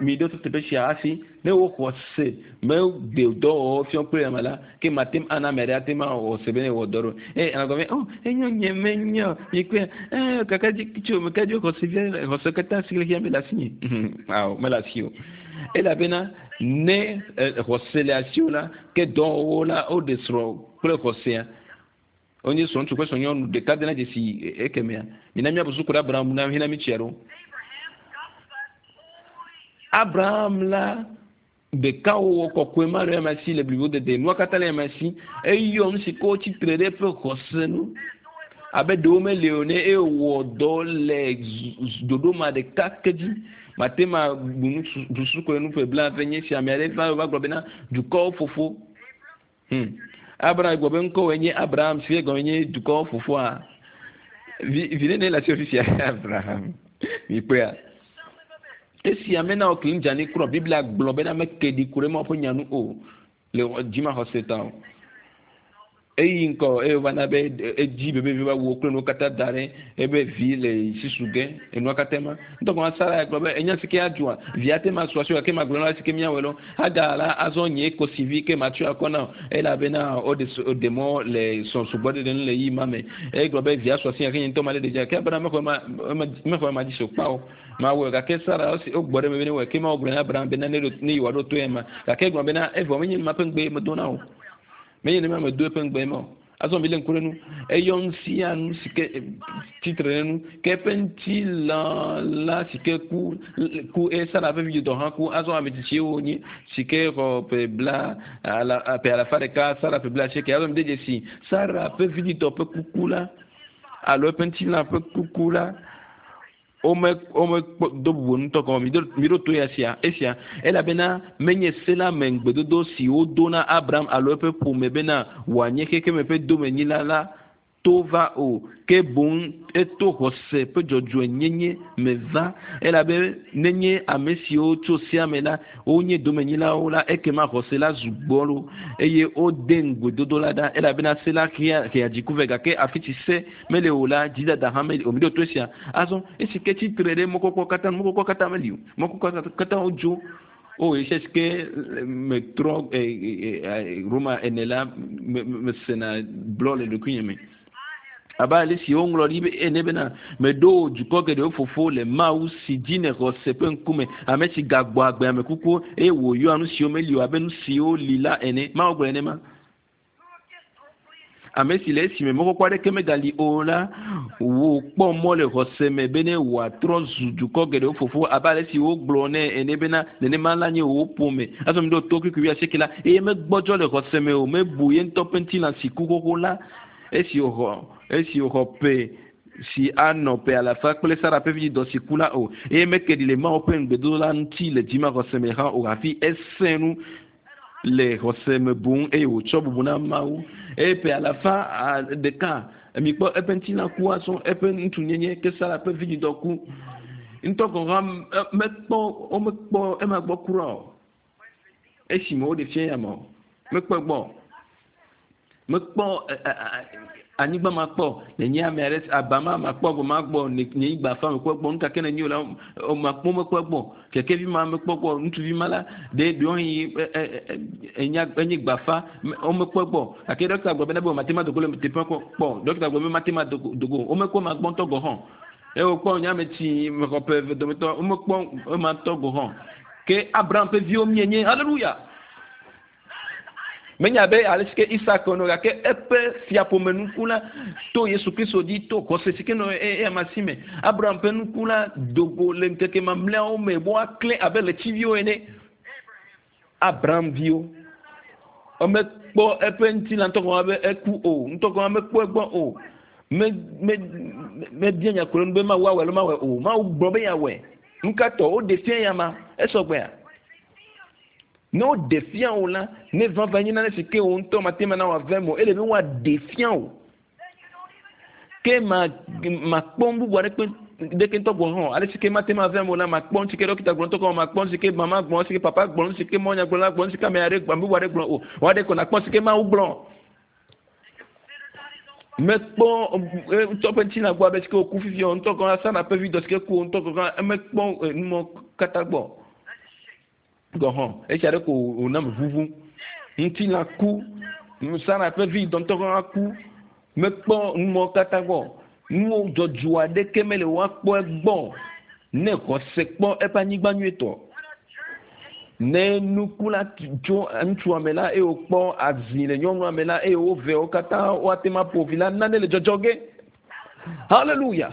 A: mi ɖo teƒe sia hafi ne wo xɔse meɖe dɔwɔwɔ fiɔ kple ame la ke mate ŋu ana ame ɖe ate ŋu awɔ xɔse be ne wɔ dɔ ɖo eye ame gblɔ be oh enyo nye menyo mi kpe eh kaka dzi tso me ka dzi xɔse fia xɔse katã si le xia me le asinye awo mele asi o elabena ne xɔse le asiwò la ke dɔwɔwɔ la woɖe srɔ̃ kple xɔsea wonye srɔ̃ŋutsu kple srɔ̃nyɔnu ɖeka dena dzesi ekemea mina míabu suku ɖe Abraham na hena mi tsia ɖo Abraham la ɖekawɔwɔ kɔkɔe ma le ame si le blibo dede nua katã le ame si eyɔ nu si ke wotsi tre ɖe eƒe xɔse nu abe ɖewo meli o ne ewɔ dɔ le ɖoɖo ma ɖeka ke dzi mate ma bu nu susu ko nu ƒe blaeve nye si ame aɖe va va gblɔ bena dukɔwo fofo hmm Abraham gblɔ be ŋkɔwòe nye Abraham si gɔme nye dukɔwo fofoa vi vi nene le asi fifia Abraham mi kpɔea esi ame na wo kli dzani kura Biblia gblɔ bena meke ɖi ku ɖe Mawu ƒe nya nu o le dzimaxɔse ta o. Eyi ŋkɔ eye wova na be edzi bebe va wu kple nuwo katã da ɖe ebe vi le sisu ge enua katã ma ŋutɔ kɔma Sara ya gblɔ be enya si ke adzɔa via te ma su asi gake ma gblɔ na si ke míawɔe lɔ Hagar la azɔ nye kosivi ke ma tsɔ akɔ na elabena woɖe woɖe mɔ le sɔsugbɔ ɖeɖe nu le yi ma me eye gblɔ be via su asi gake nye ŋutɔ ma ɖe ɖe dzi gake Abraham mexɔ ma mexɔ ma dzi so kpa o ma wɔe gake Sara wogbɔ ɖe me be ne wɔe ke ma wogblɔ na Abraham bena ne ne yewoa ɖo to ya ma gake gblɔ bena evɔ menye ma ƒe ŋugbe medo na o menye ne ma me do eƒe ŋugbe ma o azɔ mi le ŋku ɖe nu eyɔ nu sia nu si ke tsitre ɖe nu ke eƒe ŋutilã la si ke ku ku eye Sara ƒe vidzidɔ hã ku azɔ ame tsitsiwo wonye si ke xɔ ƒe bla ala ƒe alafa ɖeka Sara ƒe bla asieke azɔ mi de dzesi Sara ƒe vidzidɔ ƒe kuku la alo eƒe ŋutilã ƒe kuku la wome wome do bubu ŋutɔ gɔme mi ɖo to ya sia esia elabena menye se la me ŋugbedodo si wodo na Abraham alo eƒe ƒome bena wòanye xexeme ƒe domenyila la to va o ke boŋ eto xɔse ƒe dzɔdzɔenyenye me va elabe nenye ame siwo tso sea me la wonye domenyilawo la ekema xɔse la zu gbɔlo eye wode ŋugbedodo la ɖa elabena se la hea hea dziku vɛ gake afi si se mele o la dzidada hã meli o mi ɖo to esia azɔ esi ke tsitre ɖe mɔkpɔkpɔ katã mɔkpɔkpɔ katã meli o mɔkpɔkpɔ katã wodzo o esi si ke metrɔ Roma ene la mesena blɔ le ɖokuinye me abe ale si woŋlɔ ɖi be ene bena meɖo dukɔ geɖewo fofo le Mawu si dzi ne xɔse ƒe ŋkume ame si gagbɔ agbe ame kukuwo eye wòyɔa nu siwo meli o abe nu siwo li la ene Mawu gblɔ ene ma ame si le esime mɔkpɔkpɔ aɖeke megali o la wòkpɔ mɔ le xɔse me bene wòatrɔ zu dukɔ geɖewo fofo abe ale si wogblɔ nɛ ene bena nenema la nye wò ƒome azɔ mi ɖo to kpikpi wuiasieke la eye megbɔdzɔ le xɔse me o mebu ye ŋutɔ ƒe ŋutilã si ku xoxo la esi wòxɔ esi wòxɔ ƒe si anɔ ƒe alafa kple Sara ƒe vidzidɔ si ku la o eye meke ɖi le Mawu ƒe ŋugbedodo la ŋuti le dzimaxɔse me hã o hafi esẽ nu le xɔse me boŋ eye wòtsɔ bubu na Mawu eye ƒe alafa ɖeka mikpɔ eƒe ŋutilã ku azɔ eƒe ŋutsunyenye ke Sara ƒe vidzidɔ ku ŋutɔ gɔ̃ hã mekpɔ womekpɔ ema gbɔ kura o esime woɖe fia ya me o mekpɔ egbɔ mekpɔ anyigba ma kpɔ nenye ame aɖe aba ma ma kpɔ gbɔ ma gbɔ nye gba fa mekpɔ gbɔ nuka ke nenye o la ma kpɔ mekpɔ gbɔ kekevi ma mekpɔ gbɔ ŋutsuvi ma la ɖe ɖewohĩ enya enye gbafa womekpɔ gbɔ gake ɖɔkita gblɔ bena be mate ma dogo le teƒe kpɔ ɖɔkita gblɔ be mate ma dogo womekpɔ ma gbɔ ŋutɔ gɔ hã eye wokpɔ nye ame tsi mexɔ ƒe eve dometɔ womekpɔ ema ŋutɔ gɔ hã ke Abraham ƒe viwo mienye haleluya menya be ale si ke Isak nɔ gake eƒe fiaƒome nuku la to Yesu Kristo dzi to xɔse si ke nɔ eya si me Abraham ƒe nuku la dogo le ŋkeke mamlɛawo me be woaklẽ abe ɣletiviwo ene Abraham viwo womekpɔ eƒe ŋutilã ŋutɔ gɔme be eku o ŋutɔ gɔme mekpɔ egbɔ o me me mebia nya kure nu be Mawu awɔe alo mawɔe o Mawu gblɔ be yeawɔe nu ka tɔ woɖe fia ya ma esɔgbea ne woɖe fia wo la ne vava nye nane si ke wo ŋutɔ mate ma na wòave me o ele be woaɖe fia wo ke ma makpɔ nu bubu aɖeke ɖeke ŋutɔ gɔ̃ hã ale si ke mate ma ve me o la makpɔ nu si ke ɖɔkita gblɔ ŋutɔ gɔ̃ makpɔ nu si ke mama gblɔ nu si ke papa gblɔ nu si ke mɔnyagblɔla gblɔ nu si ke ame aɖe ame bubu aɖe gblɔ o woaɖe ko nakpɔ si ke Mawu gblɔ mekpɔ ŋutɔ ƒe ŋutilã gbɔ abe si ke wòku fifia o ŋutɔ gɔ̃ Sara ƒe vi dɔ si ke ku o ŋutɔ gɔ̃ emekpɔ numɔ katã gbɔ gɔ̃ hã esia ɖe ko wòna me ʋuʋu ŋutilã ku Sara ƒe vi dɔ ŋutɔ gɔ̃ ku mekpɔ numɔ katã gbɔ nuwo dzɔdzɔ aɖeke mele woakpɔ egbɔ ne xɔse kpɔ eƒe anyigba nyuietɔ ne nuku la tso ŋutsua me la eye wòkpɔ azi le nyɔnua me la eye wove wo katã woate ma ƒo vi la nane le dzɔdzɔ ge haleluya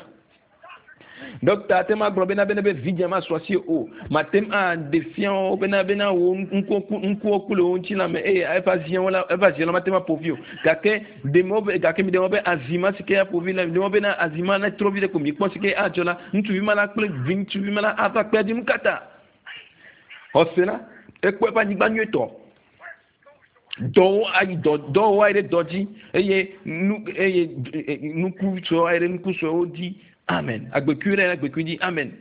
A: Ɖɔkita ate ma gblɔ bena bena be vidzĩa ma su asi o mate ŋu aɖe fia wo bena bena wo ŋkuwo ku le wo ŋutilã me eye eƒe aziawo la eƒe azia la mate ma ƒo vi o gake ɖe be gake mi ɖe be azi ma si ke aƒo vi la mi ɖe bena azi ma ne trɔ vi ɖe ko mi kpɔ si ke adzɔ la ŋutsuvi ma la kple vi ŋutsuvi ma la ava kpe dzi nu katã xɔse la ekpɔ eƒe anyigba nyuietɔ dɔwo ayi dɔ dɔwo ayi ɖe dɔ dzi eye nu eye nuku suewo ayi ɖe nuku suewo dzi amen agbekui ɖe agbekui dzi amen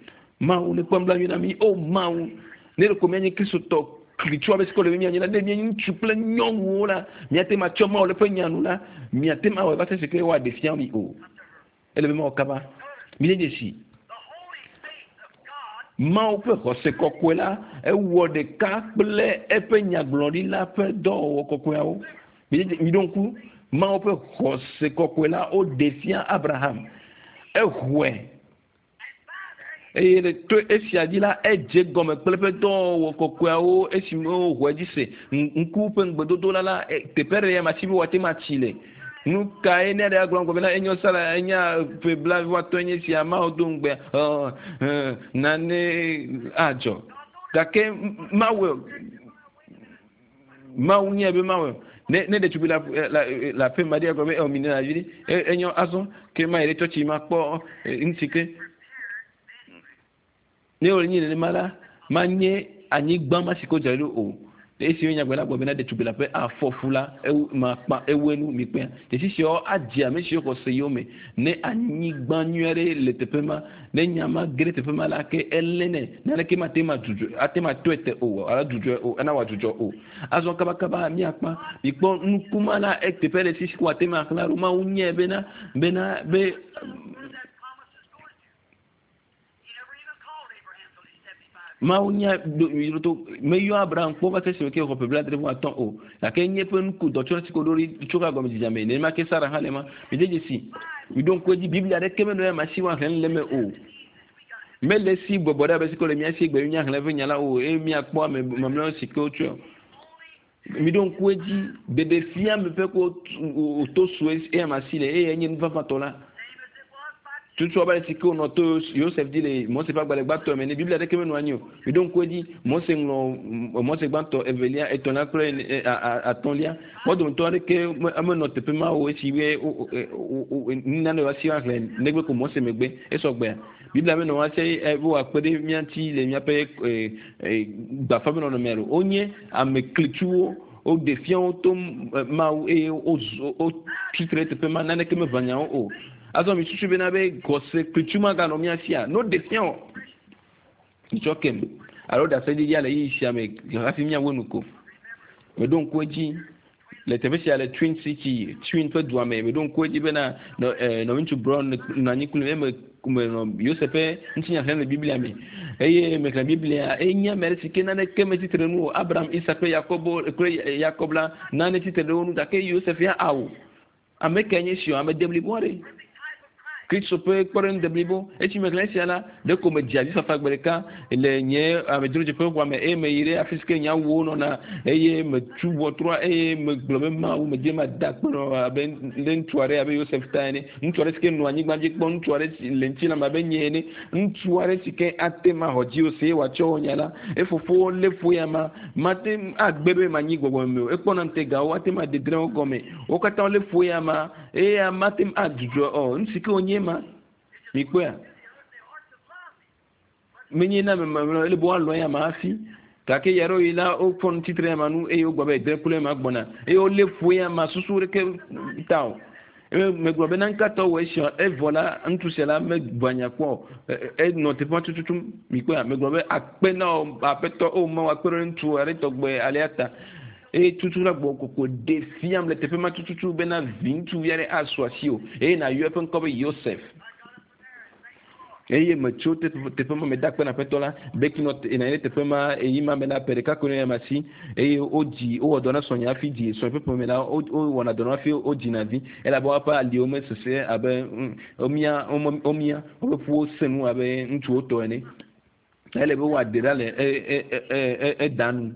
A: Mawu ne kpɔ nublanui na mi o Mawu ne ɖe ko mianye kristotɔ klitsu abe si ke wòle be mianye la ne mienye ŋutsu kple nyɔnuwo la miate ma tsɔ Mawu le ƒe nya nu la miate ma awɔe va se si ke woaɖe fia mi o ele be mawɔ kaba mi de dzesi Mawu ƒe xɔse kɔkɔe la ewɔ ɖeka kple eƒe nyagblɔɖila ƒe dɔwɔwɔ kɔkɔeawo mi ɖo ŋku Mawu ƒe xɔse kɔkɔe la woɖe fia Abraham exɔe eye le to esia dzi la edze gɔme kple eƒe dɔwɔwɔ kɔkɔeawo esime woxɔe dzi se ŋku ƒe ŋugbedodo la la teƒe ɖe ya ma si be woate ma tsi le nu kae ne ɖe agblɔ gɔme na enyo sala enya ƒe blaeve atɔ̃ enye sia Mawu do ŋugbe ɔ nane adzɔ gake Mawu Mawu nye be Mawu ne ne ɖetugbi la la la ƒe ma ɖe agblɔ be ɔ mi ne la vi ɖe enyo azɔ ke ma yi ɖe tsɔtsi ma kpɔ ŋuti ke ne wòle nyi nenema la manye anyigba ma si ke wodzra ɖo o esi nyagbe la gblɔ bena ɖetugbi la ƒe afɔfu la ewu makpa ewu enu mikpea dzesi siawo adze ame siwo xɔ se yome ne anyigba nyui aɖe le teƒe ma ne nya ma ge ɖe teƒe ma la ke elé nɛ naneke ma te ma dzudzɔ ate ma tɔe te o alo dzudzɔe o ena wòadzudzɔ o azɔ kabakaba miakpa mikpɔ nukuma la eteƒe ɖe si si ko ate ma xlã ɖo Mawu nyae bena bena be Mawu nya to meyɔ Abraham kpɔ va se esime ke xɔ ƒe blaadre vɔ atɔ̃ o gake nye ƒe nuku dɔtsɔ si ko ɖo ɖi tso ka gɔme dzidzame nenema ke Sara hã le ma mi de dzesi mi ɖo ŋku edzi Biblia ɖeke menɔ ya ma si woaxlẽ le eme o mele si bɔbɔ ɖe abe si ko le mía si gbe míaxlẽ eƒe nya la o eye míakpɔ ame mamlɛawo si ke wotsɔe mi ɖo ŋku edzi ɖeɖefia me ƒe ko wòto sue eya ma si le eye enye nu vavãtɔ la tutu abe si ke wònɔ to Yosef dzi le Mose ƒe agbalẽ gbãtɔ me ne Biblia ɖeke menɔ anyi o mi ɖo ŋku edzi Mose ŋlɔ Mose gbãtɔ evelia etɔ̃lia kple atɔ̃lia wo dometɔ aɖeke menɔ teƒe ma o esi be nane woasi woaxlẽ negbe ko Mose megbe esɔgbea Biblia menɔ woasi be wòakpe ɖe mía ŋuti le míaƒe gbafa ƒe nɔnɔmea ɖo wonye ame klitsuwo woɖe fia wo to Mawu eye wotsi tre ɖe teƒe ma naneke meʋã nyawo o azɔ mi susu bena be xɔse klitsu maganɔ mía sia no ɖe fia o mitsɔ kem alo ɖaseɖiɖia le ɣeyiɣi sia me hafi míawo nu ko meɖo ŋku edzi le teƒe sia le Twin City Twin ƒe dua me meɖo ŋku edzi bena nɔviŋutsu Brown nɔ anyi kpli eme menɔ Yosef ƒe ŋutinya xlẽm le Biblia me eye mexlẽ Biblia enye ame aɖe si ke naneke metsitre nu o Abraham Isak kple Yakobo kple Yakob la nane tsitre ɖe wo ŋu gake Yosef ya awu ame kae nye si o ame deblibo aɖe Kristo ƒe kpɔɖeŋu deblibo esi mexlẽ esia la ɖeko medze avifafa gbe ɖeka le nye amedzrodzeƒe xɔa me eye meyi ɖe afi si ke nye awuwo nɔna eye metu ʋɔtrua eye megblɔ be Mawu medze ma da akpe nɔ abe ɖe ŋutsu aɖe abe Yosef ta ene ŋutsu aɖe si ke nɔ anyigba dzi kpɔ ŋutsu aɖe si le ŋutilã me abe nye ene ŋutsu aɖe si ke ate ma xɔ dzi o se wòatsɔ wò nya la efofowo lé fu ya ma mate agbe be manyi gbɔgbɔ me o ekpɔna ŋutegawo ate ma dedre wo gɔme wo katã wolé fu ya ma eye mate adzudzɔ o nu si ke wònye ma mikpɔea menye na ame mamlɛwo ele be woalɔ̃ ya ma hafi gake ya ɖewo yi la wofɔ nu tsitre ya ma nu eye wogblɔ be edre kple ma gbɔna eye wolé fu ya ma susu ɖeke ta o eye megblɔ be nankatɔ wɔ esia evɔ la ŋutsu sia la megbɔ nya kpɔ o enɔ teƒe ma tututu mikpɔea megblɔ be akpe na wò aƒetɔ o Mawu akpe ɖe ŋutsu aɖe tɔgbe alea ta eye tutu la gbɔ koko ɖe fiam le teƒe ma tututu bena vi ŋutsuvi aɖe asu asi o eye nàyɔ eƒe ŋkɔ be Yosef eye metso teƒe ma meda akpe na aƒetɔ la beki nɔ nɔ anyi ɖe teƒe ma eyi ma me la ƒe ɖeka koe nɔ ya si eye wodzi wowɔ dɔ na srɔ̃nye hafi dzi srɔ̃nye ƒe ƒome la wowɔna dɔ na hafi wodzina vi elabe woƒe aliwo mesese abe womia womia woƒe ƒuwo sẽ nu abe ŋutsuwo tɔ ene ele be woaɖe ɖa le eda nu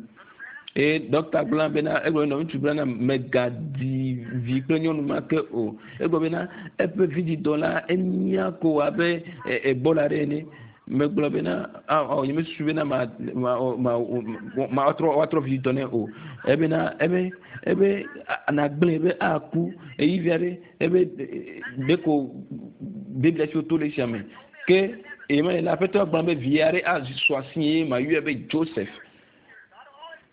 A: eye dɔkta gblɔ bena egblɔ be ŋutsu gblɔ na megadi vi kple nyɔnu ma ke o egblɔ bena eƒe vidzidɔ la emia ko abe ebola ɖe ene megblɔ bena awɔ nye mesusu bena ma ma ma ma woatrɔ woatrɔ vidzidɔ nɛ o ebena ebe ebe nagblẽ be aku eyi vi aɖe ebe ɖeko Biblia si woto le esia me ke eye me le aƒetɔ gblɔ be vi aɖe asu asi ye ma yɔe be Joseph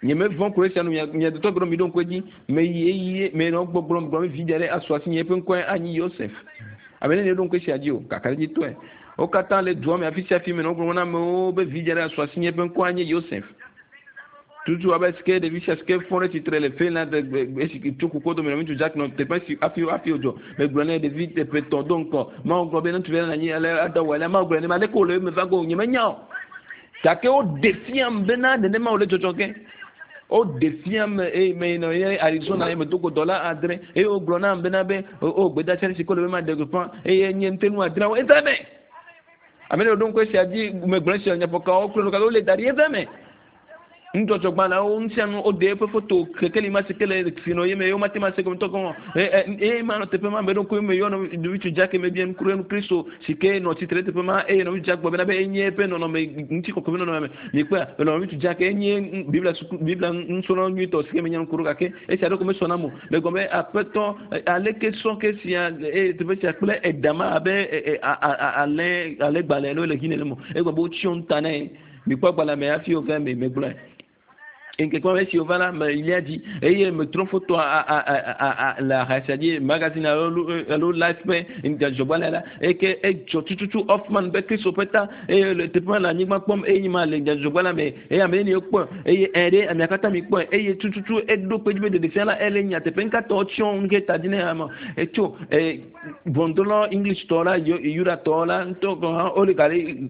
A: nye mevɔ̃ ko esia nu mia mia dɔtɔ gblɔ mi ɖo ŋku edzi meyi eye menɔ gbɔgblɔ gblɔ be vi aɖe asu asi nye eƒe ŋkɔe anyi Yosef ame ne ɖo ŋku esia dzi o kakaɖedzitɔe wo katã le dua me afi sia afi menɔ gblɔm na amewo be vi aɖe asu asi nye eƒe ŋkɔe anye Yosef Tutu abe sike ɖevi sia sike fɔ ɖe tsitre le Finland esi tso kuku dome ŋutsu Jack nɔ teƒe si hafi hafi wodzɔ. Megblɔ nɛ ɖevi teƒe tɔ̃ do ŋkɔ. Mawu gblɔ be ŋutsuvi la nɔ anyi ale ada wɔ ale Mawu gblɔ ne ma aleke wòle eme va go nyemenya o. Gake woɖe fiam bena nenema wòle dzɔdzɔ ge. Woɖe fiam eye me nɔ ye Arizona ye medo go dɔla adre eye wogblɔ nam bena be o gbedeasi si ko le be maɖe gbeƒã eye nye ŋutenu adreawo eva eme. Ame ɖe ɖo ŋku esia dzi megblɔ esia nyaƒokawo kple nukawo wole da ɖi eva eme. Nudzɔdzɔgbalẽwo ŋutia woɖe eƒe foto kekeli ma si ke le si nɔ ye me ye womate ma se gɔme tɔ gɔme eye ma nɔ teƒe ma me ɖo ŋku me yɔ ŋutsu Jack me bia nuku ɖe Kristo si ke nɔ tsitre ɖe teƒe ma eye nɔ ŋutsu Jack gblɔ bena be enye eƒe nɔnɔme ŋutikɔkɔe ƒe nɔnɔme mikpɔa nɔ ŋutsu Jack enye Biblia suku Biblia nusrɔ̃la nyuitɔ si ke menya nuku ɖo gake esia ɖe ko mesɔ nam o megblɔ be aƒetɔ aleke sɔ ke sia eye teƒe sia kple edama abe alẽ alẽgbalẽ alo le hi nene mo egblɔ be wotsyɔ nu ta nɛ mikpɔ agbalẽ me hafi wova me megblɔe. Nkeke ma esi wova la me lia dzi eye metrɔ foto a a a a le aha sia dzi magazine alo alo life ƒe dzɔgbalẽ la eye edzɔ tututu Hoffman be Kristo ƒe ta eye le teƒe ma le anyigba kpɔm eye nye ma le dzɔgbalẽ me eye ame neni kpɔe eye ɛ ɖe amea katã mi kpɔe eye tututu eɖo kpe dzi be ɖeɖefia la ele nyateƒe ŋkatɔ tsyɔ nu ke ta dzi ne ame etso ɛ ʋɔnudrɔ̃la English tɔ la Yudatɔ la ŋutɔ gɔ̃ hã wole gale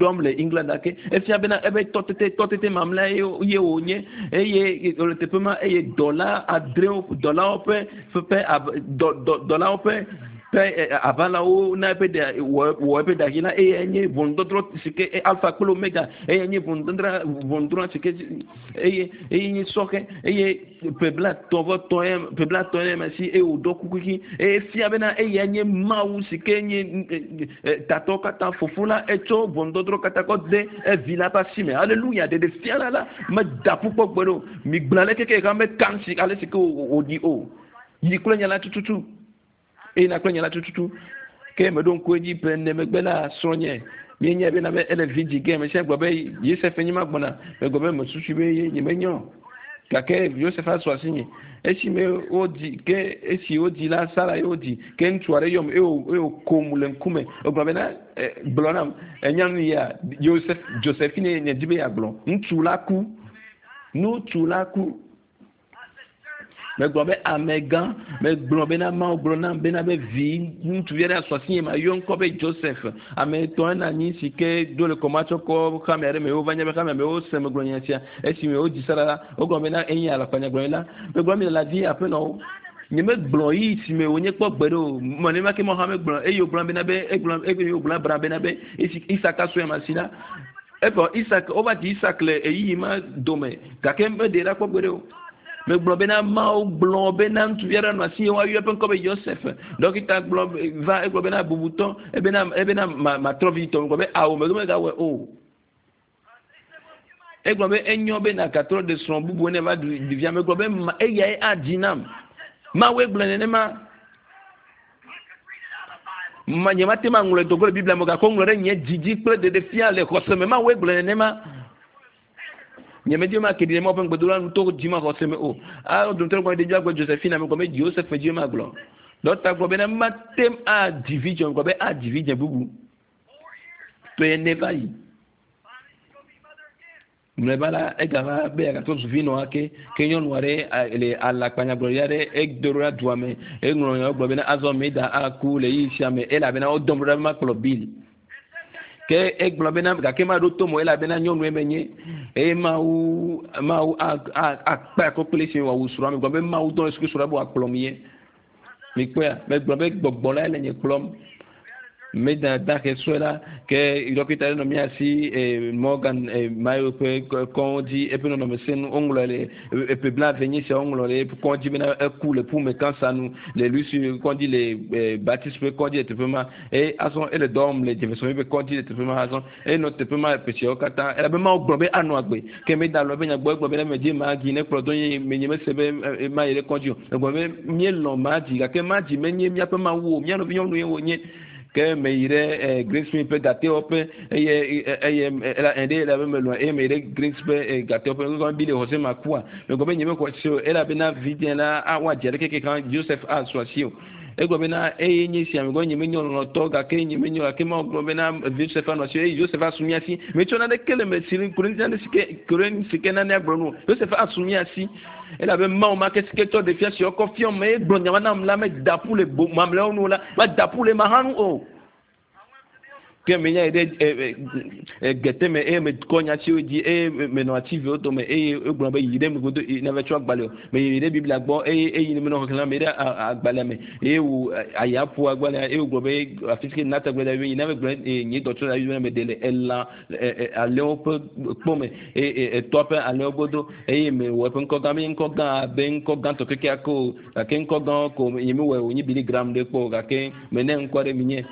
A: ɖɔm le England ake efia bena ebe tɔtete tɔtete mamlɛ ye wònye eye wòle teƒe ma eye dɔla adrewo dɔlawo ƒe ƒe dɔ dɔ dɔlawo ƒe ƒe aʋalawo na eƒe ɖe wɔ wɔ eƒe ɖahi la eye enye ʋɔnudɔdrɔ̃ si ke alpha kple omega eye enye ʋɔnudɔdrɔ̃ ʋɔnudrɔ̃ si ke eye eye nye sɔhɛ eye ƒe blaetɔ̃ vɔ tɔ̃ ye ƒe blaetɔ̃ ye ma si eye wòɖɔ kuku ɣi eye fia bena eya nye Mawu si ke nye tatɔ katã fofo la etsɔ ʋɔnudɔdrɔ̃ katã kɔ de evi la ƒe asi me aleluya ɖeɖe fia la la meda ƒu kpɔ gbe ɖe o migblɔ ale keke ka meka si ale si ke wòɖi o yi kple nya la tututu eye na kple nya la tututu ke meɖo ŋku edzi ƒe ene megbe la srɔ̃nye míenye bena be ele vi dzi ge ame sia gblɔ be Yosef nye ma gbɔna megblɔ be mesusu be ye nyemenyɔ gake Yosef asɔ asi nye esime wodzi ke esi wodzi la Sara ye wodzi ke ŋutsu aɖe yɔm eye wòkom le ŋkume egblɔ bena gblɔ nam enya nu ya Yosef Josephine nye dzi be yeagblɔ ŋutsu la ku ŋutsu la ku megblɔ be amegã megblɔ bena Mawu gblɔ nam bena be vi ŋutsuvi aɖe asɔ asi nye ma yɔ ŋkɔ be Joseph ame etɔ̃ ena anyi si ke do le kɔmatsɔ kɔ xame aɖe me wova nya be xame me wose megblɔ nya sia esime wodzi Sara la wogblɔ bena enye alakpanyagblɔɖi la megblɔ mi le la dzi aƒenɔwo nyemegblɔ yi si me wònye kpɔ gbe ɖe o mɔ ke mɔ hã megblɔ eye wògblɔ bena be egblɔ eye wògblɔ Abraham bena be esi Isak asɔ ya si la evɔ Isak wova dzi Isak le ɣeyiɣi ma dome gake meɖe ɖa kpɔ gbe ɖe o megblɔ bena Mawu gblɔ bena ŋutsuvi aɖe nɔ asi ye woayɔ eƒe ŋkɔ be Yosef dɔkita gblɔ va egblɔ bena bubutɔ ebena ebena ma matrɔ vi tɔ megblɔ be awo megbe megawɔe o egblɔ be enyo be nagatrɔ ɖe srɔ̃ bubu ne va ɖu ɖevia megblɔ be ma eyae adzi nam Mawu egblɔ nenema ma nye mate ma ŋlɔe dogo le Biblia me gake woŋlɔ ɖe nye dzidzi kple ɖeɖefia le xɔse me Mawu egblɔ nenema nye medzi ma ke ɖi ɖe Mawu ƒe ŋugbedola nu to dzi ma xɔse me o alo dometɔ gblɔ ɖevi agblɔ Josephine megblɔ be Joseph dzi ma gblɔ dɔkita gblɔ bena mate adzi vi dzɔ megblɔ be adzi vi dze bubu ƒe ne va yi mlɔeba la egava be yeagatrɔ zu vinɔ ake ke nyɔnu aɖe le alakpanyagblɔɖi aɖe edo ɖo ɖa dua me eŋlɔ nya gblɔ bena azɔ Meda aku le ɣeyiɣi sia me elabena wodɔm ɖo ɖa be makplɔ Bill ke egblɔ bena gake maɖo to mo elabena nyɔnue menye eye Mawu Mawu akpe akɔ kple esi wòawu srɔ̃a megblɔ be Mawu dɔ le suku srɔ̃a be wòakplɔm ye mikpɔea megblɔ be gbɔgbɔ la le nye kplɔm Meda dahe sɔe la ke dɔkita ɖe nɔ mía si Morgan Mayo ƒe kɔdzi eƒe nɔnɔme senu woŋlɔ le eƒe blaeve nye sia woŋlɔ le eƒe kɔdzi bena eku le ƒume kansa nu le Louis kɔdzi le Baptiste ƒe kɔdzi le teƒe ma eye azɔ ele dɔ wɔm le Jefferson ƒe kɔdzi le teƒe ma azɔ eye nɔ teƒe ma ƒe siawo katã elabe Mawu gblɔ be anɔ agbe ke meda lɔ eƒe nya gbɔ egblɔ bena medze Magi ne kplɔ do nye menye mese be mayi ɖe kɔdzi o egblɔ be míelɔ̃ Magi gake Magi menye míaƒe Mawu o mía nɔvi nyɔnu ye wònye ke meyi ɖe Greensmith ƒe gatewɔƒe eye eye ɛɖe elabe melɔ̃ eye meyi ɖe Greens ƒe gatewɔƒe ŋgɔ bi le xɔse ma kua megblɔ be nye mexɔ se o elabena vidzĩ la woadze ɖe keke kan Joseph asɔ asi o Egblɔ bena eye nye sia me gɔ nye menye lɔlɔtɔ gake nye menye gake Mawu gblɔ bena Yosef anɔ asi eye Yosef asu mía si. Metsɔ naneke le me si ku ɖe nane si ke ku ɖe nu si ke nane agblɔ nu o. Yosef asu mía si elabe Mawu ma ke si ke tsɔ ɖevia si kɔ fiɔm me egblɔ nya ma nam la meda ƒu le bo mamlɛawo nu o la meda ƒu le ma hã nu o. Ke menya yi ɖe gete me eye mekɔ nya siwo dzi eye menɔ ati viwo dome eye egblɔ be yi ɖe megodo nava tsɔ agbalẽ o. Meyi ɖe Biblia gbɔ eye eyi menɔ xexlẽm me ɖe agbalẽa me eye wò aya ƒo agbalẽa eye wògblɔ be afi si ke Natan gblɔ da be yi nava gblɔ nye dɔtsɔ la be meɖe le elã alẽwo ƒe kpɔ me eye etɔa ƒe alẽwo godo eye mewɔ eƒe ŋkɔ gã menye ŋkɔ gã abe ŋkɔ gãtɔ kekeake o gake ŋkɔ gãwo ko nye mewɔe wònye Billy Graham ɖe kpɔ o gake mene ŋkɔ ɖe minye.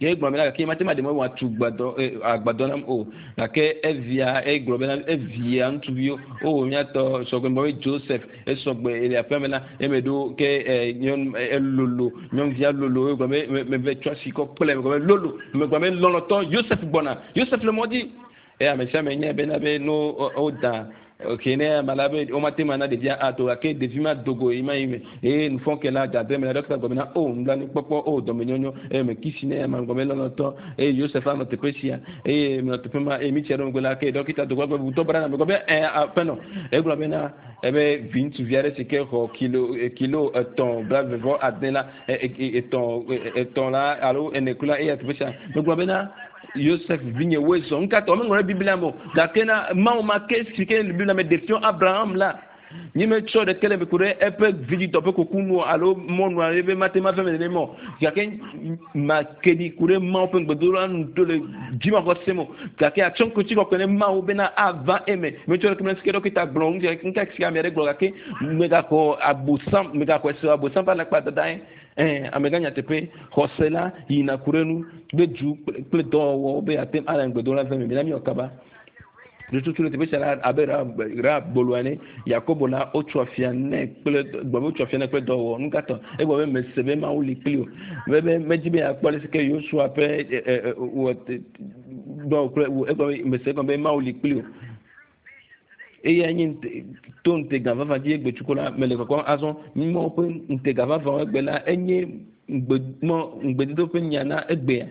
A: Ke egblɔ bena gake mate ma ɖe mɔ wòatu gbadɔ agbadɔ nam o gake evia egblɔ bena evia ŋutsuviwo o míatɔ sɔgbe be Joseph esɔgbe le aƒea me la eme ɖo ke nyɔnu elolo nyɔnuvia lolo egblɔ be meve tsɔ asi kɔ kple megblɔ be lolo megblɔ be lɔlɔtɔ Joseph gbɔna Joseph le mɔ dzi eye ame sia ame nya bena be no woda ke ne ame la be womate ma na ɖevia ato gake ɖevi ma dogo yi ma yi me eye nufɔke la dade me la ɖɔkita gblɔ bena o nublanuikpɔkpɔ o dɔmenyonyo eye me kisi ne ame gblɔ be lɔlɔtɔ eye Yosef anɔ teƒe sia eye menɔ teƒe ma eye mitsi ɖe megbe la ke ɖɔkita dogo gblɔ be wutɔ bra na me gblɔ be ɛ aƒenɔ egblɔ bena ebe vi ŋutsuvi aɖe si ke xɔ kilo kilo etɔ̃ blaeve vɔ ade la etɔ̃ etɔ̃ la alo ene kula eya teƒe sia megblɔ bena Yosef vinye woe zɔ ŋkatɔ meŋlɔ ɖe Biblia me o gake na Mawu ma ke si ke le Biblia me ɖe fiɔ Abraham la nye metsɔ ɖeke le me ku ɖe eƒe vidzidɔ ƒe kuku nu alo mɔnu alo ebe mate ma ve me nenema o gake make ɖi ku ɖe Mawu ƒe ŋugbedodola nu to le dzimaxɔse me o gake atsɔ ŋkutsi kɔkɔe ne Mawu bena ava eme metsɔ ɖeke me si ke ɖɔkita gblɔ ŋu ŋka si ame aɖe gblɔ gake megaxɔ abosam megaxɔe se abosam ƒe alakpa dada ye ɛɛ amegã nyateƒe xɔse la yina ku ɖe nu kple du kple dɔwɔwɔ be ate ale ŋugbedola ve me mina miwɔ kaba tututu le teƒe sia la abe ra bolo ene Yakobo la wotso afia nɛ kple gbɔ be wotso afia nɛ kple dɔwɔwɔ nu katã egblɔ be mese be Mawu li kpli o be be medzi be yeakpɔ ale si ke Yosua ƒe wɔ dɔ kple egblɔ be mese egɔme be Mawu li kpli o eya nye to ŋutega vavã dzi egbe tsuko la mele kɔkɔm azɔ Mawu ƒe ŋutega vavã egbe la enye ŋugbe mɔ ŋugbedodo ƒe nya na egbea.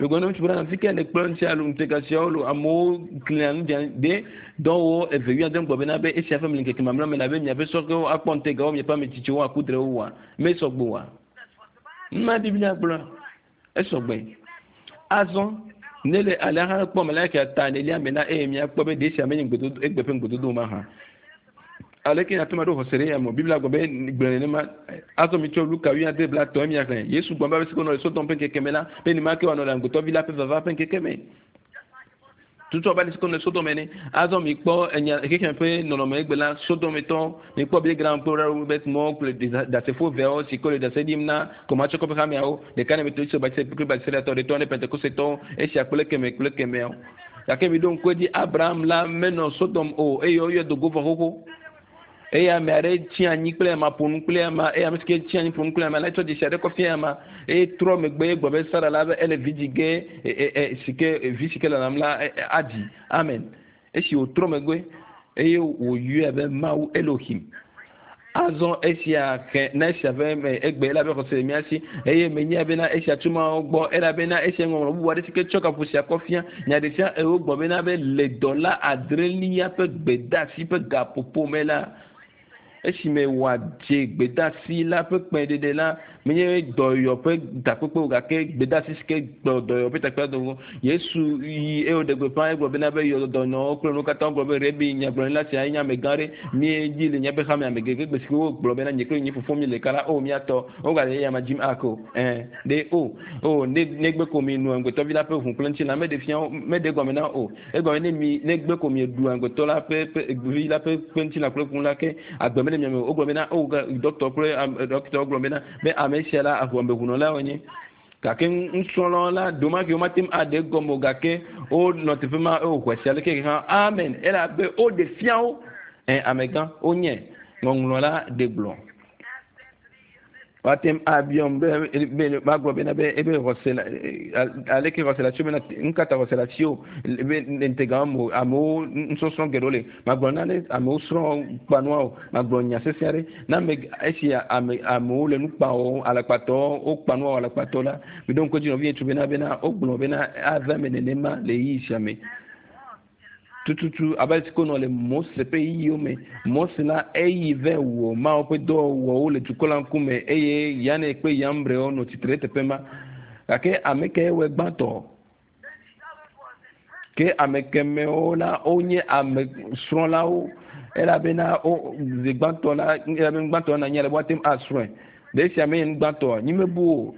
A: Megblɔ na ŋutsu bena fi ke le kplɔ ŋuti alo ŋutega siawo lo amewo klina nu dzia ɖe dɔwɔwɔ eve wuiade gblɔ bena be esia ƒe ŋkeke mamlɛ me la be miaƒe sɔhewo akpɔ ŋutegawo miaƒe ame tsitsiwo aku drewo wa mesɔgbe oa. Numa Biblia gblɔ esɔgbe. Azɔ ne le alea hã kpɔ me la ke ta enelia me la eye miakpɔ be ɖe sia menye ŋugbedodo egbe ƒe ŋugbedodo ma hã. Aleke miate ŋu aɖo xɔse ɖe ya me Biblia gblɔ be gblɔ nenema azɔ mitsɔ Luka wuiade blatɔ̃ miaxlẽ Yesu gblɔ be ame si ke nɔ le Sodom ƒe ŋkeke me la be nenema ke wòanɔ le amegbetɔvi la ƒe vava ƒe ŋkeke me. Tutu abe ale si ke nɔ le Sodom ene. Azɔ mikpɔ enya xexeme ƒe nɔnɔme egbe la Sodometɔ mikpɔ Billy Graham kple Robert Moore kple ɖasefo eveawo si ke le ɖase ɖim na Komatsɔkɔ ƒe hameawo ɖeka ne Methodist Baptist kple Baptistɔwo ɖetɔ ne Pentekostetɔwo esia kple keme kple kemeawo. Gake miɖo ŋku edzi Abraham la menɔ Sodom o eye woyɔe do go vɔ xoxo. Eye ame aɖe tsi anyi kple ama ƒo nu kple ama eye ame si ke tsi anyi ƒo nu kple ama la tsɔ dzesi aɖe kɔ fia ama eye trɔ megbe gblɔ be Sara la be ele vi dzi ge si ke vi si ke lalam la adzi amen esi wòtrɔ megbe eye wòyɔe be Mawu Elohim azɔ esia ke na esia ƒe me egbe elabe xɔse le mía si eye menya bena esia tso Mawu gbɔ elabena esia ŋɔŋlɔ bubu aɖe si ke tsɔ gaƒo sia kɔ fia nya ɖe sia ewo gblɔ bena be le dɔla adrelia ƒe gbedeasi ƒe gaƒoƒo me la esime wòadze gbedeasi la ƒe kpẽɖeɖe la menye dɔyɔ ƒe takpekpe o gake gbedeasi si ke gblɔ dɔyɔ ƒe takpekpe dogo Yesu yi eye wòɖe gbeƒã egblɔ bena be yɔ dɔnɔwo kple nuwo katã gblɔ be Rebi nyagblɔɖila sia nye amegã ɖe míedzi le míaƒe xame ame gege gbe si ke wogblɔ bena nye kple nye fofo mi le ɖeka la o míatɔ wogale eya ma dzim ake o ɛɛ ɖe o o ne negbe ko mi nu amegbetɔvi la ƒe ʋu kple ŋutilã meɖe fia meɖe gɔme na o egɔme ne mi negbe ko mi ɖu amegbetɔ la ƒe ƒe vi la ƒe ƒe ŋutilã kple ʋu la ke agbe mele mia me o wogblɔ bena o dɔkitɔ kple dɔkitɔ gblɔ bena be ame sia la ameʋunɔla wonye gake nusrɔ̃lawo la domake womate ŋu aɖe egɔme o gake wonɔ teƒe ma eye wòxɔe sia leke hã amen elabe woɖe fia wo ɛ amegã wonye ŋɔŋlɔ la ɖe gblɔ. Woate abiɔm be be magblɔ bena be ebe xɔse la aleke xɔse le asiwò bena nu ka ta xɔse le asiwò be ŋutega me amewo nusɔsrɔ̃ geɖewo le magblɔ na ne amewo srɔ̃ kpanua o magblɔ nya sesẽ aɖe na ame esi ame amewo le nu kpa wɔm alakpatɔwo wokpa nua alakpatɔ la miɖo ŋku edzi nɔvi ŋutsu bena bena wogblɔ bena ava eme nenema le ɣeyiɣi sia me tututu abe ale si ko nɔ le Mose ƒe ɣeyiɣiwo me. Mose la eyi vɛ wɔ Mawu ƒe dɔwɔwɔwo le dukɔ la ŋkume eye Yane kple Yambrewo nɔ tsitre ɖe teƒe ma. Gake ame kae wɔe gbãtɔ? Ke ame kemɛwo la wonye ame srɔ̃lawo elabena wo zi gbãtɔ la elabe gbãtɔ na anyi ale be woate ŋu asrɔ̃e. Ɖe esia menye nu gbãtɔa? Nyi mebu o.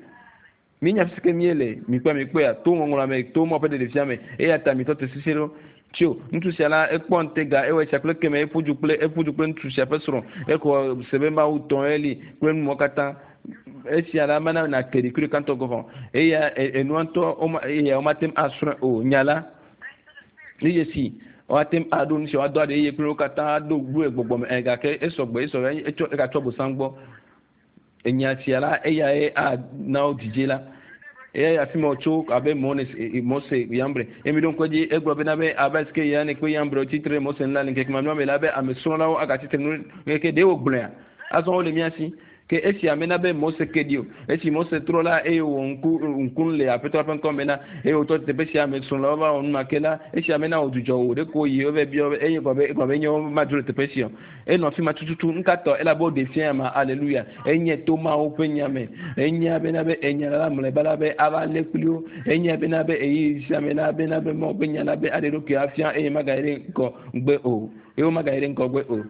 A: Míenya fi si ke míele mikpɔe mikpɔea to ŋɔŋlɔa me to Mawu ƒe ɖeɖefia me eya ta mitɔ te sisi ɖo. Tso ŋutsu sia la ekpɔ ŋutega ewɔ esia kple keme eƒu du kple eƒu du kple ŋutsu sia ƒe srɔ̃ exɔ se be Mawu tɔ eli kple numɔwo katã esia la mena na ke ɖekui ɖeka ŋutɔ gɔ̃ hã eya enua ŋutɔ woma eya womate ŋu asrɔ̃e o nya la nu dzesi woate ŋu aɖo nu sia woado aɖe eye kple wo katã aɖo gblɔe gbɔgbɔ me ɛ gake esɔgbɔ esɔ etsɔ egatsɔ bosam gbɔ enya sia la eyae ana wo dzidze la eya afi ma wòtso abe Mose Yambre eye mi ɖo ŋku edzi egblɔ bena be abe si ke Yane kple Yambre tsitre Mose ŋu la le ŋkeke mamlɛa me la be ame srɔ̃lawo agatsitre nu ke ɖe wògblɔea azɔ wole mía si ke esia mena be Mose ke ɖi o esi Mose trɔ la eye wòwɔ ŋku ŋku le aƒetɔ ƒe ŋkɔ me la eye wòtɔ teƒe sia ame srɔ̃lawo va wɔ nu ma ke la esia mena wòdzudzɔ o ɖeko yi wova biɔ eye gblɔ be egblɔ be nye madzro le teƒe sia o enɔ afi ma tututu ŋkatɔ elabe woɖe fia ma aleluya enye to Mawu ƒe nya me enya bena be enya la mlɔeba la be ava lé kpli wo enya bena be eyi sia me la bena be Mawu ƒe nya la be aɖe ɖokui afia eye magayi ɖe ŋgɔ gbe o eye womagayi ɖe ŋgɔgbe o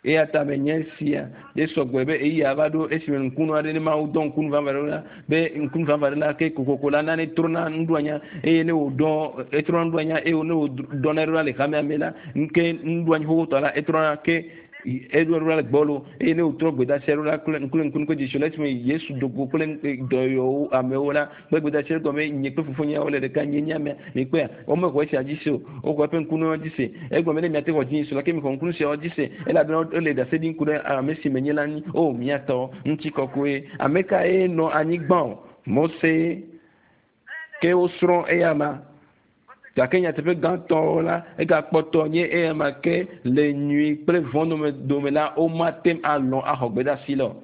A: eya ta menye sia ɖe sɔgbɔe be eyi ava ɖo esime ŋkunu aɖe ne Mawu dɔ ŋkunu vavã ɖe la be ŋkunu vavã ɖe la ke kokoko la nane trɔna nuɖoanya eye ne wòdɔ etrɔna nuɖoanya eye ne wòdɔna ɖo la le hamea me la nke nuɖoanyi xoxotɔ la etrɔna ke eɖo ɖo la le gbɔlo eye ne wòtrɔ gbedeasi ɖo la kple kple ŋkunu kple dzesi la esime Yesu do go kple dɔyɔwo amewo la kple gbedeasi ɖe gɔme nye kple fofonyewo le ɖeka nye nye amea mikpɔea womexɔ esia dzi se o woxɔ eƒe ŋkunuwo dzi se egɔme ne miate xɔ dzi se la ke mixɔ ŋkunu siawo dzi se elabena wole ɖase ɖim ku ɖe ame si menye la ŋu o miatɔ ŋutikɔkɔe ame kae nɔ anyigba o Mose ke wosrɔ̃ eya ma gake nyateƒe gãtɔwo la egakpɔtɔ nye eya ma ke le nyui kple vɔ̃ dome dome la womate ŋu alɔ̃ axɔ gbedeasi la o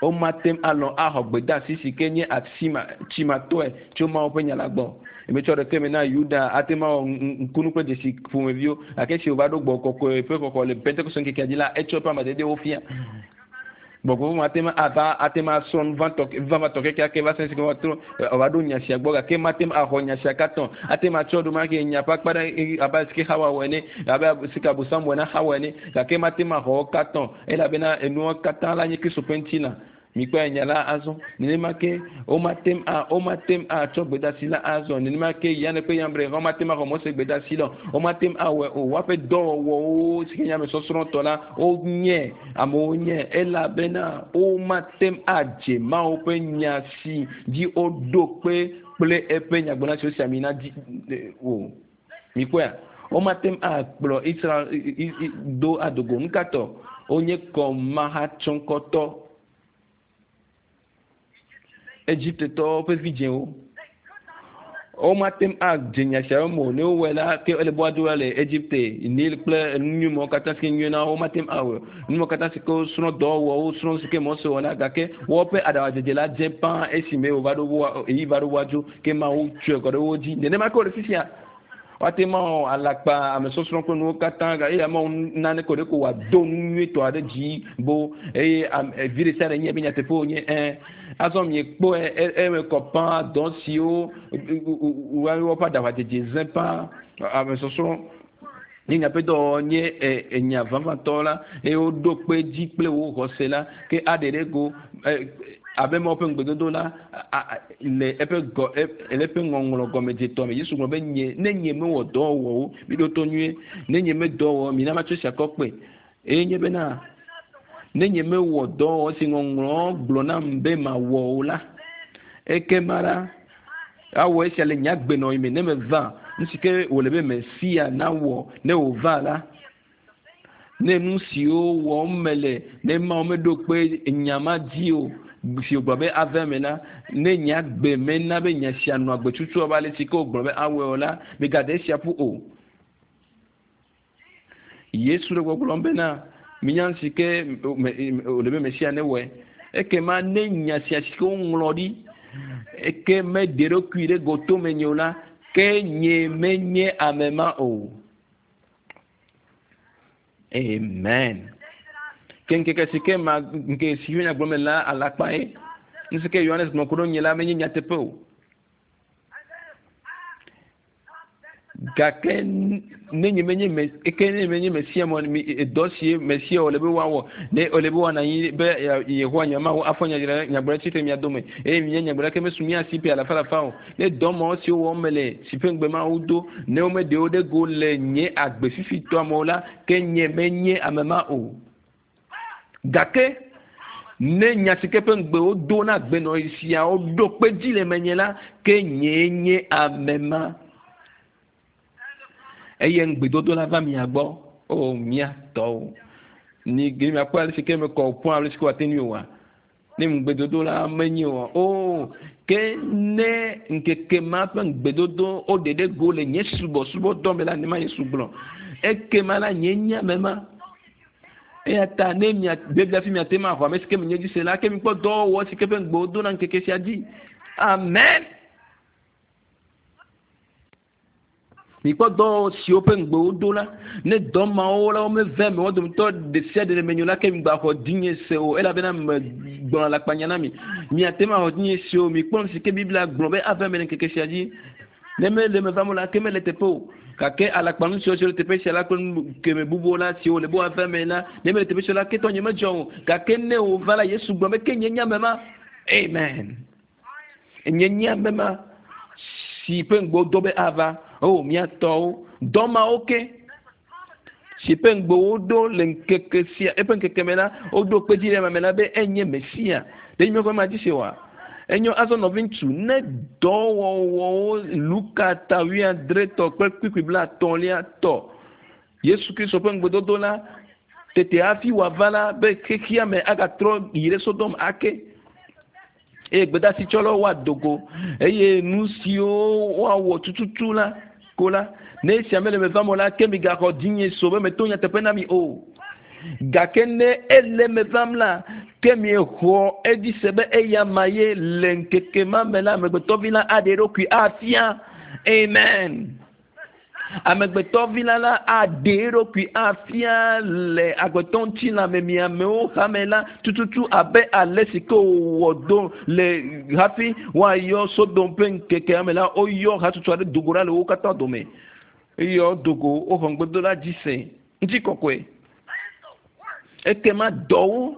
A: womate ŋu alɔ̃ axɔ gbedeasi si ke nye asima tsimatɔe tso Mawu ƒe nya la gbɔ emetsɔ ɖeke me na Yuda ate ŋu awɔ ŋkunu kple dzesi ƒomeviwo gake esi wòva ɖo gbɔ kɔkɔe ƒe xɔxɔ le Pentekoste ŋkekea dzi la etsɔ eƒe amadedewo fia gbɔgbɔ mate ŋu ava ate ŋu asrɔ̃ nu vavãtɔ kekeake va se si ke woatrɔ wòava ɖo nya sia gbɔ gake mate ŋu axɔ nya sia katã ate ŋu atsɔ ɖo ke nya ƒe akpa ɖe abe si ke Xawa wɔ ene abe si ke Abosam wɔ na Xawa ene gake mate ŋu axɔ wo katã elabena enuwo katã la nye Kristo ƒe ŋutilã mikpɔe nya la azɔ nenema ke womate ŋu a womate ŋu atsɔ gbedeasi la azɔ nenema ke Yane kple Yambre womate ŋu axɔ Mose gbedeasi la o womate ŋu awɔe o woaƒe dɔwɔwɔwo si ke nye ame sɔsrɔ̃tɔ la wonye amewo nye elabena womate ŋu adze Mawu ƒe nya si dzi woɖo kpe kple eƒe nyagblɔɖi si wosi ami na dzi o mikpɔea womate ŋu akplɔ Israel do adogo nukatɔ wonye kɔmahatsɔŋkɔtɔ Egiptetɔwo ƒe vidzĩwo womate ŋu adze nya siawo me o ne wowɔe la ke ele be woado la le Egipte Nil kple nu nyuiwo katã si ke nyuie na wo womate ŋu awɔe nu katã si ke wosrɔ̃ dɔwɔwɔ wosrɔ̃ si ke Mose wɔ la gake woƒe aɖaŋudzedze la dze pã esime wòva ɖo wo eyi va ɖo woadzo ke Mawu tsɔe kɔ ɖe wo dzi nenema ke wòle fifia woate ŋu awɔ alakpa ame sɔsrɔ̃ kple nuwo katã eye amewo nane ko ɖe ko wòado nu nyuietɔ aɖe dzi bo eye vi ɖe sia ɖe nye be nyateƒe wònye ɛ azɔ miekpɔe eme kɔ pã dɔ siwo woƒe aɖaŋudzedze zẽ pã ame sɔsrɔ̃ nye nyaƒe dɔwɔwɔ nye enya vavãtɔ la eye woɖo kpe dzi kple wo xɔse la ke aɖe ɖe go abe Mawu ƒe ŋugbedodo la le eƒe gɔ le eƒe ŋɔŋlɔ gɔmedzetɔ me Yesu gblɔ be nye ne nye mewɔ dɔwɔwɔwo mi ɖo to nyuie ne nye medɔ wɔ mina matsɔ esia kɔ kpe eye nye bena ne nye mewɔ dɔwɔwɔ si ŋɔŋlɔ gblɔ nam be mawɔ o la ekema la awɔ esia le nye agbenɔɣi me ne meva nu si ke wòle be Mesia nawɔ ne wòva la Ne nu siwo wɔm mele ne Mawu meɖo kpe nya ma dzi o si wògblɔ be ave me la ne nye agbe mena be nya sia nɔ agbe tutu abe ale si ke wògblɔ be awɔe o la megade esia ƒu o. Yesu le gbɔgblɔm bena minya nu si ke wòle be Mesia newɔe. Ekema ne nya sia si ke woŋlɔ ɖi eke meɖe eɖokui ɖe gotome nye o la ke nye menye ame ma o. Amen. Ke ŋkeke si ke ma ŋkeke si nya gblɔm la alakpa ye. Nu si ke Yohanes gblɔ ku ɖe nye la menye nyateƒe o. Gake ne nye menye me eke ne menye Mesia mɔ mi dɔ si Mesia wòle be woawɔ ne wòle be woanɔ anyi be Yehowa nye Mawu afɔ nyagblɔɖi tsitre mia dome eye mianye nyagblɔɖi ke mesu mía si ƒe alafa alafa o. Ne dɔ mawo siwo wɔm mele si ƒe ŋugbe Mawu do ne womeɖe wo ɖe go le nye agbe fifitɔa me o la ke nye menye ame ma o. Gake ne nya si ke ƒe ŋugbe wodo na agbenɔɣi siawo ɖo kpe dzi le menye la ke nyee nye ame ma. Eye ŋugbedodo la va mia gbɔ. O mía tɔwo. Ni ge miakpɔ ale si ke mekɔ ƒu ale si ke woate ŋui oa. Ne ŋugbedodo la menye oa. O ke ne ŋkeke ma ƒe ŋugbedodo woɖe ɖe go le nye subɔsubɔdɔ me la ne ma Yesu gblɔ. Ekema la nye nye ame ma. Eya ta ne mia Biblia fi miate ma xɔ ame si ke menye dzi se la ke mikpɔ dɔwɔwɔ si ke ƒe ŋugbe wodo na ŋkeke sia dzi. Amen. Mikpɔ dɔ siwo ƒe ŋugbe wodo la ne dɔ mawo la womeve me wo dometɔ ɖe sia ɖe le menyo la ke migbaxɔ dzinye se o elabena megblɔ alakpanya na mi. Miate ma xɔ dzinye se o. Mikpɔ nu si ke Biblia gblɔ be ava eme le ŋkeke sia dzi. Ne mele eme vam o la ke mele teƒe o. Gake alakpanu siwo le teƒe sia la kple nu keme bubuwo la siwo le be woava eme la ne mele teƒe sia la ke tɔnye medzɔ o. Gake ne wòva la Yesu gblɔ be ke nye nye ame ma. Amen. Nye nye ame ma si ƒe ŋugbe wodo be ava. O mía tɔwo dɔ mawo ke si ƒe ŋugbe woɖo le ŋkeke sia eƒe ŋkeke me la woɖo kpe dzi ɖe eme la be enye Mesia. Ɖe nye ƒe ma dzi se oa? Enyo azɔ nɔviŋutsu ne dɔwɔwɔwo Luka ta wuiadretɔ kple kpukpui blaetɔ̃lia tɔ Yesu Kristo ƒe ŋugbedodo la tete hafi wòava la be xexea me agatrɔ yi ɖe Sodom ake. Eye gbedeasitsɔlawo woado go eye nu siwo woawɔ tututu la ko la ne esia mele me vam o la ke migaxɔ dzinye so be meto nyateƒe na mi o. Gake ne ele me vam la ke miexɔ edzi se be eya ma ye le ŋkeke ma me la amegbetɔvi la aɖe eɖokui afia. Amen. Amegbetɔvi la la aɖe eɖokui afia le agbetɔ ŋutilã me miamewo hame la tututu abe ale si ke wòwɔ do le hafi woayɔ Sodom ƒe ŋkekea me la woyɔ hatsotso aɖe do go ɖa le wo katã dome. Eyɔ do go woxɔ ŋugbedodo la dzi se ŋutikɔkɔe. Ekema dɔwo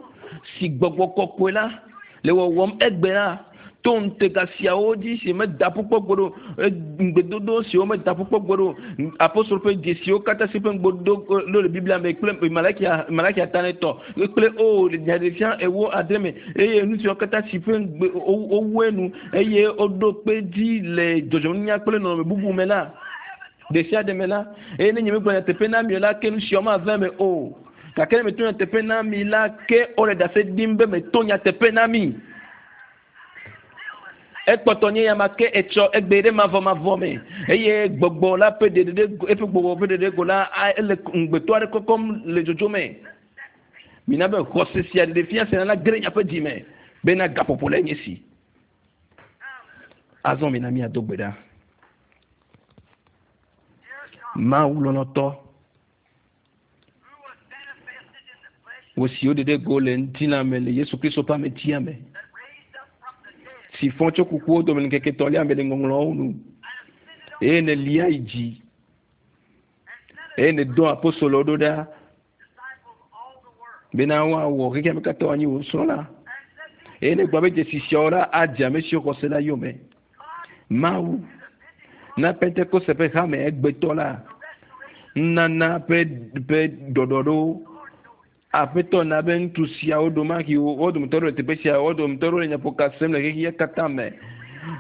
A: si gbɔgbɔ kɔkɔe la le wɔwɔm egbe la to ŋutega siawo dzi si meda ƒu kpɔ gbeɖe o, ŋugbedodo siwo meda ƒu kpɔ gbeɖe o, apostolo ƒe dzesiwo katã si ƒe ŋugbedodo ɖo le Biblia me kple Malakia Malakia ta ne tɔ kple o le nyaɖeɖefia ewo adre me eye nu siwo katã si ƒe ŋugbe wowu enu eye woɖo kpe dzi le dzɔdzɔmenunya kple nɔnɔme bubu me la ɖe sia ɖe me la eye ne nye megblɔ nyateƒe na mi o la ke nu siawo mava eme o. Gake ne meto nyateƒe na mi la ke wole ɖase ɖim be meto nyateƒe na mi. Ekpɔtɔ nye ya ma ke etsɔ egbe ɖe mavɔmavɔ me eye gbɔgbɔ la ƒe ɖeɖe eƒe gbɔgbɔ ƒe ɖeɖe go la ele ŋugbetɔ aɖe kɔkɔm le dzodzo me. Mina be xɔse sia ɖeɖe fia sia la ge ɖe miaƒe dzi me bena gaƒoƒo le nye si. Azɔ mina míado gbe ɖa. Mawu lɔlɔ̃tɔ, wò si woɖe ɖe go le ŋutilã me le Yesu Kristo ƒe ametia me si fɔ tso kukuwo dome le ŋkeke etɔ̃lia me le ŋɔŋlɔawo nu eye nèlia yi dzi eye nèdɔ apostolowo ɖo ɖa bena woawɔ xexea me katã woanyi wò nusrɔ̃la eye negblɔ be dzesi siawo la adze ame siwo xɔ se la yome. Mawu na Pentekoste ƒe hame egbetɔ la nunana ƒe ƒe ɖɔɖɔɖo Aƒetɔ na be ŋutsu siawo ɖomahi wo dometɔ ɖewo le teƒe sia wo dometɔ ɖewo le nyaƒoka sem le xexea katã me.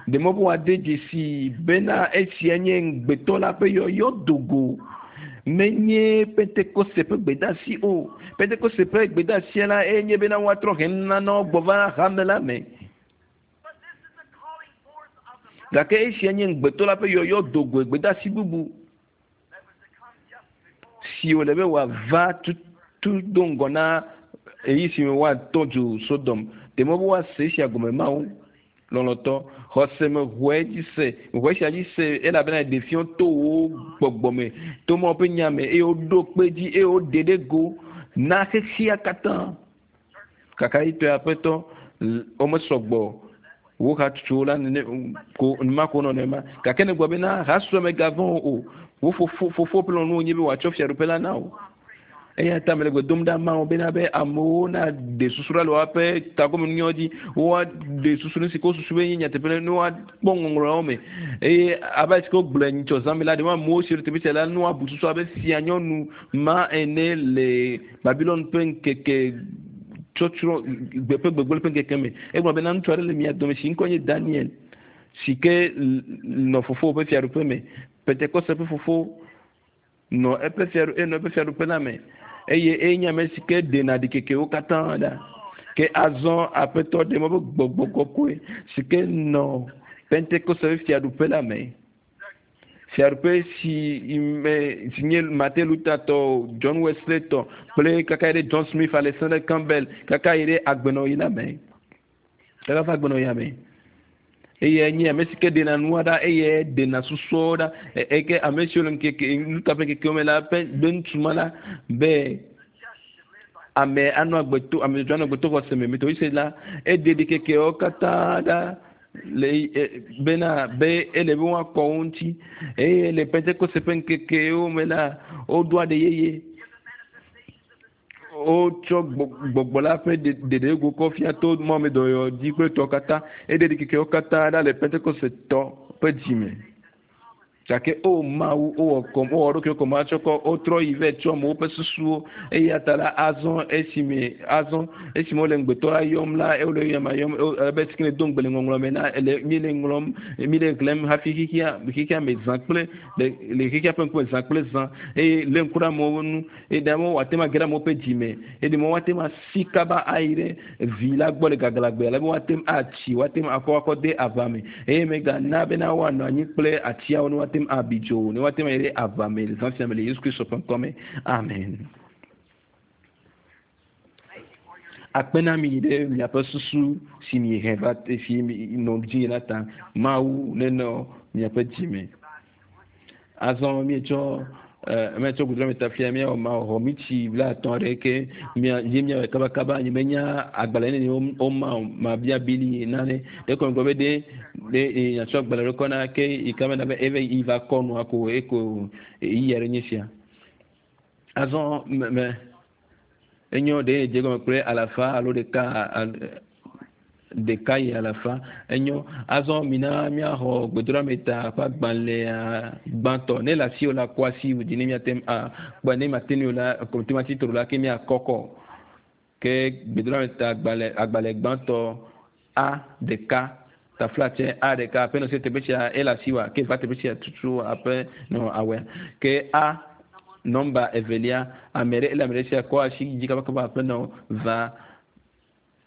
A: Ɖe mɔ be woade dzesi bena esia nye ŋugbetɔ la ƒe yɔyɔ do go Menye Pentekoste ƒe gbedasi o. Pentekoste ƒe gbedasia la enye bena woatrɔ he nunanawo gbɔ va hame la me. Gake esia nye ŋugbetɔ la ƒe yɔyɔ dogoe gbedasi bubu si wòle be wòava tutu do ŋgɔ na eyi si me woatɔ dzo Sodom. Ɖe mɔ be woase esia gɔme Mawu lɔlɔtɔ xɔse me xɔe dzi se xɔe sia dzi se elabena ɖeviwo to wo gbɔgbɔ me to Mawu ƒe nya me eye woɖo kpe dzi eye woɖe ɖe go na xexea katã. Kakaɖitɔe aƒetɔ womesɔgbɔ wo hatsotsowo la nene ko numa ko nɔ nenema gake ne gblɔ bena hasue megavɔ̃ o wo fofo fofo ƒe lɔlɔ̃nu wònye be wòatsɔ fiaɖuƒe la na wo. Eya ta mele gbe dom ɖa Mawu bena be amewo naɖe susu ɖa le woaƒe tagɔmenunyawo dzi woaɖe susu nu si ke wosusu be nye nyateƒe ne woakpɔ ŋɔŋlɔawo me eye abe ale si ke wogblɔe nyitsɔ zã me la ɖe amewo si le teƒe sia la ne woabu susu abe fia nyɔnu ma ene le Babilon ƒe ŋkeke tsɔtsrɔ̃ gbe ƒe gbegblẽ ƒe ŋkeke me. Egblɔ bena ŋutsu aɖe le mia dome si ŋkɔ nye Daniel si ke nɔ fofo ƒe fiaɖuƒe me. Pentekoste ƒe fofo nɔ eƒe fiaɖu enɔ eƒe fiaɖuƒe la me eye enye ame si ke ɖena ɖikekewo katã ɖa. Ke azɔ aƒetɔ ɖe mɔ be gbɔgbɔ kɔkɔe si ke nɔ Pentekoste ƒe fiaɖuƒe la me. Fiaɖuƒe si me si nye Martin Luther tɔ, John Wesley tɔ kple kaka yi ɖe John Smith, Alexander Campbell kaka yi ɖe agbenɔɣi la me. Kaka va agbenɔɣia me. Eye nye ame si ke ɖena nua ɖa eye ɖena susuawo ɖa eke ame siwo le ŋkeke Luther ƒe ŋkekewo me la ƒe be ŋutsu ma la be ame anɔ agbe to ame dzɔdzɔe anɔ agbe to xɔse me metɔ yi la eɖe ɖikekewo katã ɖa le bena be ele be woakɔ wo ŋuti eye le Pentekoste ƒe ŋkekewo me la woɖo aɖe yeye wotsɔ gbɔgbɔ la ƒe ɖeɖego kɔ fia to mɔmedɔyɔ dzi kple tɔ katã eɖe ɖikekewo katã ɖa le Pentekoste tɔ ƒe dzime. Gake o Mawu wowɔ kɔm wowɔ ɖokuiwo kɔm atsɔ kɔ wotrɔ yi vɛ tsɔ amewo ƒe susuwo eya ta la azɔ esime azɔ esime wole ŋugbetɔ la yɔm la wole yɔm yɔm ebe si ke ne do ŋugbe le ŋɔŋlɔ me na ele mi le ŋlɔm mi le xlẽm hafi xexea xexea me zã kple le le xexea ƒe ŋkume zã kple zã eye lé ŋku ɖe amewo ŋu eye ɖe amewo woate ŋu age ɖe amewo ƒe dzime eye ɖe woate ŋu asi kaba ayi ɖe vi la gbɔ le gaglãgbe ale be woate ŋu atsi woate ŋu akɔ akɔ de aʋa me eye megana bena woanɔ anyi kple atiawo ne woate ŋu abi dzo ne woate ŋu ayi ɖe aʋa me le zã sia me le Yesu Kristo ƒe ŋkɔ me. Amen. Akpe na mi ɖe miaƒe susu si miehe va si nɔ dzi la ta. Mawu nenɔ miaƒe dzime. Azɔ mietsɔ mietsɔ gbedoɖa fia miawɔ mawɔ mitsi blaetɔ̃ aɖe ke mia ye miawɔe kabakaba nye menya agbalẽ nene woma o mabia bili nane ɖe kɔ ŋgɔ be ɖe ɖe nyatsɔ agbalẽ ɖe kɔ na ke yi ka mena be eve yi va kɔ nua ko eko eyi aɖe nye sia. Azɔ me me enyo ɖe dze gɔme kple alafa alo ɖeka ɖeka yi alafa enyo azɔ mina miaxɔ gbedoɖameta ƒe agbalẽa gbãtɔ ne le asiwò la kɔ asi dzi ne miate ŋu akpɔe ne mate ŋui o la kɔmpiuta tro la ke miakɔkɔ ke gbedoɖameta agbalẽ agbalẽ gbãtɔ a ɖeka taflatse a ɖeka aƒe nɔ se teƒe sia ele asiwòa ke va teƒe sia tutu aƒe nɔ awɔe ke a nɔmba evelia ame ɖe ele ame ɖe sia kɔ asi dzi kabakaba aƒe nɔ va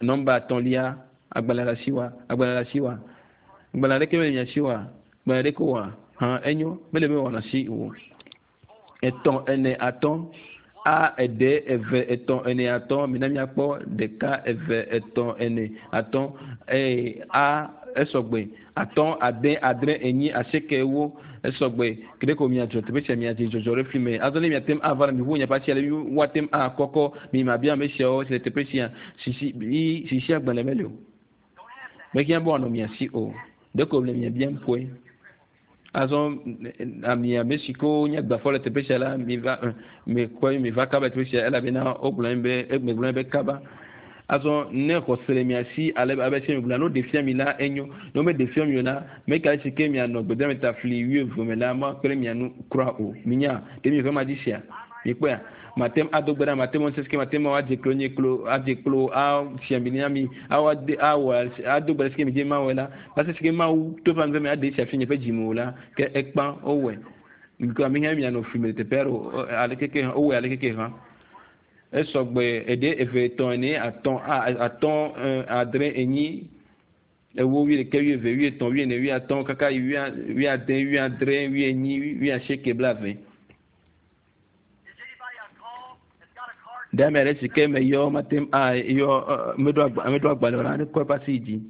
A: nɔmba etɔ̃lia agbalẽ le asiwòa agbalẽ le asiwòa agbalẽ aɖeke mele mia si oa agbalẽ ɖeke oa hã enyo mele be wɔna si o etɔ̃ ene atɔ̃ a ede eve etɔ̃ ene atɔ̃ mina miakpɔ ɖeka eve etɔ̃ ene atɔ̃ eye a esɔgbe atɔ̃ ade adre enyi asieke ewo esɔgbe ke ko miadzɔ teƒe sia miadze dzɔdzɔ ɖe fi me azɔ ne miate ŋu ava na miʋu miaƒe asi ale woate ŋu akɔkɔ mi mabia ame siawo si le teƒe sia sisi sisi agbalẽ mele o mehiã be wòanɔ mia si o ɖeko le mia biam koe azɔ ami ame si kewo nye gbafɔ le teƒe sia la mi va mi kɔe mi va kaba le teƒe sia elabena wogblɔ be megblɔ be kaba azɔ ne xɔse le mia si ale abe si mi gblɔ ne woɖe fia mi la enyo ne womeɖe fia mi o la meka si ke mianɔ gbedoameta fli wuieve me la makpe ɖe mia nu kura o minya ɖe mi ƒe ma dzi sia mikpɔea mate ŋu ado gbe ɖa mate ŋu sesike mate ŋu adze klo nye klo adze klo afia mi na mi awɔ ade awɔ ado gbe ɖe sike mi dze mawɔe la va se sike mawu to ƒe ame aɖe sia fi nye ƒe dzime o la ke ekpã wowɔe Mikɔ ame hã mianɔ fli me le teƒe aɖe o aleke ke hã wowɔe aleke ke hã. Esɔgbe eɖe eve etɔ̃ ene atɔ̃ atɔ̃ adre enyi ewo wuiɖeke wuieve wuietɔ̃ wuiene wuiatɔ̃ kaka yi wuiade wuiadre wuienyi wuiasieke blaeve. Ɖe ame aɖe si ke meyɔ mate ŋu ayɔ meɖo agbalẽ o la ne kɔ eƒe asi yi dzi.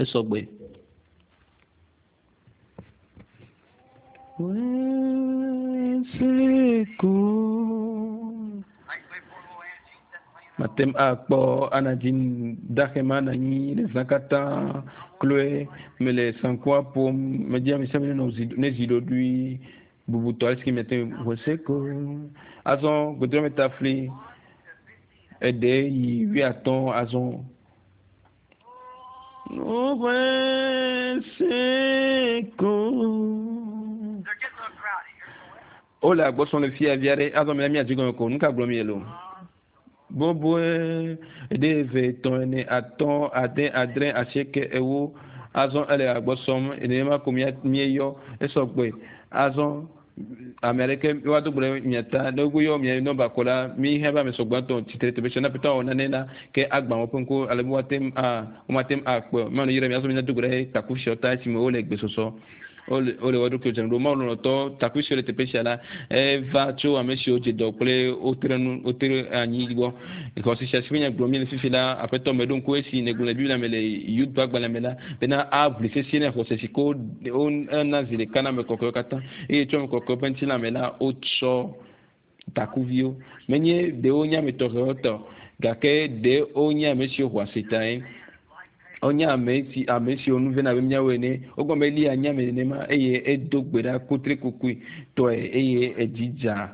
A: Esɔgbe. Mate ŋu akpɔ anadzi daxema na anyi le zã katã kloe mele sankua ƒom medzi ame sia ame nenɔ ne zi ɖoɖoe bubutɔ ale si ke miate ŋu wòseko. Azɔ gbedrɔmetafli eɖe yi wuiatɔ̃ azɔ. Wole agbɔsɔm le fia vi aɖe azɔ mia mia dzi gɔme ko nu ka gblɔm miele o. Boboe eɖe eve etɔ̃ ene atɔ̃ ade adre asieke ewo azɔ ele agbɔsɔm nenema ko mia mieyɔ esɔgbe azɔ ame aɖeke woado gbe ɖe mia ta ne woyɔ mia nɔmba ko la mi hã be ame sɔgbãtɔ tsitre teƒe sia ne aƒetɔ awɔ nane la ke agbã woƒe ŋku ale be woate ŋu a womate ŋu akpɔe o. Mawu yra mi azɔ mi nado gbe ɖe taku siawo ta esime wole gbesɔsɔ. Wole wole wo ɖokuiwo dzram ɖo. Mawu lɔlɔ̃tɔ takui siwo le teƒe sia la eva tso ame siwo dze dɔ kple wotre nu wotre anyi gbɔ. Xɔse sia si ƒe nya gblɔm míele fifi la aƒetɔ meɖo ŋku esi nègblɔ le Biblia me le Yuda agbalẽ me la bena aʋli sesĩe ne xɔse si ke wona zi ɖeka na ame kɔkɔewo katã eye tso ame kɔkɔewo ƒe ŋutilã me la wotsɔ takuviwo. Menye ɖewo nye ame tɔxɛwo tɔ gake ɖewo nye ame siwo xɔ asi tae. Wonye ame si ame siwo nu vena abe míawo ene. Wogɔme Eliya nye ame nenema eye edo gbe ɖa kutrikukui tɔe eye edzi dza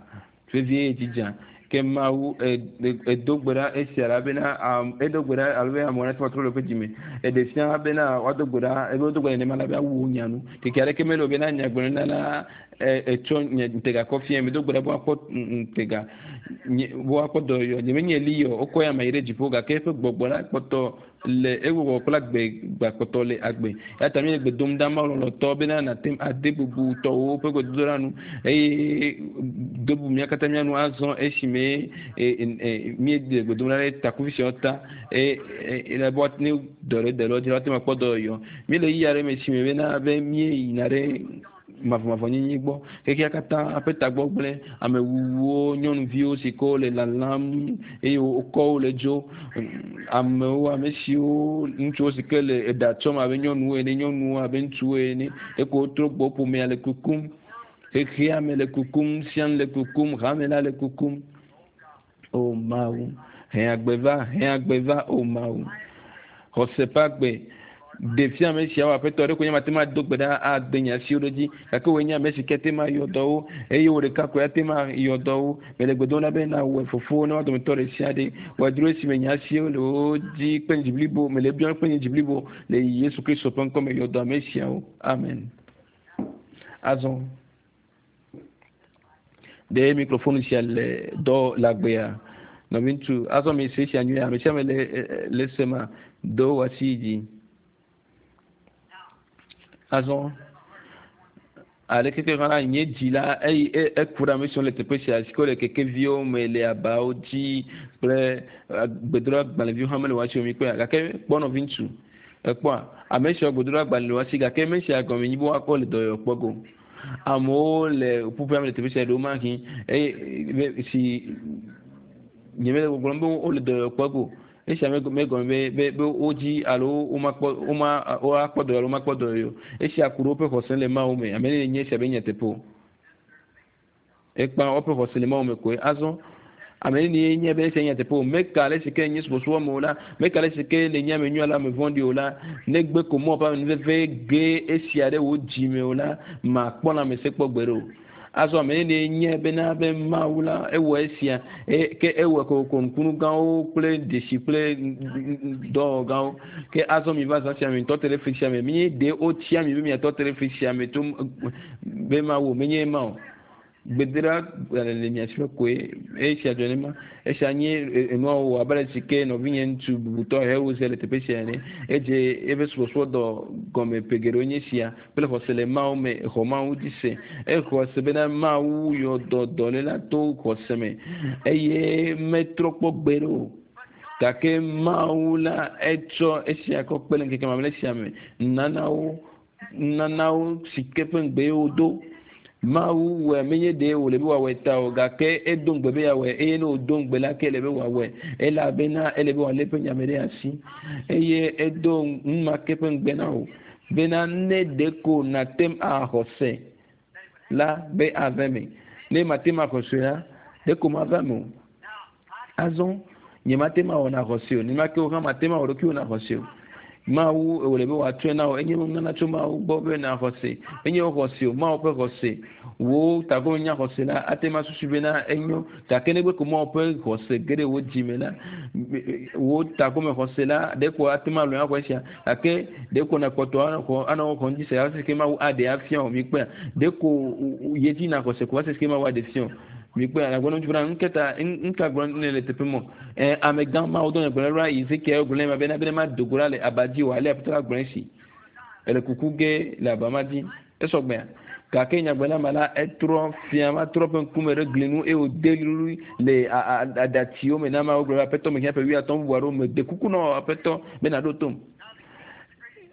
A: vevie edzi dza. Ke Mawu edo gbe ɖa esia la bena edo gbe ɖa alo be amewo nate ŋu atrɔ le woƒe dzime. Eɖe fia bena woado gbe ɖa ebe wodo gbe ɖa nenema la be awu wo nya nu. Keke aɖeke mele o bena nyagblɔɖila la etsɔ nye ŋutega kɔ fia medo gbe ɖa be woakpɔ ŋutega nye be woakpɔ dɔyɔyɔ. Nye menye Eliya o wokɔ ya me yi ɖe dziƒo gake eƒe gbɔgbɔ la kpɔtɔ le ewɔwɔ kple agbe gbakpɔtɔ le agbe. Eya ta míele gbe dom ɖa Mawu lɔlɔ̃tɔ bena nàte ŋu ade bubu tɔwòwo ƒe gbedodoɖa nu eye do bubu mía katã mía nu azɔ esime míele gbe dom ɖa ɖe takuvi siawo ta eye le be ne dɔ ɖe de le wo dzi la woate ŋu akpɔ dɔyɔyɔ. Míele ɣeyiɣi aɖe me si me bena be míeyina ɖe mavɔmavɔnyenye gbɔ. Xexea katã ƒe tagbɔ gblẽ. Amewuwuwo, nyɔnuviwo si ke wole lalam eye wokɔ wo le dzo. Amewo, ame siwo ŋutsuwo si ke le eɖa tsɔm abe nyɔnuwo ene, nyɔnuwo abe ŋutsuwo ene. Eko wotrɔ gbɔ ƒomea le kukum. Xexea me le kukum, sia le kukum, hame la le kukum. O Mawu, hẽ agbe va, hẽ agbe va, o Mawu. Xɔse ƒe agbe. Ɖevi ame siawo aƒetɔ ɖe ko nye mate ŋu ado gbe ɖa ade nye asiwo ɖe edzi gake woe nye ame si ke te ma yɔ dɔwo eye wo ɖeka koe ate ma yɔ dɔwo. Mele gbe dom ɖa be nawɔe fofo ne woa dometɔ ɖe sia ɖe wòadro esime nye asiwo le wo dzi kple nye dzi blibo mele biam kple nye dzi blibo le Yesu Kristo ƒe ŋkɔme yɔ dɔ ame siawo. Amen. Azɔ ɖe mikrofon sia le dɔ le agbea nɔviŋutsu azɔ mi se sia nyuie ame sia ame le le sema do wò asi yi dzi. Azɔ aleke ke hã nye dzi la eyi eku ɖe ame siwo le teƒe sia si ke wole kekeviwo me le abawo dzi kple gbedoɖagbalẽviwo hã mele wo asi o mi kpɔa gake kpɔ nɔviŋutsu ekpɔa ame siwo gbedoɖagbalẽ le wo asi gake ame sia gɔme nyi be woakpɔ le dɔyɔyɔ kpɔ go. Amewo le ƒuƒoƒea me le teƒe sia ɖewo mahi eye si nye mele gbɔgblɔm be wole dɔyɔyɔ kpɔ go. Esia megɔme be be be wodzi alo womakpɔ woma woakpɔ dɔyɔyɔ alo womakpɔ dɔyɔyɔ o. Esia ku ɖe woƒe xɔse le Mawu me. Ame ne nye esia be nyateƒe o. Ekpa woƒe xɔse le Mawu me koe. Azɔ ame ne nye be esia nyateƒe o. Meka ale si ke nye subɔsubɔ me o la, meka ale si ke le nye ame nyui alo ame vɔ̃ɖi o la, negbe ko mɔ ƒe amenuveve ge esia ɖe wò dzime o la, makpɔ lãmesẽ kpɔ gbeɖe o. Azɔ ame ne nye bena be Mawu la ewɔ esia ke ewɔ kokoko nukunu gãwo kple dzesi kple dɔwɔwɔ gãwo. Ke azɔ mi va zã sia me ŋutɔ te ɖe fli sia me. Menye ɖe wotia mi be miatɔ te ɖe fli sia me to be Mawu o, menye ema o. Gbedra le mia si koe esia dzɔ ne ma esia nye enua wɔ abe ale si ke nɔvinye ŋutsu bubutɔ hewo se le teƒe sia ene edze eƒe subɔsubɔdɔ gɔme ƒe geɖewo nye sia kple xɔse le Mawu me exɔ Mawu dzi se exɔ se bena Mawu yɔ dɔ dɔléla to xɔse me eye metrɔ kpɔ gbe ɖe o gake Mawu la etsɔ esia kɔ kpe le ŋkeke mamlɛ sia me nanawo nanawo si ke ƒe ŋugbe wodo Mawu wɔ menye ɖe wòle be wòawɔe ta o gake edo ŋugbe be yeawɔe eye ne wòdo ŋugbe la ke ele be wòawɔe elabena ele be wòalé eƒe nyame ɖe asi eye edo nu ma ke ƒe ŋugbe na wò bena ne ɖeko nàte ŋu axɔ se la be ava eme ne mate ŋu axɔ se la ɖeko mava eme o azɔ nye mate ŋu awɔ na xɔ se o nenema ke wò hã mate ŋu awɔ ɖokuiwò na xɔ se o Mawu wòle be wòatsɔe na wò enye nunana tso Mawu gbɔ be na xɔse enye wò xɔse o Mawu ƒe xɔse wò tagbɔ nya xɔse la ate ŋu asusu bena enyo gake negbe ko Mawu ƒe xɔse ge ɖe wò dzime la wò tagbɔme xɔse la ɖeko ate ŋu alɔe axɔ esia gake ɖeko nakpɔtɔ anɔ anɔ xɔ ŋdzi se hafi ke Mawu aɖe afia wò mikpɔa ɖeko ye dzi na xɔse ko va se ke Mawu aɖe fia wò mikpɔa agblɔ ŋutsu bena ŋketa ŋka gblɔ ne le teƒe mɔ ɛ amegã Mawu dɔ nye gblɔ ɖa Ezekiel gblɔ ne ma bena bena ma do go ɖa le aba dzi o ale aƒetɔ la gblɔ esi ele kuku ge le aba ma dzi esɔgbea gake nyagblɔla ma la etrɔ fia ma trɔ ƒe ŋkume ɖe gli nu eye wòde lulu le aɖatsiwo me na Mawu gblɔ be aƒetɔ mehiã ƒe wuiatɔ̃ bubu aɖewo me de kuku na aƒetɔ be nàɖo tom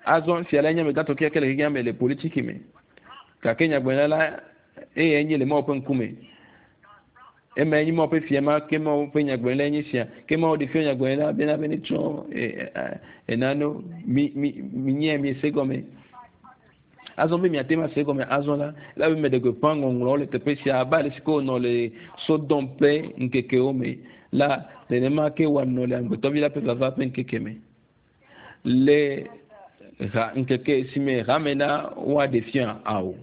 A: azɔ fia la nye amegãtɔ kekeake le xexea me le politiki me gake nyagblɔla la eye nye le Mawu ƒe ŋkume eme nye Mawu ƒe fia ma ke Mawu ƒe nyagblɔɖila nye sia ke Mawu ɖe fia nyagblɔɖila bena be ne tsɔ enano mi mi mi nye mi se gɔme azɔ be miate ma se gɔme azɔ la la be meɖe gbeƒã ŋɔŋlɔwo le teƒe sia abe ale si ke wònɔ le Sodom ƒe ŋkekewo me la nenema ke wòanɔ le amegbetɔvi la ƒe vava ƒe ŋkeke me le ha ŋkeke si me hame la woaɖe fia awo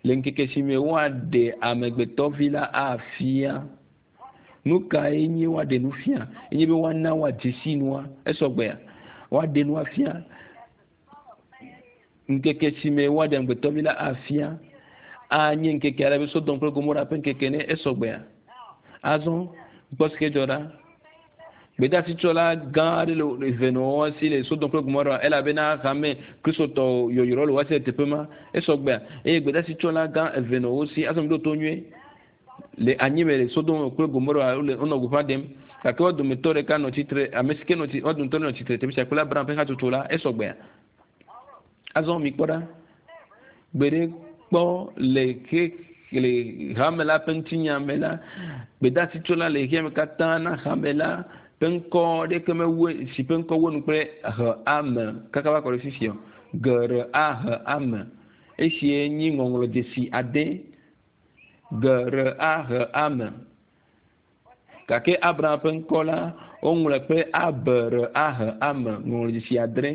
A: le ŋkeke si me woaɖe amegbetɔvi la afia nu kae nye woaɖe nu fia enye be woana woadze si nua esɔgbea woaɖe nua fia ŋkeke si me woaɖe amegbetɔvi la afia anye ŋkeke aɖe be Sodom kple Gomora ƒe ŋkeke ne esɔgbea azɔ gbɔ si ke dzɔ ɖa gbedasitsɔla gã aɖe le eve nɔ wo si le Sodom kple Gomora elabena hame kristotɔ yɔyrɔ le wo si le teƒe ma esɔgbea eye gbedasitsɔla gã eve nɔ wo si azɔ mi ɖo to nyuie le anyime le Sodom kple Gomora wole wonɔ gbeƒã ɖem gake wo dometɔ ɖeka nɔ tsitre ame si ke nɔ tsi wo dometɔ nɔ tsitre teƒe sia kple Abraham ƒe hatsotso la esɔgbea azɔ mi kpɔ ɖa gbe ɖe kpɔ le ke le hame la ƒe ŋutinya me la gbedasitsola le xexea me katã na hame la ƒe ŋkɔ ɖeke mewu si ƒe ŋkɔ wu nu kple he ame kaka va kɔ ɖe fifia g r a h ame esie nyi ŋɔŋlɔ dzesi ade g r a h ame gake Abraham ƒe ŋkɔ la woŋlɔe kple a b r a h ame ŋɔŋlɔ dzesi adre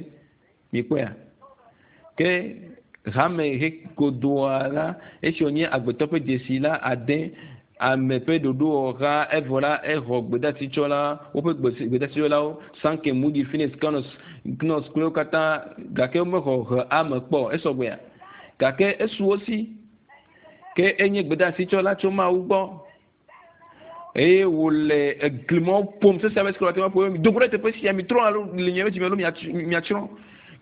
A: mikpɔea ke hame he godoa la esi wònye agbetɔ ƒe dzesi la ade ame ƒe ɖoɖowɔha evɔ la exɔ gbedasitsɔla woƒe gbedasitsɔlawo Sankey Moody Finney Knox Knox kple wo katã gake womexɔ he ame kpɔ esɔgbea gake esu wo si ke enye gbedasitsɔla tso Mawu gbɔ eye wòle eglimɔwo ƒom sese ame si ke wòate ŋu aƒo mi do go ɖe teƒe sia mi trɔ alo le nye dzime alo miatsrɔ̃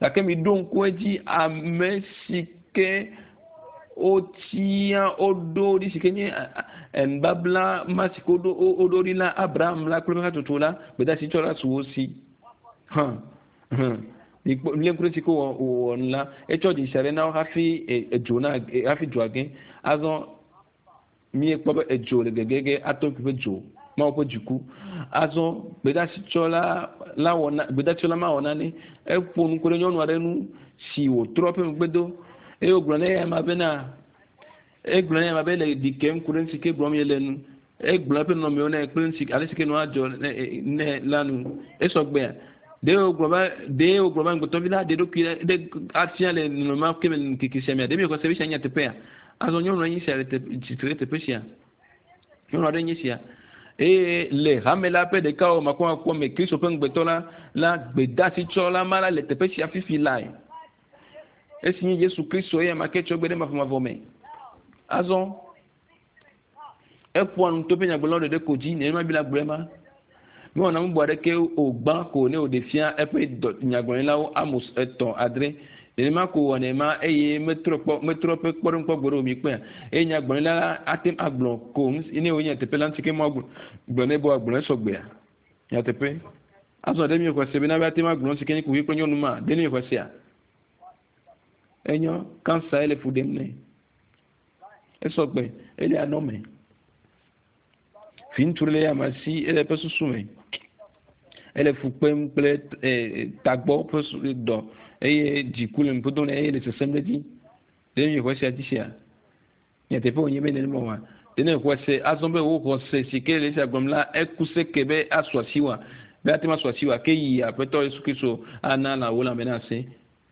A: gake mi ɖo ŋku edzi ame si ke wotia woɖo ɖi si ke nye nubabla ma si ke woɖo woɖo ɖi la Abraham la kple eƒe hatsotso la gbedasitsɔla su wo si hã hã mikpɔ lé ŋku ɖe si ke wɔ wɔ nu la etsɔ dzesi aɖe na wo hafi edzo na hafi dzoa ge azɔ miekpɔ be edzo le gegege atom ƒe dzo Mawu ƒe dziku azɔ gbedasitsɔla la wɔ na gbedasitsɔla ma wɔ nane eƒo nu ku ɖe nyɔnu aɖe nu si wòtrɔ eƒe megbe do eye wògblɔ ne eya ma bena egblɔ ne eya ma be le ɖi kem ku ɖe nu si ke gblɔm yele nu egblɔ eƒe nɔnɔmewo nɛ kple nu si ale si ke nua dzɔ ne ne la nu esɔgbea ɖe wògblɔ be ɖe wògblɔ be amegbetɔvi la ɖe ɖokui ɖe afia le nɔnɔme ma ke me le ŋkeke sia mea ɖe mi xɔ se be sia nye teƒea azɔ nyɔnua nye sia le tsitre ɖe teƒe sia nyɔnu aɖe nye sia eye le hame la ƒe ɖeka wɔ makɔmakɔ me Kristo ƒe ŋugbetɔ la la gbedasitsɔla ma la le teƒe sia fifi lae esi nye Yesu Kristo eya ma ke tsɔ gbe ɖe mavɔmavɔ me azɔ Eƒoa nu to ƒe nyagblɔlawo ɖeɖe ko dzi nenema Biblia gblɔe ma. Mewɔna nu bubu aɖeke o gbã ko ne wòɖe fia eƒe nyagblɔɖilawo Amos etɔ̃ adre. Nenema ko wɔnɛ ma eye metrɔ kpɔ metrɔ ƒe kpɔɖeŋu kpɔ gbe ɖe o mi kpɔa. Eye nyagblɔɖila la ate ŋu agblɔ ko ne wònye nyateƒe la ŋuti ke ma gblɔ ne be wòagblɔ esɔgbea. Nyateƒe. Azɔ ɖe miexɔe se bena be ate ŋu agblɔ nu si ke nye kuxi kple nyɔnu ma ɖe miexɔe sea? Enyo kansa ele fu ɖem nɛ. Esɔgbe ele anɔ me. Fi ŋutsu ɖe le ya ma si ele eƒe susu me. Ele fu kpem kple tagbɔ ƒe dɔ eye dziku le nuƒodom nɛ eye le sesem ɖe edzi. Ɖe miexɔe sia dzi sia? Nyateƒe wònye be nenema oa? Ɖe ne xɔe se azɔ be wò xɔse si ke le esia gblɔm la eku se ke be asu asiwòa? Be ate ŋu asu asiwòa? Ke yi Aƒetɔ Yesu Kristo ana na wò lãme nase.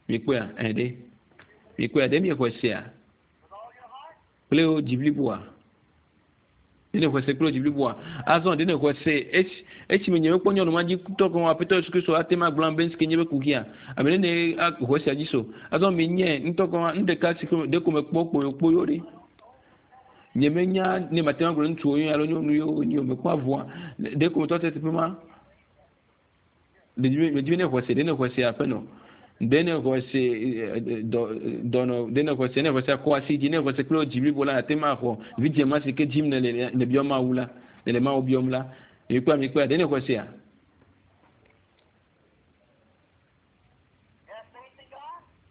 A: Mikpɔea? Ɛ ɖe. Mikpɔea? Ɖe miexɔe sea? Kple wò dzi bliboa? Ɖe ne xɔe se kple wò dzi bliboa? Azɔ ɖe ne xɔe se esi esime nye mekpɔ nyɔnu ma dzi tɔ ko Aƒetɔ Yesu Kristo ate ŋu agblɔ be nu si ke nye be kuxia. Ame ɖe ne xɔe sia dzi so. Azɔ menye ŋutɔ ko nu ɖeka si ke ɖe ko mekpɔ kpoyokpoyo ɖe. Nye menya ne mate ŋu agblɔ ŋutsuwo alo nyɔnu yiwo nyi o mekpɔ avɔa ɖe ko metɔ te teƒe ma. Medzi be ne xɔe se ɖe ne xɔe se aƒenɔ. Ɖe ne xɔe se dɔ dɔnɔ ɖe ne xɔe se ne xɔe se akɔ asi dzi ne xɔe se kple dzi blibo la ate ŋu axɔ vidzĩ ma si ke dzim ne le ne biɔ Mawu la ne le Mawu biɔm la. Mikpɔa mikpɔa ɖe ne xɔe sea?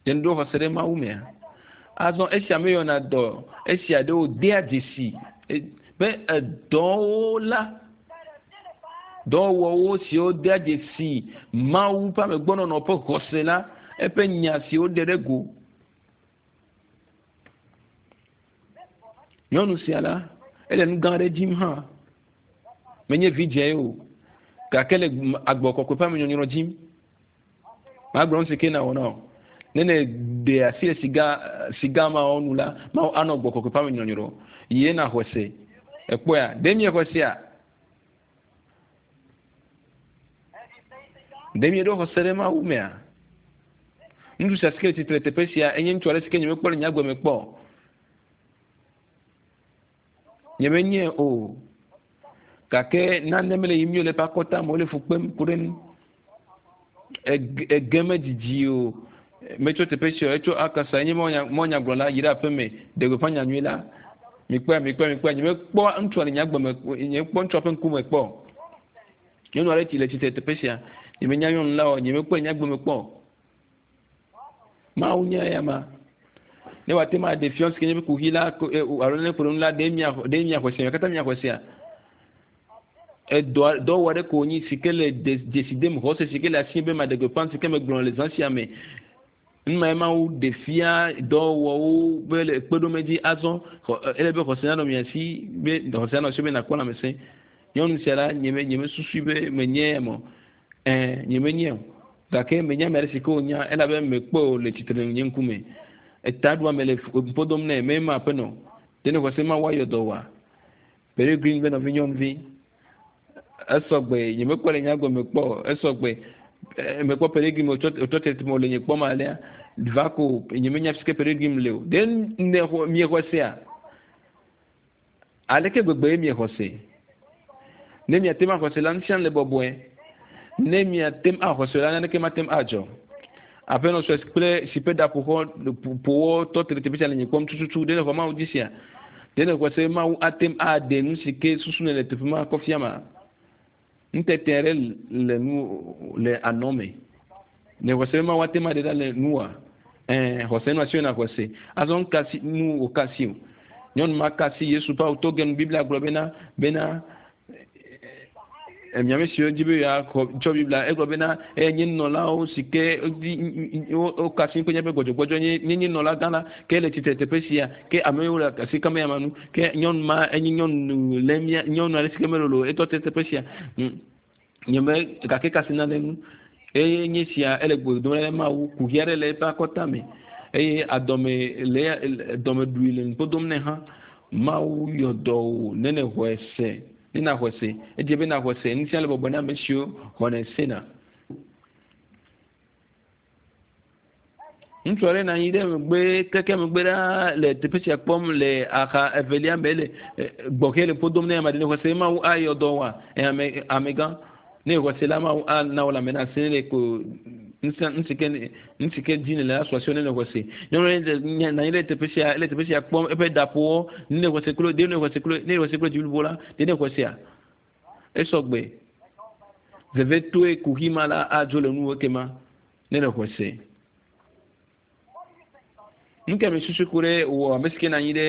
A: Ɖe ne ɖo xɔse ɖe Mawu mea? Azɔ esia meyɔna dɔ esia ɖewo dea dzesi be edɔwo la dɔwɔwɔwo siwo dea dzesi Mawu ƒe amegbɔnɔnɔ ƒe xɔse la eƒe nya siwo ɖe ɖe go. Nyɔnu sia la ele nu gã aɖe dzim hã. Menye vidzĩe o gake le agbɔ kɔkɔe ƒe amenyɔnyrɔ dzim. Magblɔ nu si ke nawɔ na wò. Ne ne ɖe asi le siga siga mawo nu la Mawu anɔ gbɔ kɔkɔe ƒe amenyɔnyrɔ ye naxɔe se. Ekpɔea? Ɖe miexɔe sea? Ɖe mieɖo xɔse ɖe Mawu mea? Ŋutsu sia si ke le tsitre teƒe sia enye ŋutsu aɖe si ke nyemekpɔ le nye agbe me kpɔ. Nyemenyae o. Gake nane mele yiyim le eƒe akɔta me wole fu kpem ku ɖe nu. Ege medzidzi o. Metso teƒe sia o. Etso akasa enye mɔnyagblɔla yi ɖe aƒeme ɖe gbeƒã nyanyui la. Mikpɔe mikpɔe mikpɔe nyemekpɔ ŋutsua le nye agbe me nyemekpɔ ŋutsua ƒe ŋkume kpɔ. Nyɔnu aɖe tsi le tsitre teƒe sia. Nyemenya nyɔnu la o. Nyemekpɔe nye agbe me kpɔ. Mawu nye eya ma. Ne wòate ŋu aɖe fiɔ si ke nye be kuxi la alo ne kplɔ nu la ɖe mia ɖe miaxɔe sia katã miaxɔe sia. Edɔ dɔwɔ ɖe ko nyi si ke le dzesi dem xɔse si ke le asi be maɖe gbeƒã si ke megblɔ le zã sia me. Numa ye Mawu ɖe fia dɔwɔwɔwo be le kpeɖome dzi azɔ ele be xɔse nanɔ mia si be xɔse nanɔ si be nakpɔ lãmesẽ. Nyɔnu sia la nye me nye mesusui be menye mɔ. Ɛɛ nye menye o. Gake menya ame aɖe si ke wonya elabe mekpɔe o le tsitre le nye ŋkume. Etaɖua me le ƒodom nɛ me ma aƒenɔ. Ɖe ne xɔse Mawu ayɔ dɔ wa. Peregrine be nɔvi nyɔnuvi. Esɔgbe nye mekpɔ le nye agbe me kpɔ esɔgbe mekpɔ Peregrine wòtsɔ tete me wòle nye kpɔm alea va ko nye menya fi ke Peregrine le o. Ɖe ne xɔ miexɔe sea? Aleke gbegbe ye miexɔ se? Ne miate ŋu axɔ se la, nu sia nu le bɔbɔe. Ne miate ŋu axɔ se la, naneke mate ŋu adzɔ. Aƒenɔ sue kple si ƒe ɖaƒoxɔ ƒowɔ tɔ te ɖe teƒe sia le nye kpɔm tututu. Ɖe ne xɔ Mawu dzi sia? Ɖe ne xɔ se Mawu ate ŋu aɖe nu si ke susu ne le teƒe ma kɔ fia ma? Nutete aɖe le nu le anɔ me. Ne xɔ se Mawu ate ŋu aɖe ɖa le nua? Ɛɛ xɔse nu asi na xɔ se. Azɔ nu kasi nu wò kasi o. Nyɔnu ma kasi Yesu ƒe awu to ge nu Biblia gblɔ bena bena miame siwo dzi be yeaxɔ tsɔ Biblia egblɔ bena eye nye nunɔlawo si ke wo kasi ƒe míaƒe gbɔdzɔgbɔdzɔ nye nye nye nunɔla gã la ke le tsitre teƒe sia ke ame yiwo le asi kam ya ma nu ke nyɔnu ma enye nyɔnu le mía nyɔnu aɖe si ke melolo etɔ te teƒe sia nye me gake kasi na ɖe nu eye nye sia ele gbe dom ɖe Mawu kuxi aɖe le eƒe akɔta me eye adɔme le dɔme ɖui le nuƒo dom nɛ hã Mawu yɔ dɔ wò ne ne xɔe se. Ne naxɔe se edze be naxɔe se nu sia le bɔbɔe na ame siwo xɔnɛ sena. Ŋutsu aɖe nɔ anyi ɖe megbe keke megbe ɖaa le teƒe sia kpɔm le axa evelia me le gbɔxɛ le ƒo dom ne ame aɖe ne xɔse mawu ayɔ dɔ wa ame amegã ne xɔse la mawu ana wò lãme na sẽ le ko ŋusẽ nu si ke nu si ke dzi nèle la sɔ asi ne xɔse nyɔnu ɖe nɔ anyi ɖe teƒe sia le teƒe sia kpɔm eƒe ɖaƒowɔ ne xɔse klo de ne xɔse klo ne xɔse klo dzi blibo la de ne xɔsea esɔgbe vevetoe kuxi ma la adzo le nuwo kema ne ne xɔse nu ke mi susu ku ɖe wɔ ame si ke nɔ anyi ɖe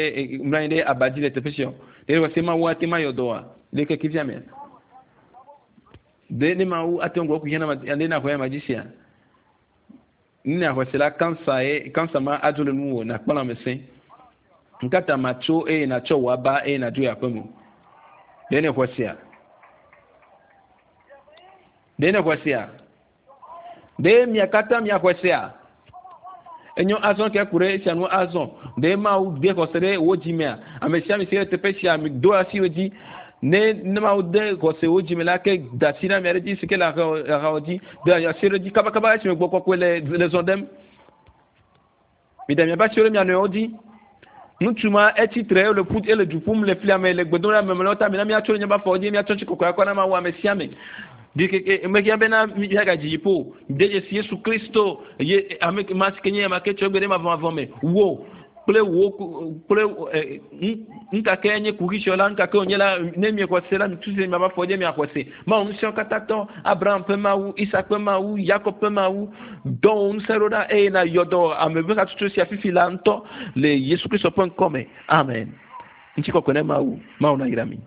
A: mlɔ anyi ɖe aba dzi le teƒe sia ɖe xɔse mawu ate ma yɔ dɔ wa le keke fia mea de ne mawu ate ŋu kuxi na ne na xɔ ya ma dzi sia ne xɔse la kansa ye kansa ma adzo le nuwò nakpɔ lãmesẽ nkata ma tso eye natsɔ wò aba eye nadzo yi aƒe me ɖe ne xɔsea ɖe ne xɔsea ɖe mia katã mia xɔsea enyo azɔ ke ku ɖe esia nu azɔ ɖe mawu de xɔse ɖe wo dzimea ame sia ame si le teƒe sia mi do asi wo dzi ne ne mawu de xɔse wo dzime la ke da asi na ame aɖe dzi si ke le ahawo dzi de asi ɖe dzi kabakaba esime gbɔ kɔkɔe le le zɔ ɖem mi da miaƒe asiwo ɖe mia nɔewo dzi ŋutsu ma etsi tre ele ƒu ele du ƒum le flia me le gbedom ɖe ame ta mi na miatso ɖe nye ba afɔwo dzi miatsɔ tsi kɔkɔe akɔ na mawu ame sia ame ɖikeke mehia bena miagadzi dziƒo de dzesi yesu kristo ye ame ma si ke nye ame ke tsɔ gbe ɖe mavɔmavɔ me wo kple wo kple ŋkake nye kuxi sɔ la ŋkake wònye la ne miexɔ se la mitu se miaƒe afɔ dzi miaxɔ se mawu ŋusẽwo katã tɔ abraham ƒe mawu isak ƒe mawu yakob ƒe mawu dɔ wò ŋusẽ ɖo ɖa eye na yɔ dɔ ame ƒe hatsotso sia fifi la ŋutɔ le yesu kristo ƒe ŋkɔ me amen ŋutikɔkɔe ne mawu mawu na yra mi.